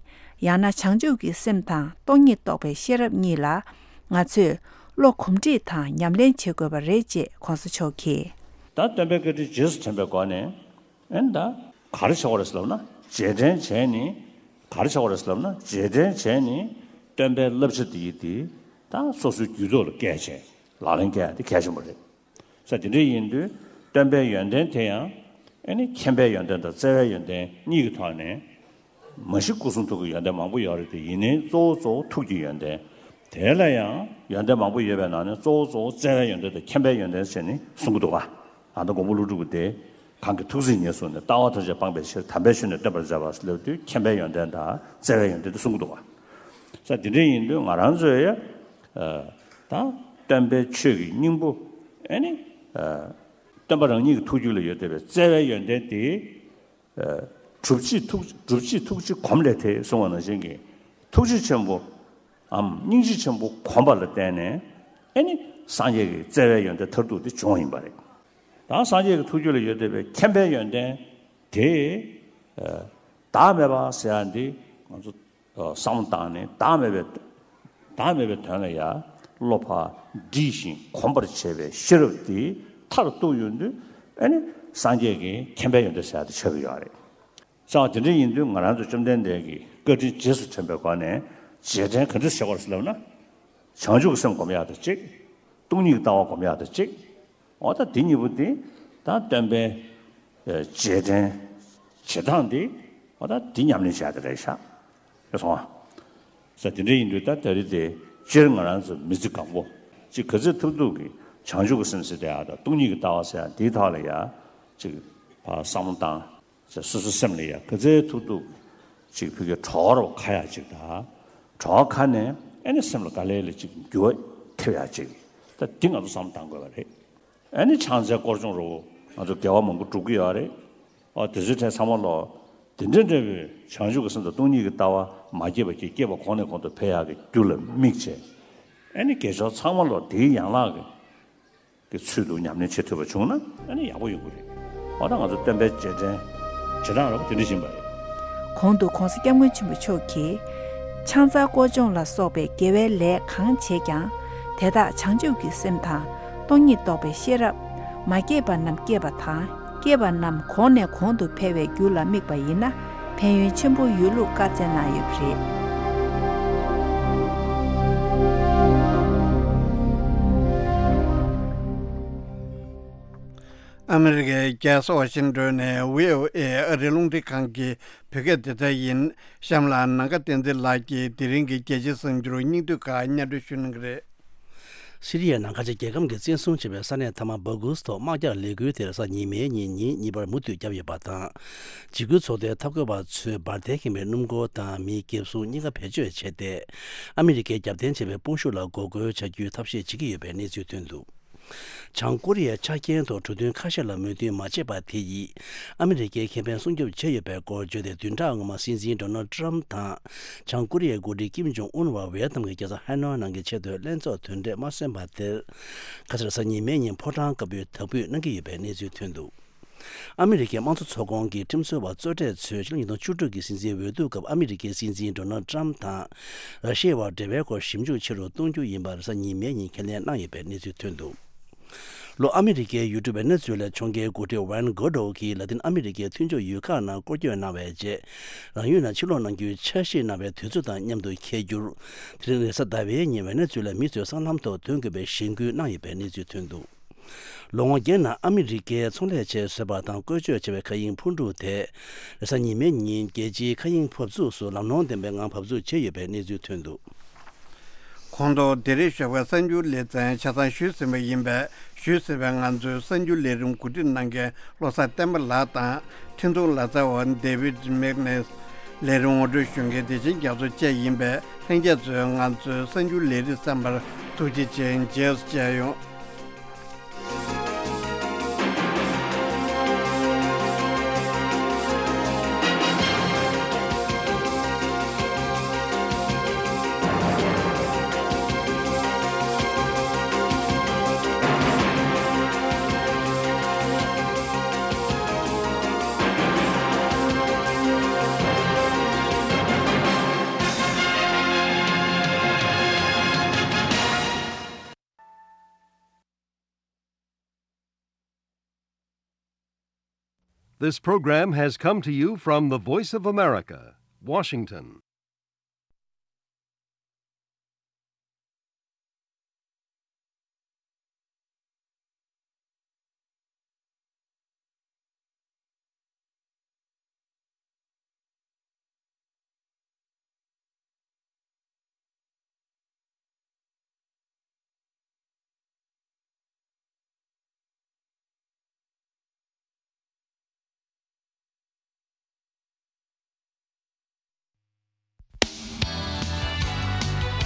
ཡང་ན་བྱང་ཆུབ་ཀྱི་སེམས་དང་སྟོང་ཉིད་རྟོགས་པའི་ཤེས་རབ་གཉིས་ལ། ང་ཚོས་བློ་གོམས་འདྲིས་དང་ཉམས་ལེན་བྱེད་དགོས་པ་རེད་ཅེས་༸གོང་ས་མཆོག་གིས། ད་སྟོན་པའི་བཀའ་དྲིན་རྗེས་སུ་དྲན་པའི་སྒོ་ནས། ཨེ་ད་ག་རེ་བྱ་དགོས་རེད་ཟེར་ལབ་ན། རྗེས་དྲན་བྱས་ནས་ག་རེ་བྱ་དགོས་རེད་ཟེར་ལབ་ན། རྗེས་དྲན་བྱས་ནས་སྟོན་པའི་བསླབ་བྱ་འདི་ཡིས་དེ་ད་སོ་སོའི་རྒྱུད་ཐོག་ལ་བཀལ་བྱས་ལག་ལེན་བཀལ་ཡ་དེ་གལ་ཆེན་པོ་རེད། ས་དེ་འདྲ་ཡིན་དུས་སྟོན་པའི་ཡོན་ཏན་དེ་ཡང་ཨེ་ནི་མཁྱེན་པའི་ཡོན་ཏན་དང་བརྩེ་བའི་ཡོན་ཏན་གཉིས་ཀྱི་ཐོག་ནས། མ་གཞི་སྐུ་གསུང་ཐུགས་ཀྱི་ཡོན་ཏན་མང་པོ་ཡོད་རེད་དེ། ཡིན་ནའི་གཙོ་བོ་གཙོ་བོ་ཐུགས་ཀྱི་ཡོན་ཏན། དེ་ལ་ཡང་ཡོན་ཏན་མང་པོ་ཡོད་པའི་ནང་ནས་གཙོ་བོ་གཙོ་བོ་བརྩེ་བའི་ཡོན་ཏན་དང་མཁྱེན་པའི་ཡོན་ཏན་ཟེར་ནས་གསུང་གི་འདུག་བ། ཨ་ད་མགོན་པོ་ཀླུ་སྒྲུབ་ཀྱིས་དེ། གང་གིས་ཐུགས་བརྩེ་ཉེར་བཟུང་ནས། ལྟ་བ་ཐམས་ཅད་སྤངས་པའི་ཕྱིར། དམ་པའི་ཆོས་ནི་སྟོན་པར་མཛད་པ་ལབ་དུས་མཁྱེན་པའི་ཡོན་ཏན་དང་བརྩེ་བའི་ཡོན་ཏན་དེ་གསུང་གི་འདུག་བ། ས་དེ་འདྲ་ཡིན་དུས་ང་རང་ཚོས་ཡ། ད་སྟོན་པའི་ཆོས་ཀྱི་སྙིང་པོ་ཨེ་ནི། སྟོན་པ་རང་ཉིད་ཀྱི་ཐུགས་རྒྱུད་ལ་ཡོད་བསྡད་པའི་བརྩེ་བའི་ཡོན་ཏན་དེ། སྒྲུབ་བྱེད་ཐུགས། སྒྲུབ་བྱེད་ཐུགས་རྗེ་གོམས་ལས་ཐེག་གསུངས་པ་ནང་བཞིན་གྱི། ཐུགས་རྗེ་ཆེན་པོའམ་སྙིང་རྗེ་ཆེན་པོ་གོམས་པ་ལ་བརྟེན་ནས་ཨེ་ནི་སངས་རྒྱས་ཀྱི་བརྩེ་བའི་ཡོན་ཏན་མཐར་ཐུག་དེ་བྱུང་བ་ཡིན་པ་རེད། ད་སངས་རྒྱས་ཀྱི་ཐུགས་རྒྱུད་ལ་ཡོད་བསྡད་པའི་མཁྱེན་པའི་ཡོན་ཏན་དེ། བདག་མེད་པ་ཟེར་ཡ་འདི་ང་ཚོ་བསམ་བློ་བཏང་ནས་བདག་མེད་པའི། བདག་མེད་པའི་དོན་ལ་ཡ་བློ་ཕར་འདྲིས་ཤིང་གོམས་པར་བྱེད་པའི་ཤེས་རབ་དེ་མཐར་གཏུགས་ཡོང་དུས་ཨེ་ནི་སངས་རྒྱས་ཀྱི་མཁྱེན་པའི་ཡོན་ཏན་ཟེར་ཡ་དེ་ཆགས་ཀྱི་ཡོད་རེད། ས་དེ་འདྲ་ཡིན་དུས་ང་རང་ཚོ་བཅོམ་ལྡན་འདས་ཀྱི་བཀའ་དྲིན་རྗེས་སུ་དྲན་པའི་སྒོ་ནས་རྗེས་དྲན་ག་འདྲ་བྱེད་དགོས་རེད་ཟེར་ལབ་ན། བྱང་ཆུབ་ཀྱི་སེམས་སྒོམ་ཡག་དང་གཅིག་སྟོང་ཉིད་ཀྱི་ལྟ་བ་སྒོམ་ཡག་དང་གཅིག་འོ་ད་འདི་གཉིས་པོ་འདི་ད་སྟོན་པའི་རྗེས་དྲན་བྱེད་སྟངས་འདི་འོ་ད་འདི་ཉམས་ལེན་བྱ་ཡག་དེ་རེད་ཤག་རེད་སོང་ཨ། ས་དེ་འདྲ་ཡིན་དུས་ད་ད་རེས་དེ་སྤྱིར་ང་རང་ཚོ་མི་ཚེ་གང་པོ་ཅིག་ག་ཚོད་ཐུབ་ཐུབ་ཀྱིས་བྱང་ཆུབ་ཀྱི་སེམས་ཟེར་དེ་ཡག་དང་སྟོང་ཉིད་ཀྱི་ལྟ་བ་ཟེར་ཡག་འདིའི་ཐོག་ལ་ཡ་ཅིག་ཕར་བསམ་བློ་བཏང་། ཅེས་སོ་སོའི་སེམས་ལ་ཡ་ག་ཚོད་ཐུབ་ཐུབ་ཅིག་ཕ་གིའི་གྲོགས་རོགས་ཁ་ཡག་ཅིག་དང་། གྲོགས་ཁ་ནས་ཨེ་ནི་སེམས་ལ་དཀའ་ལས་ལ་ཅིག་འགྱུར་བ་ཐེབས་ཡག་ཅིག་ད་འདི་ང་ཚོ་བསམ་བློ་བཏང་དགོས་པ་རེད། ཨེ་ནི་ཕྱག་འཚལ་སྐོར་སྦྱོང་རོགས་ང་ཚོ་དགེ་བ་མང་པོ་སྒྲུབ་ཀྱི་ཡོད་རེད། ཨོ་དེ་ཚོའི་གྲས་ཚང་མ་ལོ། དེ་འདྲ་འདྲ་བའི་བྱང་ཆུབ་ཀྱི་སེམས་དང་སྟོང་ཉིད་ཀྱི་ལྟ་བ་མ་སྐྱེས་པ་གི་སྐྱེས་པ་གོང་ནས་གོང་དུ་འཕེལ་ཡག་གི་རྒྱུ་ལ་དམིགས་བྱས། ཨེ་ནི་དགེ་སྦྱོར་ཚང་མ་ལོ་དེའི་ཡན་ལག་གི་གི་ཚུལ་དུ་ཉམས་ལེན་བྱེད་ཐུབ་པ་བྱུང་ན་ཨ་ནི་ཡག་པོ་ཡོང་གི་རེད། འོ་ད་ང་ཚོ་སྟོན་པའི་རྗེས་དྲན་བྱེད་སྟངས་རོགས་དེ་འདྲ་བཞིན་པ་རེད། གོང་དུ་༸གོང་ས་༸སྐྱབས་མགོན་ཆེན་པོ་མཆོག་གིས། ཕྱག་འཚལ་སྐོར་སྦྱོང་ལ་སོགས་པའི་དགེ་བའི་ལས་གང་བྱེད་ཀྱང་། དེ་དག་བྱང་ཆུབ་ཀྱི་སེམས་དང་། སྟོང་ཉིད་རྟོགས་པའི་ཤེས་རབ། མ་སྐྱེས་པ་རྣམས་སྐྱེས་པ་དང་། སྐྱེས་པ་རྣམས་གོང་ནས་གོང་དུ་འཕེལ་བའི་རྒྱུ་ལ་དམིགས་པ་ཡིན་ན། ཕན་ཡོན་ཆེན་པོ་ཡོད་ལུགས་བཀའ་སྩལ་གནང་ཡོད་པ་རེད། ཨ་མི་རི་ཀའི་རྒྱལ་ས་ཝ་ཤིང་ཏོན་ནས་བྷི་ཨོ་ཨེ་ཨ་རིའི་རླུང་འཕྲིན་ཁང་གི་བོད་སྐད་སྡེ་ཚན་ཡིན། གཤམ་ལ་ནམ་མཁའ་བསྟན་འཛིན་ལགས་ཀྱིས་དེ་རིང་གི་རྒྱལ་སྤྱིའི་གསར་འགྱུར་སྙིང་བསྡུས་ཁག་སྙན་སྒྲོན་ཞུ་གནང་གི་རེད། སི་རི་ཡའི་ནང་ཁ་ཆེ་རྒྱལ་ཁམས་ཀྱིས་བཙན་བཟུང་བྱས་པའི་ས་གནས་མཐའ་མ་སྦ་ཁུག་སི་ཐོག་དམག་རྒྱག་ལས་འགུལ་དེ་རེས་གཟའ་ཉི་མའི་ཉིན་ཉིན་གཉིས་པར་མུ་མཐུད་བརྒྱབ་ཡོད་པ་དང་། འཇིགས་སྐུལ་ཚོགས་པའི་འཐབ་རྒོལ་བ་ཚོས་འབར་མདེལ་ཁེངས་པའི་སྣུམ་འཁོར་དང་མིའི་འགེབས་སྲུང་གཉིས་ཀ་བེད་སྤྱོད་བྱས་ཏེ། ཨ་མི་རི་ཀས་རྒྱབ་རྟེན་བྱས་པའི་དཔུང་ཤུགས་ལ་འགོག་རྒོལ་བྱ་རྒྱུའི་ཐབས་ཤེས་བྱེད་ཀྱི་ཡོད་པའི་གནས་ཚུལ་ཐོན་འདུག་བྱང་ཀོ་རི་ཡའི་ཆ་རྐྱེན་ཐོག་གྲོས་མཐུན་ཁ་ཤས་ལ་མོས་མཐུན་མ་བྱས་པ་དེ་ཡིས། ཨ་མི་རི་ཀའི་ཁེ་ཕན་སྲུང་སྐྱོབ་བྱས་ཡོད་པའི་སྐོར་བརྗོད་དེ། བདུན་ཕྲག་སྔོན་མ་སྲིད་འཛིན་ཌོ་ནལ་ཊམ་དང་། བྱང་ཀོ་རི་ཡའི་འགོ་ཁྲིད་ཀིམ་ཇོང་ཨུན་བར་ཝེ་ཏམ་གྱི་རྒྱལ་ས་ཧ་ནོའི་ནང་གི་ཆེས་མཐོའི་ལྷན་ཚོགས་དོན་གྲོས་མ་སོན་པ་དེར། ཁ་སང་རེས་གཟའ་ཉི་མའི་ཉིན་ཕོ་བྲང་དཀར་པོའི་དག་འབུད་གནང་གི་ཡོད་པའི་གནས་ཚུལ་ཐོན་འདུག་ཨ་མི་རི་ཀའི་དམངས་གཙོ་ཚོགས་ཁོངས་ཀྱི་ཁྲིམས་བཟོ་བ་གཙོ་གྲས་ཚོས་ཕྱི་ལོ་ཉིས་སྟོང་བཅུ་དྲུག་གི་སྲིད་འཛིན་འོས་བསྡུ་སྐབས་ཨ་མི་རི་ཀའི་སྲིད་འཛིན་ཌོ་ནལ་ཊམ་དང་། ར་ཤི་ཡའི་བར་འབྲེལ་བའི་སྐོར་ཞིབ་འཇུག་ཆེ་རུ་གཏོང་རྒྱུ་ཡིན་པ་རེས་གཟའ་ཉི་མའི་ཉིན་ཁས་ལེན་གནང་ཡོད་པའི་གནས་ཚུལ་ཐོན་འདུག་ལོ། ཨ་མི་རི་ཀའི་ཡུལ་གྲུ་ཝེ་ནེ་ཛུ་ལའི་ཕྱོགས་འགལ་འགོ་ཁྲིད་ཝན་གོ་ཌོ་གིས་ལ་ཏིན་ཨ་མི་རི་ཀའི་མཐུན་ཕྱོགས་ཡུལ་ཁག་ནང་སྐོར་སྐྱོད་གནང་བའི་རྗེས། རང་ཡུལ་ནང་ཕྱིར་ལོག་གནང་རྒྱུའི་འཆར་གཞི་གནང་བའི་དུས་ཚོད་དང་མཉམ་དུ་འཁེལ་རྒྱུར། དེ་རིང་རེས་གཟའ་ཟླ་བའི་ཉིན་ཝེ་ནེ་ཛུ་ལའི་མི་ཚོས་སྲང་ལམ་ཐོག་ཐོན་དགོས་པའི་གཞེན་སྐུལ་གནང་ཡོད་པའི་གནས་ཚུལ་ཐོན་འདུག་ལོ་ངོ་བརྒྱད་ནང་ཨ་མི་རི་ཀའི་ཚོང་ལས་ཆེད་བཟོས་པ་དང་བཀོལ་སྤྱོད་བྱས་པའི་མཁའ་དབྱིངས་འཕུར་གྲུ་དེ། རེས་གཟའ་ཉི་མའི་ཉིན་རྒྱལ་སྤྱིའི་མཁའ་དབྱིངས་འབབ་ཚུགས་སུ་ལམ་ལྷོང་ལྡན་པའི་ངང་འབབ་ཚུགས་བྱས་ཡོད་པའི་གནས་ཚུལ་ཐོན་འདུག་གོང་དུ་བདེ་རེས་ཞོགས་པའི་གསར་འགྱུར་ལེ་ཚན་ཆ་ཚང་ཞུས་ཟིན་པ་ཡིན་པས། ཞུས་ཟིན་པའི་ང་ཚོའི་གསར་འགྱུར་ལས་རིམ་གོ་སྒྲིག་གནང་མཁན་བློ་བཟང་བསྟན་པ་ལགས་དང་། འཕྲིན་ཐུང་ལག་རྩལ་བ་David Magnus། ལས་རིམ་ངོ་སྤྲོད་ཞུ་མཁན་བདེ་ཆེན་རྒྱ་མཚོ་བཅས་ཡིན་པས། ལྷན་རྒྱས་ཚོས་ང་ཚོའི་གསར་འགྱུར་ལས་རིམ་གསན་པར་ཐུགས་རྗེ་ཆེ། རྗེས་སུ་མཇལ་ཡོང་། This program has come to you from the Voice of America, Washington.